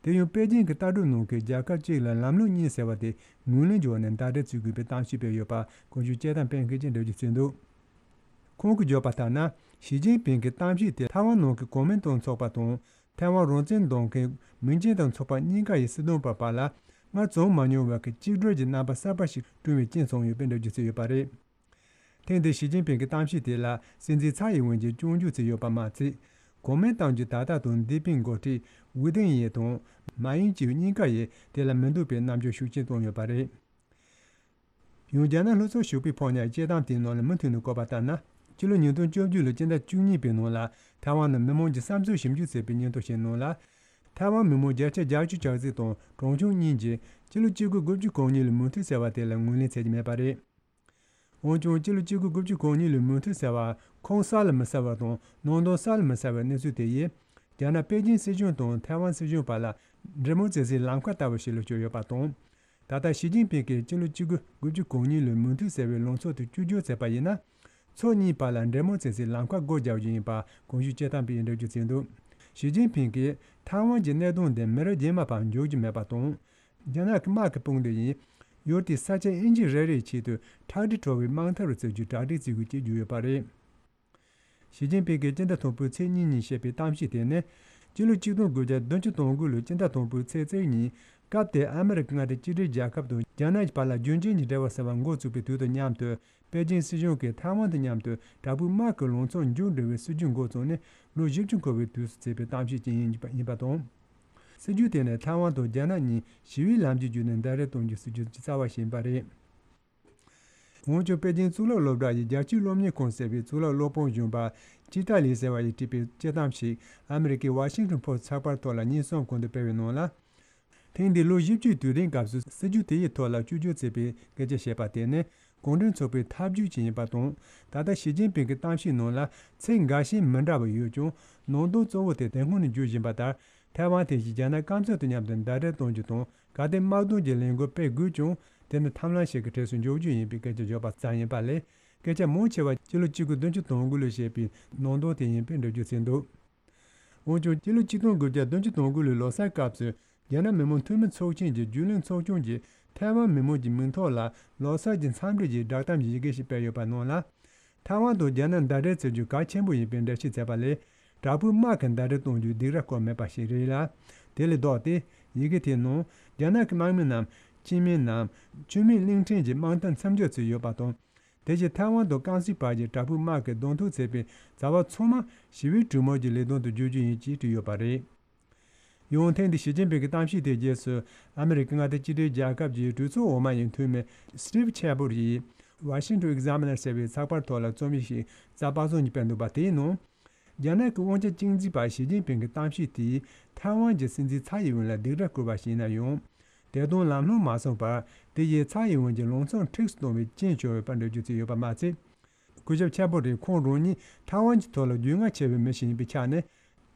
དེ་ཡང་པེ་ཅིང་གི་ལྟ་གྲུབ་ནང་གི་རྒྱལ་ཁབ་གཅིག་ལ་ལམ་ལུགས་གཉིས་ཟེར་བ་དེ་ངོས་ལེན་བྱས་ནས་ཟླ་སྒྲིལ་བྱེད་དགོས་པའི་གཏམ་བཤད་སྤེལ་ཡོད་པ། གོང་ཞུས་དཔྱད་གཏམ་སྤེལ་མཁན་གྱིས་འགྲེལ་བརྗོད་བྱས་འདུག་ཁོང་གིས་བརྗོད་པ་ལྟར་ན། ཞི་ཅིན་ཕིང་གི་གཏམ་བཤད་དེ་ཐའེ་ཝན་ནང་གི་གོ་མིན་ཏང་ཚོགས་པ་དང་། ཐའེ་ཝན་རང་བཙན་འདོད་མཁན་མིང་ཅན་ཏང་ཚོགས་པ་གཉིས་ཀ་ཡི་སྲིད་དོན་པ་བར་ལ། སྔར་བྱུང་མ་མྱོང་བའི་གཅིག་སྒྲིལ་གྱི་རྣམ་པ་གསར་པ་ཞིག་བསྐྲུན་པའི་རྐྱེན་བྱུང་ཡོད་པའི་འགྲེལ་བརྗོད་བྱས་ཡོད་པ་རེད། ཐེངས་འདིའི་ཞི་ཅིན་ཕིང་གི་གཏམ་བཤད་དེ་ལ་སྲིད་འཛིན་ཚའེ་ཡིན་ཝེན་གྱིས་སྐྱོན་བརྗོད་བྱས་ཡོད་པ་མ་ཚད། གོ་མིན་ཏང་གི་ད་ལྟ་དང་འདས་པའི་འགོ་ཁྲིད་ཝུའུ་ཏེང་ཡེ་དང་མཱ་ཡིང་ཅིའུ་གཉིས་ཀ་ཡིས་དེ་ལ་མི་འདོད་པའི་རྣམ་འགྱུར་ཤུགས་ཆེན་བསྟན་ཡོད་པ་རེད། ཡང་རྒྱ་ནག་ལྷོ་ཕྱོགས་ཞོགས་པའི་ཕོ་ཉའི་དཔྱད་གཏམ་དེའི་ནང་ལ་མུ་མཐུད་ནས་བཀོད་པ་ལྟར་ན། སྤྱི་ལོ་ཉིས་སྟོང་བཅུ་བཅུ་ལོའི་སྤྱི་ཟླ་བཅུ་གཉིས་པའི་ནང་ལ་ཐའེ་ཝན་ནང་མི་མང་གི་བསམ་ཚུལ་ཞིབ་འཇུག་བྱས་པའི་སྙན་ཐོ་ཞིག་ནང་ལ། ཐའེ་ཝན་མི་མང་བརྒྱ་ཆ་བརྒྱད་ཅུ་གྱ་གཅིག་དང་གྲངས་ཆུང་གཉིས་ཀྱིས་སྤྱི་ལོ་གཅིག་སྟོང་དགུ་བརྒྱ་གོ་གཉིས་ལོའི་མོན་ཐུན་ཟེར་བ་དེ་ལ་ངོས་ལེན་བྱེད་ཀྱི་མེད་པ་རེད། འོན་ཀྱང་། སྤྱི་ལོ་གཅིག་སྟོང་དགུ་བརྒྱ་གོ་གཉིས་ལོའི་མོན་ཐུན་ཟེར་བ་ཁུངས་གསལ་ལ་མི་གསལ་བ་དང་ནང་དོན་གསལ་ལ་མི་གསལ་བའི་གནས་ཚུལ་དེ་ཡིས། རྒྱ་ནག་པེ་ཅིང་སྲིད་གཞུང་དང་ཐའེ་ཝན་སྲིད་གཞུང་བར་ལ་འབྲེལ་མོལ་བྱེད་སའི་ལམ་ཁ་ལྟ་བུ་ཞིག་ལ་གྱུར་ཡོད་པ་དང་། ད་ལྟ་ཞི་ཅིན་ཕིང་གིས་སྤྱི་ལོ་གཅིག་སྟོང་དགུ་བརྒྱ་གོ་གཉིས་ལོའི་མོན་ཐུན་ཟེར་བའི་ལངས་ཕྱོགས་དེ་བཅོས་བསྒྱུར་བྱས་པ་ཡིན་ན། ཕྱོགས་གཉིས་བར་ལ་འབྲེལ་མོལ་བྱེད་སའི་ལམ་ཁ་སྒོ་རྒྱག་རྒྱུ་ཡིན་པ་གོང་ཞུས་དཔྱད་གཏམ་པས་འགྲེལ་བརྗོད་བྱས་འདུག་ཞི་ཅིན་ཕིང་གིས་ཐའེ་ཝན་གྱི་གནད་དོན་འདི་མི་རབས་རྗེས་མ་བར་འཇོག་རྒྱུ་མེད་པ་དང་། རྒྱ་ནག་གི་དམག་གི་དཔུང་སྡེ་ཡིས་ཡུལ་དེའི་ས་ཆ་ཨིན་ཇི་རེ་རེ་ཆེད་དུ་ཁྲག་དྲི་བྲོ་བའི་དམག་འཐབ་རུ་བརྩི་རྒྱུའི་གྲ་སྒྲིག་བྱེད་དགོས་ཅེས་བརྗོད་ཡོད་པ་རེད། ཞི་ཅིན་ཕིང་གིས་སྤྱི་ཟླ་དང་པོའི་ཚེས་གཉིས་ཉིན་བཤད་པའི་གཏམ་བཤད་དེ་ནི། སྤྱི་ལོ་གཅིག་སྟོང་དགུ་བརྒྱ་བདུན་ཅུ་དོན་དགུ་ལོའི་སྤྱི་ཟླ་དང་པོའི་ཚེས་གཅིག་ཉིན། སྐབས་དེའི་ཨ་མི་རི་ཀའི་མངའ་སྡེ་གཅིག་སྒྲིལ་རྒྱལ་ཁབ་དང་རྒྱ་ནག་གི་བར་ལ་རྒྱུན་ཆད་ཀྱི་འབྲེལ་བ་ཟེར་བ་འགོ་བཙུགས་པའི་དུས་དང་མཉམ་དུ། པེ་ཅིང་སྲིད་གཞུང་གིས་ཐའེ་ཝན་དང་མཉམ་དུ་དྲག་པོའི་དམག་གི་ལངས་ཕྱོགས་མཇུག་སྒྲིལ་བའི་སྲིད་ཇུས་འགོ་བཙུགས་ནས་ལོ་བཞི་བཅུ་འཁོར་བའི་དུས་སུ་བྱས་པའི་གཏམ་བཤད་ཅིག་ཡིན་པ་དང་། སྲིད་ཇུས་དེ་ནི་ཐའེ་ཝན་དང་རྒྱ་ནག་གཉིས་ཞི་བའི་ལམ་གྱི་བརྒྱུད་ནས་ཟླ་རེ་གཏོང་རྒྱུའི་སྲིད་ཇུས་ཀྱི་རྩ་བ་ཞིག་ཡིན་པ་རེད། འོན་ཀྱང་། པེ་ཅིང་གཙུག་ལག་སློབ་གྲྭ་ཡི་རྒྱལ་སྤྱིའི་སློབ་གཉེར་ཁང་ཟེར་བའི་གཙུག་ལག་སློབ་དཔོན་གཞོན་པ་ཅི་ཏཱ་ལི་ཟེར་བ་ཡིས་བྲིས་པའི་དཔྱད་གཏམ་ཞིག་ཨ་མི་རི་ཀའི་ཝ་ཤིང་ཊོན་ཕོ་སི་ཊི་ཚགས་པར་ཐོག་ལ་ཉིན་གསུམ་གོང་དུ་སྤེལ་བའི་ནང་ལ། ཐེངས་འདིའི་ལོ་བཞི་བཅུའི་དུས་དྲན་སྐབས་སུ་སྲིད་ཇུས་དེ་ཡི་ཐོག་ལ་བཅོས་བསྒྱུར་བྱས་པའི་སྐད་ཆ་བཤད་པ་དེ་ནི། གུང་ཁྲན་ཚོགས་པའི་ཐབས་ཇུས་ཅིག་ཡིན་པ་དང་། ད་ལྟ་ཞི་ཅིན་ཕིང་གི་གཏམ་བཤད་ནང་ལ་ཚིག་འགའ་ཤས་མི་འདྲ་བ་ཡོད་ཀྱང་། ནང་དོན་གཙོ་བོ་དེ་དེ་སྔོན་ནས་བརྗོད་བཞིན་པ་ལྟར། ཐའེ་ཝན་དེ་བཞིན་རྒྱ་ནག་སྐམ་ས་དང་མཉམ་དུ་ཟླ་སྒྲིལ་གཏོང་རྒྱུ་དང་། གལ་ཏེ་དམག་དོན་གྱི་ལས་འགུལ་སྤེལ་དགོས་ཀྱང་། དེ་ནི་ཐབས་ལམ་ཞིག་གི་གྲས་སུ་འཇོག་རྒྱུ་ཡིན་པའི་སྐད་ཆ་བརྗོད་པ་ཙམ་ཡིན་པ་ལས། སྐད་ཆ་མང་ཆེ་བ་སྤྱི་ལོ་གཅིག་སྟོང་དགུ་བརྒྱ་དོན་དགུ་ལོར་བཤད་པའི་ནང་དོན་དེ་ཡིན་པས་འགྲེལ་བརྗོད་བྱས་འདུག། འོན་ཀྱང་། སྤྱི་ལོ་གཅིག་སྟོང་དགུ་བརྒྱ་དོན་གཅིག་དོན་དགུ་ལོའི་ལོ་གསར་སྐབས་སུ། རྒྱ་ནག་མི་དམངས་འཐུས་མི་ཚོགས་ཆེན་གྱི་རྒྱུན་ལས་ཚོགས་ཆུང་གིས་ཐའེ་ཝན་མི་དམངས་ཀྱི་མིང་ཐོག་ལ་ལོ་གསར་གྱི་འཚམས་འདྲི་ཞིག་བསྒྲགས་གཏམ་གྱི་ཡི་གེ་ཞིག་སྤེལ་ཡོད་པ་ནང་ལ། ཐའེ་ཝན་དང་རྒྱ་ནག་ཟླ་སྒྲིལ་བྱེད་རྒྱུ་གལ་ཆེན་པོ་ཡིན་པའི་འགྲེལ་བཤད་བྱས་པ་ལས། དྲག་པོའི་དམག་གི་ཟླ་སྒྲིལ་གཏོང་རྒྱུའི་སྡིགས་ར་བསྐུལ་མེད་པ་ཞིག་རེད་ལ། དེ་ལས་ལྡོག་སྟེ། ཡི་གེ་དེའི་ནང་། རྒྱ་ནག་གི་དམག་མི་རྣམས་སྐྱེས་དམན་ནམ་ཆུ་མིག་གླིང་ཕྲན་གྱི་དམག་མཐའ་མཚམས་སྦྱོར་བྱས་ཡོད་པ་དང་། དེ་བཞིན་ཐའེ་ཝན་དང་ཀན་སུའུ་བར་གྱི་དྲག་པོའི་དམག་གིས་གདོང་ཐུག་བྱས་པའི་བྱ་བ་ཚང་མ་ཞི་བའི་གྲོས་མོལ་གྱི་ལས་དོན་དུ་བསྒྱུར་རྒྱུ་ཡིན་ཅེས་བྲིས་ཡོད་པ་རེད། ཡང་ཐེངས་འདིའི་ཞི་ཅིན་ཕིང་གི་གཏམ་བཤད་དེའི་རྗེས་སུ། ཨ་མི་རི་ཀའི་མངའ་སྡེ་གཅིག་སྒྲིལ་རྒྱལ་ཁབ་ཀྱི་གྲོས་ཚོགས་འོག་མ་ཡི་འཐུས་མི་སི་ཊིབ་ཆེ་བོར་ཡིས། Washington Examiner ཟེར་བའི་ཚགས་པར་ཐོག་ལ་རྩོམ་ཡིག་ཞིག་གཟའ་པ་སངས་ཉིན་སྤེལ་འདུག་པ། དེའི་ནང་། རྒྱ་ནག་གི་དབང་ཆ་གཅིག་འཛིན་པ་ཞི་ཅིན་ཕིང་གི་གཏམ་བཤད་དེས་ཐའེ་ཝན་གྱི་སྲིད་འཛིན་ཚའེ་ཡིན་ཝེན་ལ་སྡིགས་ར་བསྐུལ་བ་ཞིག་ཡིན་ན་ཡང་། དེ་དང་ལམ་ལྷོང་མ་སོང་བར། དེ་ཡིས་ཚའེ་ཡིན་ཝེན་གྱི་ལངས་ཕྱོགས་འཁྲུགས་སུ་གཏོང་བའི་རྐྱེན་བྱུང་ཡོད་པར་འགྲེལ་བརྗོད་བྱས་ཡོད་པ་མ་ཚད། སྐུ་ཞབས་ཆེ་བོ་རེས་ཁོང་རང་ཉིད་ཐའེ་ཝན་གྱི་ཐོག་ལ་རྒྱུས་མངའ་ཆེ་བའི་མི་ཞིག་ཡིན་པའི་ཆ་ནས།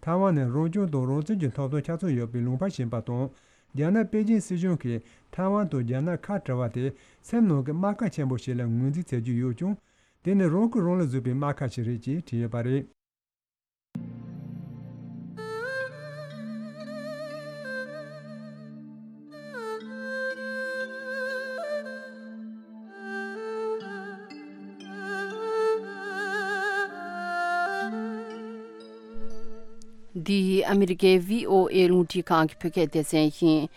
ཐའེ་ཝན་ནི་རང་སྐྱོང་དང་རང་བཙན་གྱི་ཐོབ་ཐང་ཆ་ཚང་ཡོད་པའི་ལུང་པ་ཞིག་ཡིན་པ་དང་། རྒྱ་ནག་པེ་ཅིན་སྲིད་གཞུང་གིས་ཐའེ་ཝན་དང་རྒྱ་ནག་ཁ་བྲལ་བ་དེ་སེམས་ནང་གི་རྨ་ཁ་ཆེན་པོ་ཞིག་ལ་ངོས་འཛིན་བྱེད་ཀྱི་ཡོད་ཀྱང་། དེ་ནི་རང་ཁུལ་རང་ལ་བཟོས་པའི་རྨ་ཁ་ཞིག་རེད་ཅེས་བྲིས་ཡོད་པ་རེད། འདི་ཨ་མི་རི་ཀའི་བྷི་ཨོ་ཨེ་རླུང་འཕྲིན་ཁང་གི་བོད་སྐད་སྡེ་ཚན་ཡིན།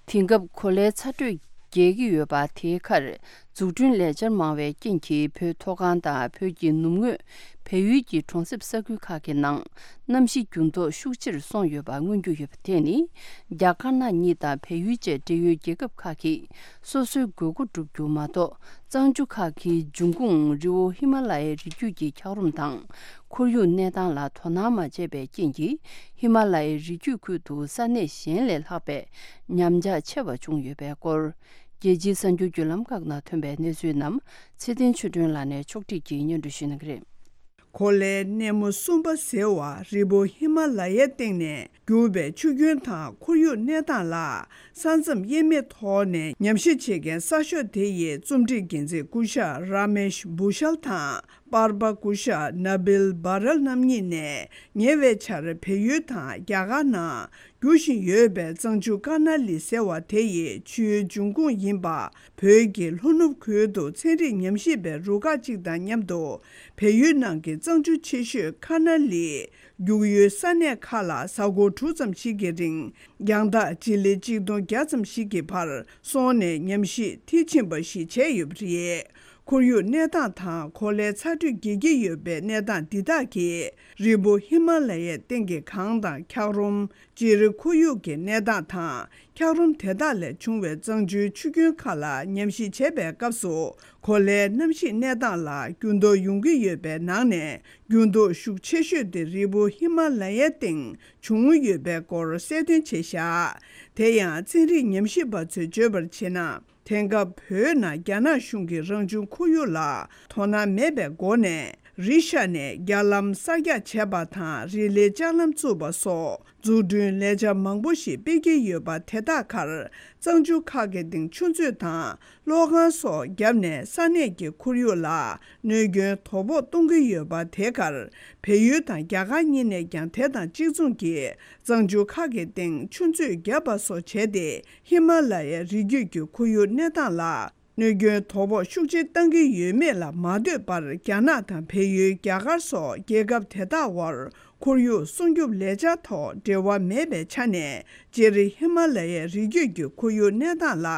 དེང་སྐབས་གོ་ལའི་ཚ་དྲོད་རྒྱས་ཀྱི་ཡོད་པ་དེའི་ཁར། འཛུགས་སྐྲུན་ལས་འཆར་མང་བའི་རྐྱེན་གྱིས། བོད་མཐོ་སྒང་དང་བོད་ཀྱི་ནུབ་ངོས་བལ་ཡུལ་གྱི་གྲོང་གསེབ་ས་ཁུལ་ཁག་གི་ནང་གནམ་གཤིས་འགྱུར་ལྡོག་ཤུགས་ཆེར་སོང་ཡོད་པ་མངོན་རྒྱུ་ཡོད་པ་དེ་ནི། རྒྱ་དཀར་ནག་གཉིས་དང་བལ་ཡུལ་བཅས་འབྲེལ་ཡོད་རྒྱལ་ཁབ་ཁག་གིས་སོ་སོའི་དགོས་མཁོ་བསྒྲུབ་རྒྱུ་མ་གཏོགས། གཙང་ཆུ་ཁག་གི་འབྱུང་ཁུངས་རི་བོ་ཧི་མ་ལ་ཡའི་རི་རྒྱུད་ཀྱི་འཁྱགས་རོམ་དང་། ཁོར་ཡུག་གནས་སྟངས་ལ་དོ་སྣང་མ་བྱས་པའི་རྐྱེན་གྱིས། ཧི་མ་ལ་ཡའི་རི་རྒྱུད་ཁུལ་དུ་ས་གནས་གཞན་ལས་ལྷག་པའི་ཉམས་ཆག་ཆེ་བ་བྱུང་ཡོད་པའི་སྐོར། རྒྱལ་སྤྱིའི་གསར་འགྱུར་བརྒྱུད་ལམ་ཁག་ནང་ཐོན་པའི་གནས་ཚུལ་རྣམས་ཚེ་བརྟན་ཆོས་སྒྲོན་ལགས་ནས་ཕྱོགས་སྒྲིག་གིས་སྙན་སྒྲོན་ཞུ་གནང་གི་རེད། གོ་ལའི་སྣེ་མོ་གསུམ་པ་ཟེར་བ་རི་བོ་ཧི་མ་ལ་ཡའི་སྟེང་ནས་རྒྱུག་པའི་ཆུ་རྒྱུན་དང་ཁོར་ཡུག་གནས་སྟངས་ལ་ས་མཚམས་དབྱེ་མེད་ཐོག་ནས་ཉམས་ཞིབ་བྱེད་མཁན་གསར་ཤོག་དེ་ཡི་རྩོམ་སྒྲིག་འགན་འཛིན་སྐུ་ཞབས་ར་མེཤ་བྷུ་ཤལ་དང་པར་པ་སྐུ་ཞབས་ན་བིལ་བྷ་རལ་རྣམ་གཉིས་ནས་ཉེ་བའི་ཆར་བལ་ཡུལ་དང་རྒྱ་གར་ནང་རྒྱུག་བཞིན་ཡོད་པའི་གཙང་ཆུ་ཀ་ན་ལི་ཟེར་བ་དེ་ཡི་ཆུའི་འབྱུང་ཁུངས་ཡིན་པ། བོད་ཀྱི་ལྷོ་ནུབ་ཁུལ་དུ་ཚན་རིག་ཉམས་ཞིབ་པའི་རུ་ཁག་ཅིག་དང་མཉམ་དུ། བལ་ཡུལ་ནང་གི་གཙང་ཆུ་ཆེ་ཤོས་ཀ་ན་ལི་རྒྱུག་ཡུལ་ས་གནས་ཁག་ལ་གཟའ་འཁོར་དྲུག་ཙམ་ཞིག་གི་རིང་རྒྱང་ཐག་སྤྱི་ལེ་གཅིག་སྟོང་བརྒྱ་ཙམ་ཞིག་གི་བར་སོང་ནས་ཉམས་ཞིབ་མཐིལ་ཕྱིན་པ་ཞིག་བྱས་ཡོད་པ་རེད། ཁོར་ཡུག་གནས་སྟངས་དང་གོ་ལའི་ཚ་དྲོད་རྒྱས་ཀྱི་ཡོད་པའི་གནས་སྟངས་འདི་དག་གིས་རི་བོ་ཧི་མ་ལ་ཡའི་སྟེང་གི་གངས་དང་འཁྱགས་རོམ། སྤྱིར་ཁོར་ཡུག་གི་གནས་སྟངས་དང་འཁྱགས་རོམ་དེ་དག་ལས་བྱུང་བའི་གཙང་ཆུའི་ཆུ་རྒྱུན་ཁག་ལ་ཉམས་ཞིབ་བྱེད་པའི་སྐབས་སུ། གོ་ལའི་གནམ་གཤིས་གནས་སྟངས་ལ་འགྱུར་ལྡོག་ཡོང་གི་ཡོད་པའི་ནང་ནས། འགྱུར་ལྡོག་ཤུགས་ཆེ་ཤོས་དེ་རི་བོ་ཧི་མ་ལ་ཡའི་སྟེང་བྱུང་ཡོད་པའི་སྐོར་གསལ་སྟོན་བྱས་བཞག་དེ་ཡང་ཚན་རིག་ཉམས་ཞིབ་པ་ཚོས་བརྗོད་པར་བྱས་ན། དེང་སྐབས་བོད་ནང་རྒྱ་ནག་གཞུང་གིས་རང་བྱུང་ཁོར་ཡུག་ལ་དོ་སྣང་མེད་པའི་སྒོ་ནས། རི་ཤ་ནས་རྒྱ་ལམ་གསར་རྒྱག་བྱས་པ་དང་། རི་ལི་ལྕགས་ལམ་བཙུགས་པ་སོགས་འཛུགས་སྐྲུན་ལས་འཆར་མང་པོ་ཞིག་སྤེལ་གྱི་ཡོད་པ། དེ་དག་ཁར་གཙང་ཆུ་ཁག་གི་སྟེང་ཆུ་མཛོད་དང་གློག་ཁང་སོགས་བརྒྱབ་ནས་ས་གནས་ཀྱི་ཁོར་ཡུག་ལ་གནོད་སྐྱོན་དོ་ཕོག་གཏོང་གི་ཡོད་པ། དེ་ཁར་བལ་ཡུལ་དང་རྒྱ་གར་གཉིས་ནས་ཀྱང་དེ་དང་གཅིག་མཚུངས་ཀྱིས་གཙང་ཆུ་ཁག་གི་སྟེང་ཆུ་མཛོད་བརྒྱབ་པ་སོགས་བྱས་ཏེ། ཧི་མ་ལ་ཡའི་རི་རྒྱུད་ཀྱི་ཁོར་ཡུག་གནས་སྟངས་ལ་གནོད་སྐྱོན་དོ་ཕོག་ཤུགས་ཆེ་བཏང་གི་ཡོད་མེད་ལ་མ་ལྟོས་པར། རྒྱ་ནག་དང་བལ་ཡུལ། རྒྱ་གར་སོགས་རྒྱལ་ཁབ་དེ་དག་དབར་ཁོར་ཡུག་སྲུང་སྐྱོབ་ལས་འཆར་ཐོག་འབྲེལ་བ་མེད་པའི་ཆ་ནས། སྤྱིར་ཧི་མ་ལ་ཡའི་རི་རྒྱུད་ཀྱི་ཁོར་ཡུག་གནས་སྟངས་ལ་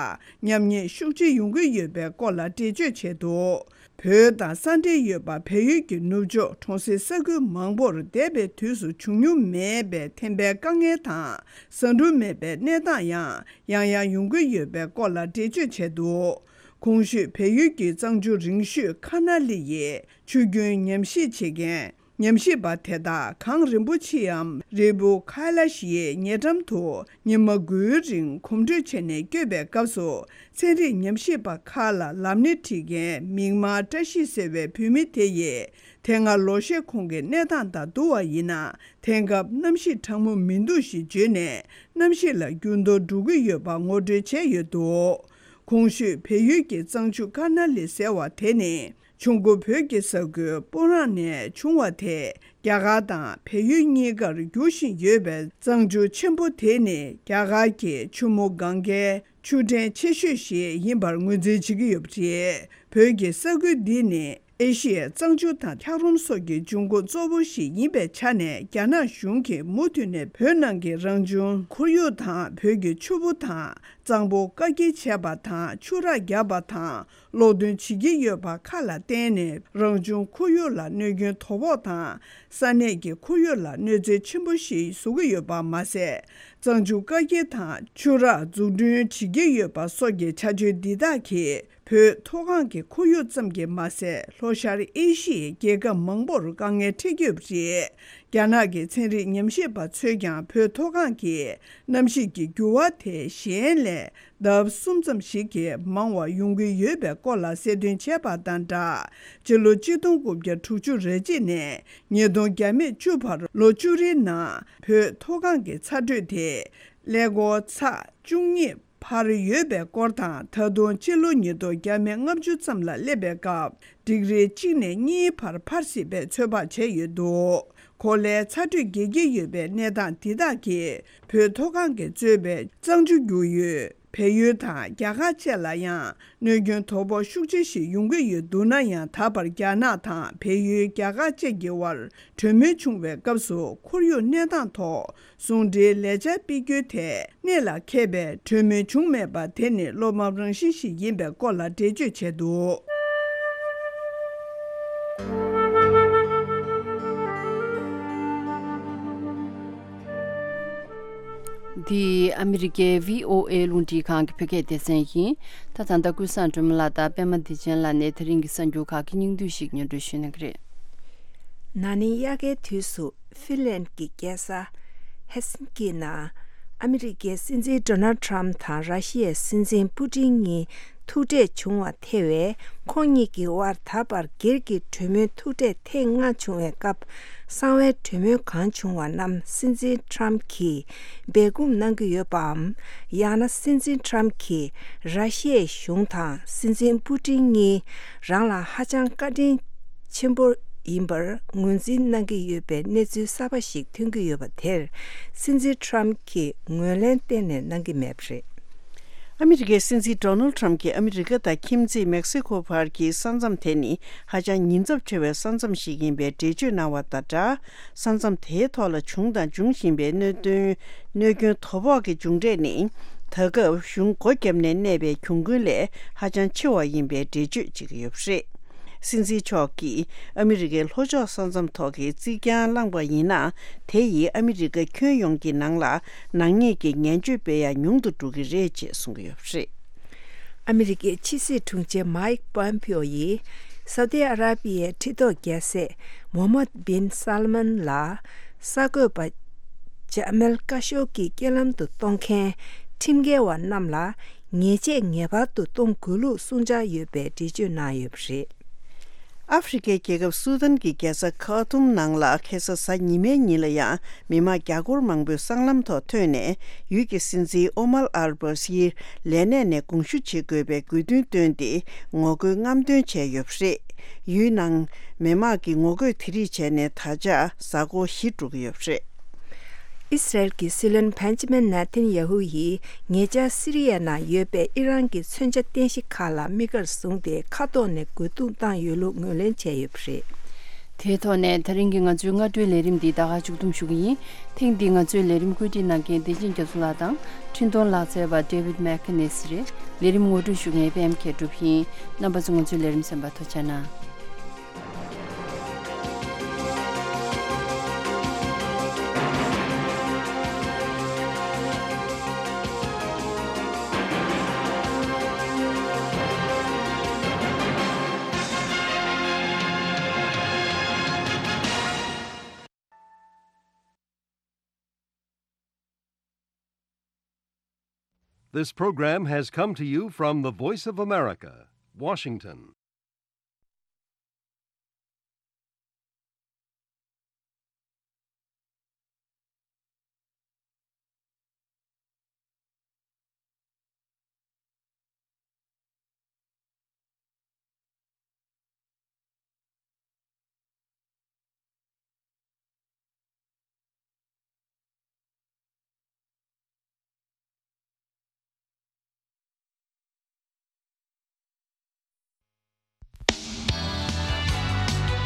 ཉམས་ཉེས་ཤུགས་ཆེ་ཡོང་གི་ཡོད་པའི་སྐོར་ལ་འགྲེལ་བརྗོད་བྱས་འདུག། བོད་དང་ས་འབྲེལ་ཡོད་པ་བལ་ཡུལ་གྱི་ནུབ་ཕྱོགས་གྲོང་གསེབ་ས་ཁུལ་མང་པོར་འདས་པའི་དུས་སུ་བྱུང་མྱོང་མེད་པའི་ཐན་པའི་དཀའ་ངལ་དང་། ཟ་འབྲུ་མེད་པའི་གནས་སྟངས་ཡང་ཡང་ཡང་ཡོང་གི་ཡོད་པའི་སྐོར་ལ་འགྲེལ་བརྗོད་བྱས་འདུག། གོང་ཞུས་བལ་ཡུལ་གྱི་གཙང་ཆུ་རིང་ཤོས་ཁ་ན་ལི་ཡི་ཆུ་རྒྱུན་ཉམས་ཞིབ་བྱེད་མཁན་ ཉམས་ཞིབ་པ་དེ་དག་གངས་རིན་པོ་ཆེའམ་རི་བོ་ཁ་ལ་ཤིའི་ཉེ་འགྲམ་དུ་ཉི་མ་དགུའི་རིང་གོམ་བགྲོད་བྱས་ནས་བསྐྱོད་པའི་སྐབས་སུ། ཚན་རིག་ཉམས་ཞིབ་པ་ཁག་ལ་ལམ་སྣེ་ཁྲིད་མཁན་མིག་དམར་བཀྲ་ཤིས་ཟེར་བའི་བུད་མེད་དེ་ཡིས། དེ་སྔ་ལོ་ཤས་གོང་གི་གནས་སྟངས་དང་བསྡུར་བ་ཡིན་ན། དེང་སྐབས་གནམ་གཤིས་གྲང་མོ་མི་འདུག་ཞེས་བརྗོད་ནས། གནམ་གཤིས་ལ་འགྱུར་ལྡོག་འགྲོ་གི་ཡོད་པ་ངོ་སྤྲོད་བྱས་ཡོད་འདུག་གོང་ཞུས་བལ་ཡུལ་གྱི་གཙང་ཆུ་ཀར་ན་ལི་ཟེར་བ་དེ་ནི། བྱུང་སྒོ་བོད་ཀྱི་ས་ཁུལ་སྤུ་རངས་ནས་བྱུང་བ་དེ། རྒྱ་གར་དང་བལ་ཡུལ་གཉིས་ཀར་རྒྱུག་བཞིན་ཡོད་པའི་གཙང་ཆུ་ཆེན་པོ་དེ་ནི། རྒྱ་གར་གྱི་ཆུ་མོ་གངྒཱའི་ཆུ་ཕྲན་ཆེ་ཤོས་ཤིག་ཡིན་པར་ངོས་འཛིན་བྱེད་ཀྱི་ཡོད་པ་རེད། བོད་ཀྱི་ས་ཁུལ་འདི་ནི་ཨེ་ཤི་ཡའི་གཙང་ཆུ་དང་འཁྱགས་རོམ་སོགས་ཀྱི་འབྱུང་ཁུངས་གཙོ་བོ་ཞིག་ཡིན་པའི་ཆ་ནས། རྒྱ་ནག་གཞུང་གིས་མུ་མཐུད་ནས་བོད་ནང་གི་རང་བྱུང་ཁོར་ཡུག་དང་། བོད་ཀྱི་ཆུ་བོ་དང་གཙང་པོ་བཀག་སྐྱིལ་བྱས་པ་དང་། ཆུ་རགས་བརྒྱབ་པ་དང་། གློག་འདོན་བྱེད་ཀྱི་ཡོད་པ་ཁག་ལ་བརྟེན་ནས། རང་བྱུང་ཁོར་ཡུག་ལ་གནོད་སྐྱོན་དོ་ཕོག་དང་། ས་གནས་ཀྱི་ཁོར་ཡུག་ལ་གནོད་འཚེ་ཆེན་པོ་ཞིག་བཟོ་གི་ཡོད་པ་མ་ཟད། གཙང་ཆུ་བཀག་སྐྱིལ་དང་ཆུ་རགས་འཛུགས་སྐྲུན་བྱེད་ཀྱི་ཡོད་པ་སོགས་ཀྱི་བྱ་སྤྱོད་འདི་དག་གིས། བོད་མཐོ་སྒང་གི་ཁོར་ཡུག་ཙམ་གྱིས་མ་ཟད། ལྷོ་ཤར་ཨེ་ཤི་ཡའི་རྒྱལ་ཁབ་མང་པོར་དཀའ་ངལ་འཕྲད་ཀྱི་ཡོད་པ་རེད། རྒྱ་ནག་གི་ཚན་རིག་ཉམས་ཞིབ་པ་ཚོས་ཀྱང་། བོད་མཐོ་སྒང་གི་གནམ་གཤིས་ཀྱི་འགྱུར་བ་དེ། གཞན་ལས་ལྡབ་གསུམ་ཙམ་ཞིག་གིས་མང་བ་ཡོང་གི་ཡོད་པའི་སྐོར་ལ་གསལ་སྟོན་བྱས་པ་དང་སྦྲགས། སྤྱི་ལོ་ཆིག་སྟོང་དགུ་བརྒྱ་དྲུག་ཅུ་རེ་གཅིག་ནས་ཉིས་སྟོང་བརྒྱ་མེད་བཅུ་བར་ལོ་བཅུ་རེའི་ནང་། བོད་མཐོ་སྒང་གི་ཚ་དྲོད་དེ་ཀླད་ཀོར་ཚེག་བཅུ་གཉིས་བར་ཡོད་པའི་སྐོར་དང་། ད་དུང་སྤྱི་ལོ་ཉིས་སྟོང་བརྒྱ་མེད་ལྔ་བཅུ་ཙམ་ལ་སླེབས་པའི་སྐབས། ཌིག་རི་གཅིག་ནས་གཉིས་བར་འཕར་སྲིད་པའི་ཚོད་དཔག་བྱས་ཡོད་འདུག་གོ་ལའི་ཚ་དྲོད་རྒྱས་ཀྱི་ཡོད་པའི་གནས་སྟངས་འདི་དག་གིས། བོད་མཐོ་སྒང་གིས་གཙོས་པའི་གཙང་ཆུ་རྒྱུག་ཡུལ་བལ་ཡུལ་དང་རྒྱ་གར་བཅས་ལ་ཡང་གནོད་སྐྱོན་དོ་ཕོག་ཤུགས་ཆེ་ཞིག་ཡོང་གི་ཡོད་འདུག་ན་ཡང་། ད་བར་རྒྱ་ནག་དང་བལ་ཡུལ། རྒྱ་གར་བཅས་ཀྱི་དབར་གྲོས་མོལ་བྱུང་བའི་སྐབས་སུ། ཁོར་ཡུག་གནས་སྟངས་ཐོག་ཟུང་འབྲེལ་ལས་འཆར་སྤེལ་རྒྱུའི་ཐད་གནད་ལ་འཁེལ་བའི་གྲོས་མོལ་བྱུང་མེད་པ་དེ་ནི་བློ་ཕམ་རང་བཞིན་ཞིག་ཡིན་པའི་སྐོར་ལ་འགྲེལ་བརྗོད་བྱས་འདུག་འདི་ཨ་མི་རི་ཀའི་བྷི་ཨོ་ཨེ་རླུང་འཕྲིན་ཁང་གི་བོད་སྐད་སྡེ་ཚན་ཡིན། ད་ད་ལྟ་ཀུན་བཟང་སྒྲོལ་མ་ལགས་དང་པད་མ་བདེ་ཆེན་ལགས་ནས་དེ་རིང་གི་གསར་འགྱུར་ཁག་གི་སྙིང་བསྡུས་ཤིག་སྙན་སྒྲོན་ཞུ་གནང་གི་རེད། ན་ནིང་དབྱར་ཁའི་དུས་སུ་ཧྥིན་ལན་གྱི་རྒྱལ་ས་ཧེལ་སིན་ཀི་ནང་ཨ་མི་རི་ཀའི་སྲིད་འཛིན་ཌོ་ནལ་ཊམ་དང་ར་ཤི་ཡའི་སྲིད་འཛིན་པུ་ཏིན་གཉིས་ཐུག་འཕྲད་བྱུང་བ་ཐེ་བའི་ཁོང་གཉིས་ཀྱི་དབར་ད་བར་སྒེར་གྱི་གྲོས་མོལ་ཐུག་འཕྲད་ཐེངས་ལྔ་བྱུང་བའི་སྐབས། གསང་བའི་གྲོས་མོལ་གང་བྱུང་བ་རྣམས་སྲིད་འཛིན་ཊམ་གྱིས་སྦས་སྐུང་གནང་གི་ཡོད་པའམ། ཡང་ན་སྲིད་འཛིན་ཊམ་གྱིས་ར་ཤི་ཡའི་གཞུང་དང་སྲིད་འཛིན་པུ་ཏིན་གཉིས་རང་ལ་ཧ་ཅང་བཀའ་དྲིན་ཆེན་པོ་ཡིན་པར་ངོས་འཛིན་གནང་གི་ཡོད་པའི་གནས་ཚུལ་གསར་པ་ཞིག་ཐོན་གྱི་ཡོད་པ་དེར། སྲིད་འཛིན་ཊམ་གྱིས་ངོས་ལེན་གཏན་ནས་གནང་གི་མེད་པ་རེད། ཨ་མི་རི་ཀའི་སྲིད་འཛིན་ཌོ་ནལ་ཊམ་གྱིས་ཨ་མི་རི་ཀ་དང་ཁྱིམ་མཚེས་མེག་སི་ཁོ་བར་གྱི་ས་མཚམས་དེ་ནི་ཧ་ཅང་ཉེན་ཚབས་ཆེ་བའི་ས་མཚམས་ཤིག་ཡིན་པའི་འགྲེལ་བརྗོད་གནང་བ་དང་སྦྲགས། ས་མཚམས་དེའི་ཐོག་ལ་བྱུང་དང་འབྱུང་བཞིན་པའི་གནད་དོན། གནོད་སྐྱོན་དོ་ཕོག་གི་མཇུག་འབྲས་ནི། ད་སྐབས་གཞུང་སྒོ་བརྒྱབ་ནས་གནས་པའི་གྱོང་གུན་ལས་ཧ་ཅང་ཆེ་བ་ཡིན་པའི་འགྲེལ་བརྗོད་བྱེད་ཀྱི་ཡོད་པ་རེད། སྲིད་འཛིན་མཆོག་གིས་ཨ་མི་རི་ཀའི་ལྷོ་ཕྱོགས་ས་མཚམས་ཐོག་གི་རྩིག་གྱང་བསླངས་པ་ཡིན་ན། དེ་ཡིས་ཨ་མི་རི་ཀ་ཁྱོན་ཡོངས་ཀྱི་ནང་ལ་ནག་ཉེས་ཀྱི་ངན་སྤྱོད་སྤེལ་ཡ་ཉུང་དུ་འགྲོ་གི་རེད་ཅེས་གསུང་གི་ཡོད་པ་རེད། ཨ་མི་རི་ཀའི་ཕྱི་སྲིད་དྲུང་ཆེ་མཱིག་པོམ་པིའོ་ཡིས་སའུ་ཏི་ཨ་ར་པི་ཡའི་ཁྲི་ཐོག་རྒྱལ་སྲས་མོ་ཧམ་མད་བིན་སལ་མན་ལ་གསར་འགོད་པ་ཇ་མལ་ཀ་ཤོ་གི་རྐྱེན་ལམ་དུ་གཏོང་མཁན་ཁྲིམས་འགལ་བ་རྣམས་ལ་ཉེས་ཆད་ངེས་པར་དུ་གཏོང་དགོས་ལུགས་གསུང་འཆར་ཡོད་པའི་འགྲེལ་བརྗོད་གནང་ཡོད་པ་རེད། ཨ་ཧྥེ་རི་ཁའི་རྒྱལ་ཁབ་སུ་དཱན་གྱི་རྒྱལ་ས་ཁ་ཐུམ་ནང་ལ་ཁ་སང་གཟའ་ཉི་མའི་ཉིན་ལ་ཡང་མི་མང་རྒྱ་སྒོར་མང་པོས་སྲང་ལམ་ཐོག་ཐོན་ནས། ཡུལ་གྱི་སྲིད་འཛིན་ཨོ་མར་ཨལ་བྷ་ཤིར་ལས་གནས་ནས་དགོངས་ཞུ་བྱེད་དགོས་པའི་དགོས་འདུན་བཏོན་ཏེ་ངོ་རྒོལ་རྔམ་སྟོན་བྱས་ཡོད་པ་རེད། ཡུལ་ནང་མི་མང་གིས་ངོ་རྒོལ་དེ་རིགས་བྱས་ནས་ད་ཆ་གཟའ་འཁོར་བཞི་འགྲོ་གི་ཡོད་པ་རེད། ཨི་སི་རལ་གྱི་སྲིད་བློན་བན་ཇི་མིན་ནེ་ཐན་ཡ་ཧུ་ཡིས་ཉེ་ཆར་སི་རི་ཡའི་ནང་ཡོད་པའི་ཨི་རན་གྱི་མཚོན་ཆ་རྟེན་གཞི་ཁག་ལ་དམིགས་ཀར་བཟུང་སྟེ་མཁའ་ཐོག་ནས་རྒོལ་རྡུང་བཏང་ཡོད་ལུགས་ངོས་ལེན་བྱས་ཡོད་པ་རེད། དེའི་ཐོག་ནས་ད་རིང་གི་ང་ཚོའི་སྔ་དྲོའི་ལས་རིམ་འདི་ད་ག་མཇུག་བསྡོམས་ཞུ་གི་ཡིན། ཐེངས་འདིའི་ང་ཚོའི་ལས་རིམ་བཀོད་སྒྲིག་གནང་མཁན་བདེ་ཆེན་རྒྱ་མཚོ་ལགས་དང་འཕྲིན་གཏོང་ལག་རྩལ་བ་David McInnes་རེད། ལས་རིམ་ངོ་སྤྲོད་ཞུ་མཁན་པད་མ་མཁས་གྲུབ་ཡིན། རྣམ་པ་ཚོ་ང་ཚོའི་ལས་རིམ་གསན་པར་ཐུགས་རྗེ་གནང་། This program has come to you from the Voice of America, Washington.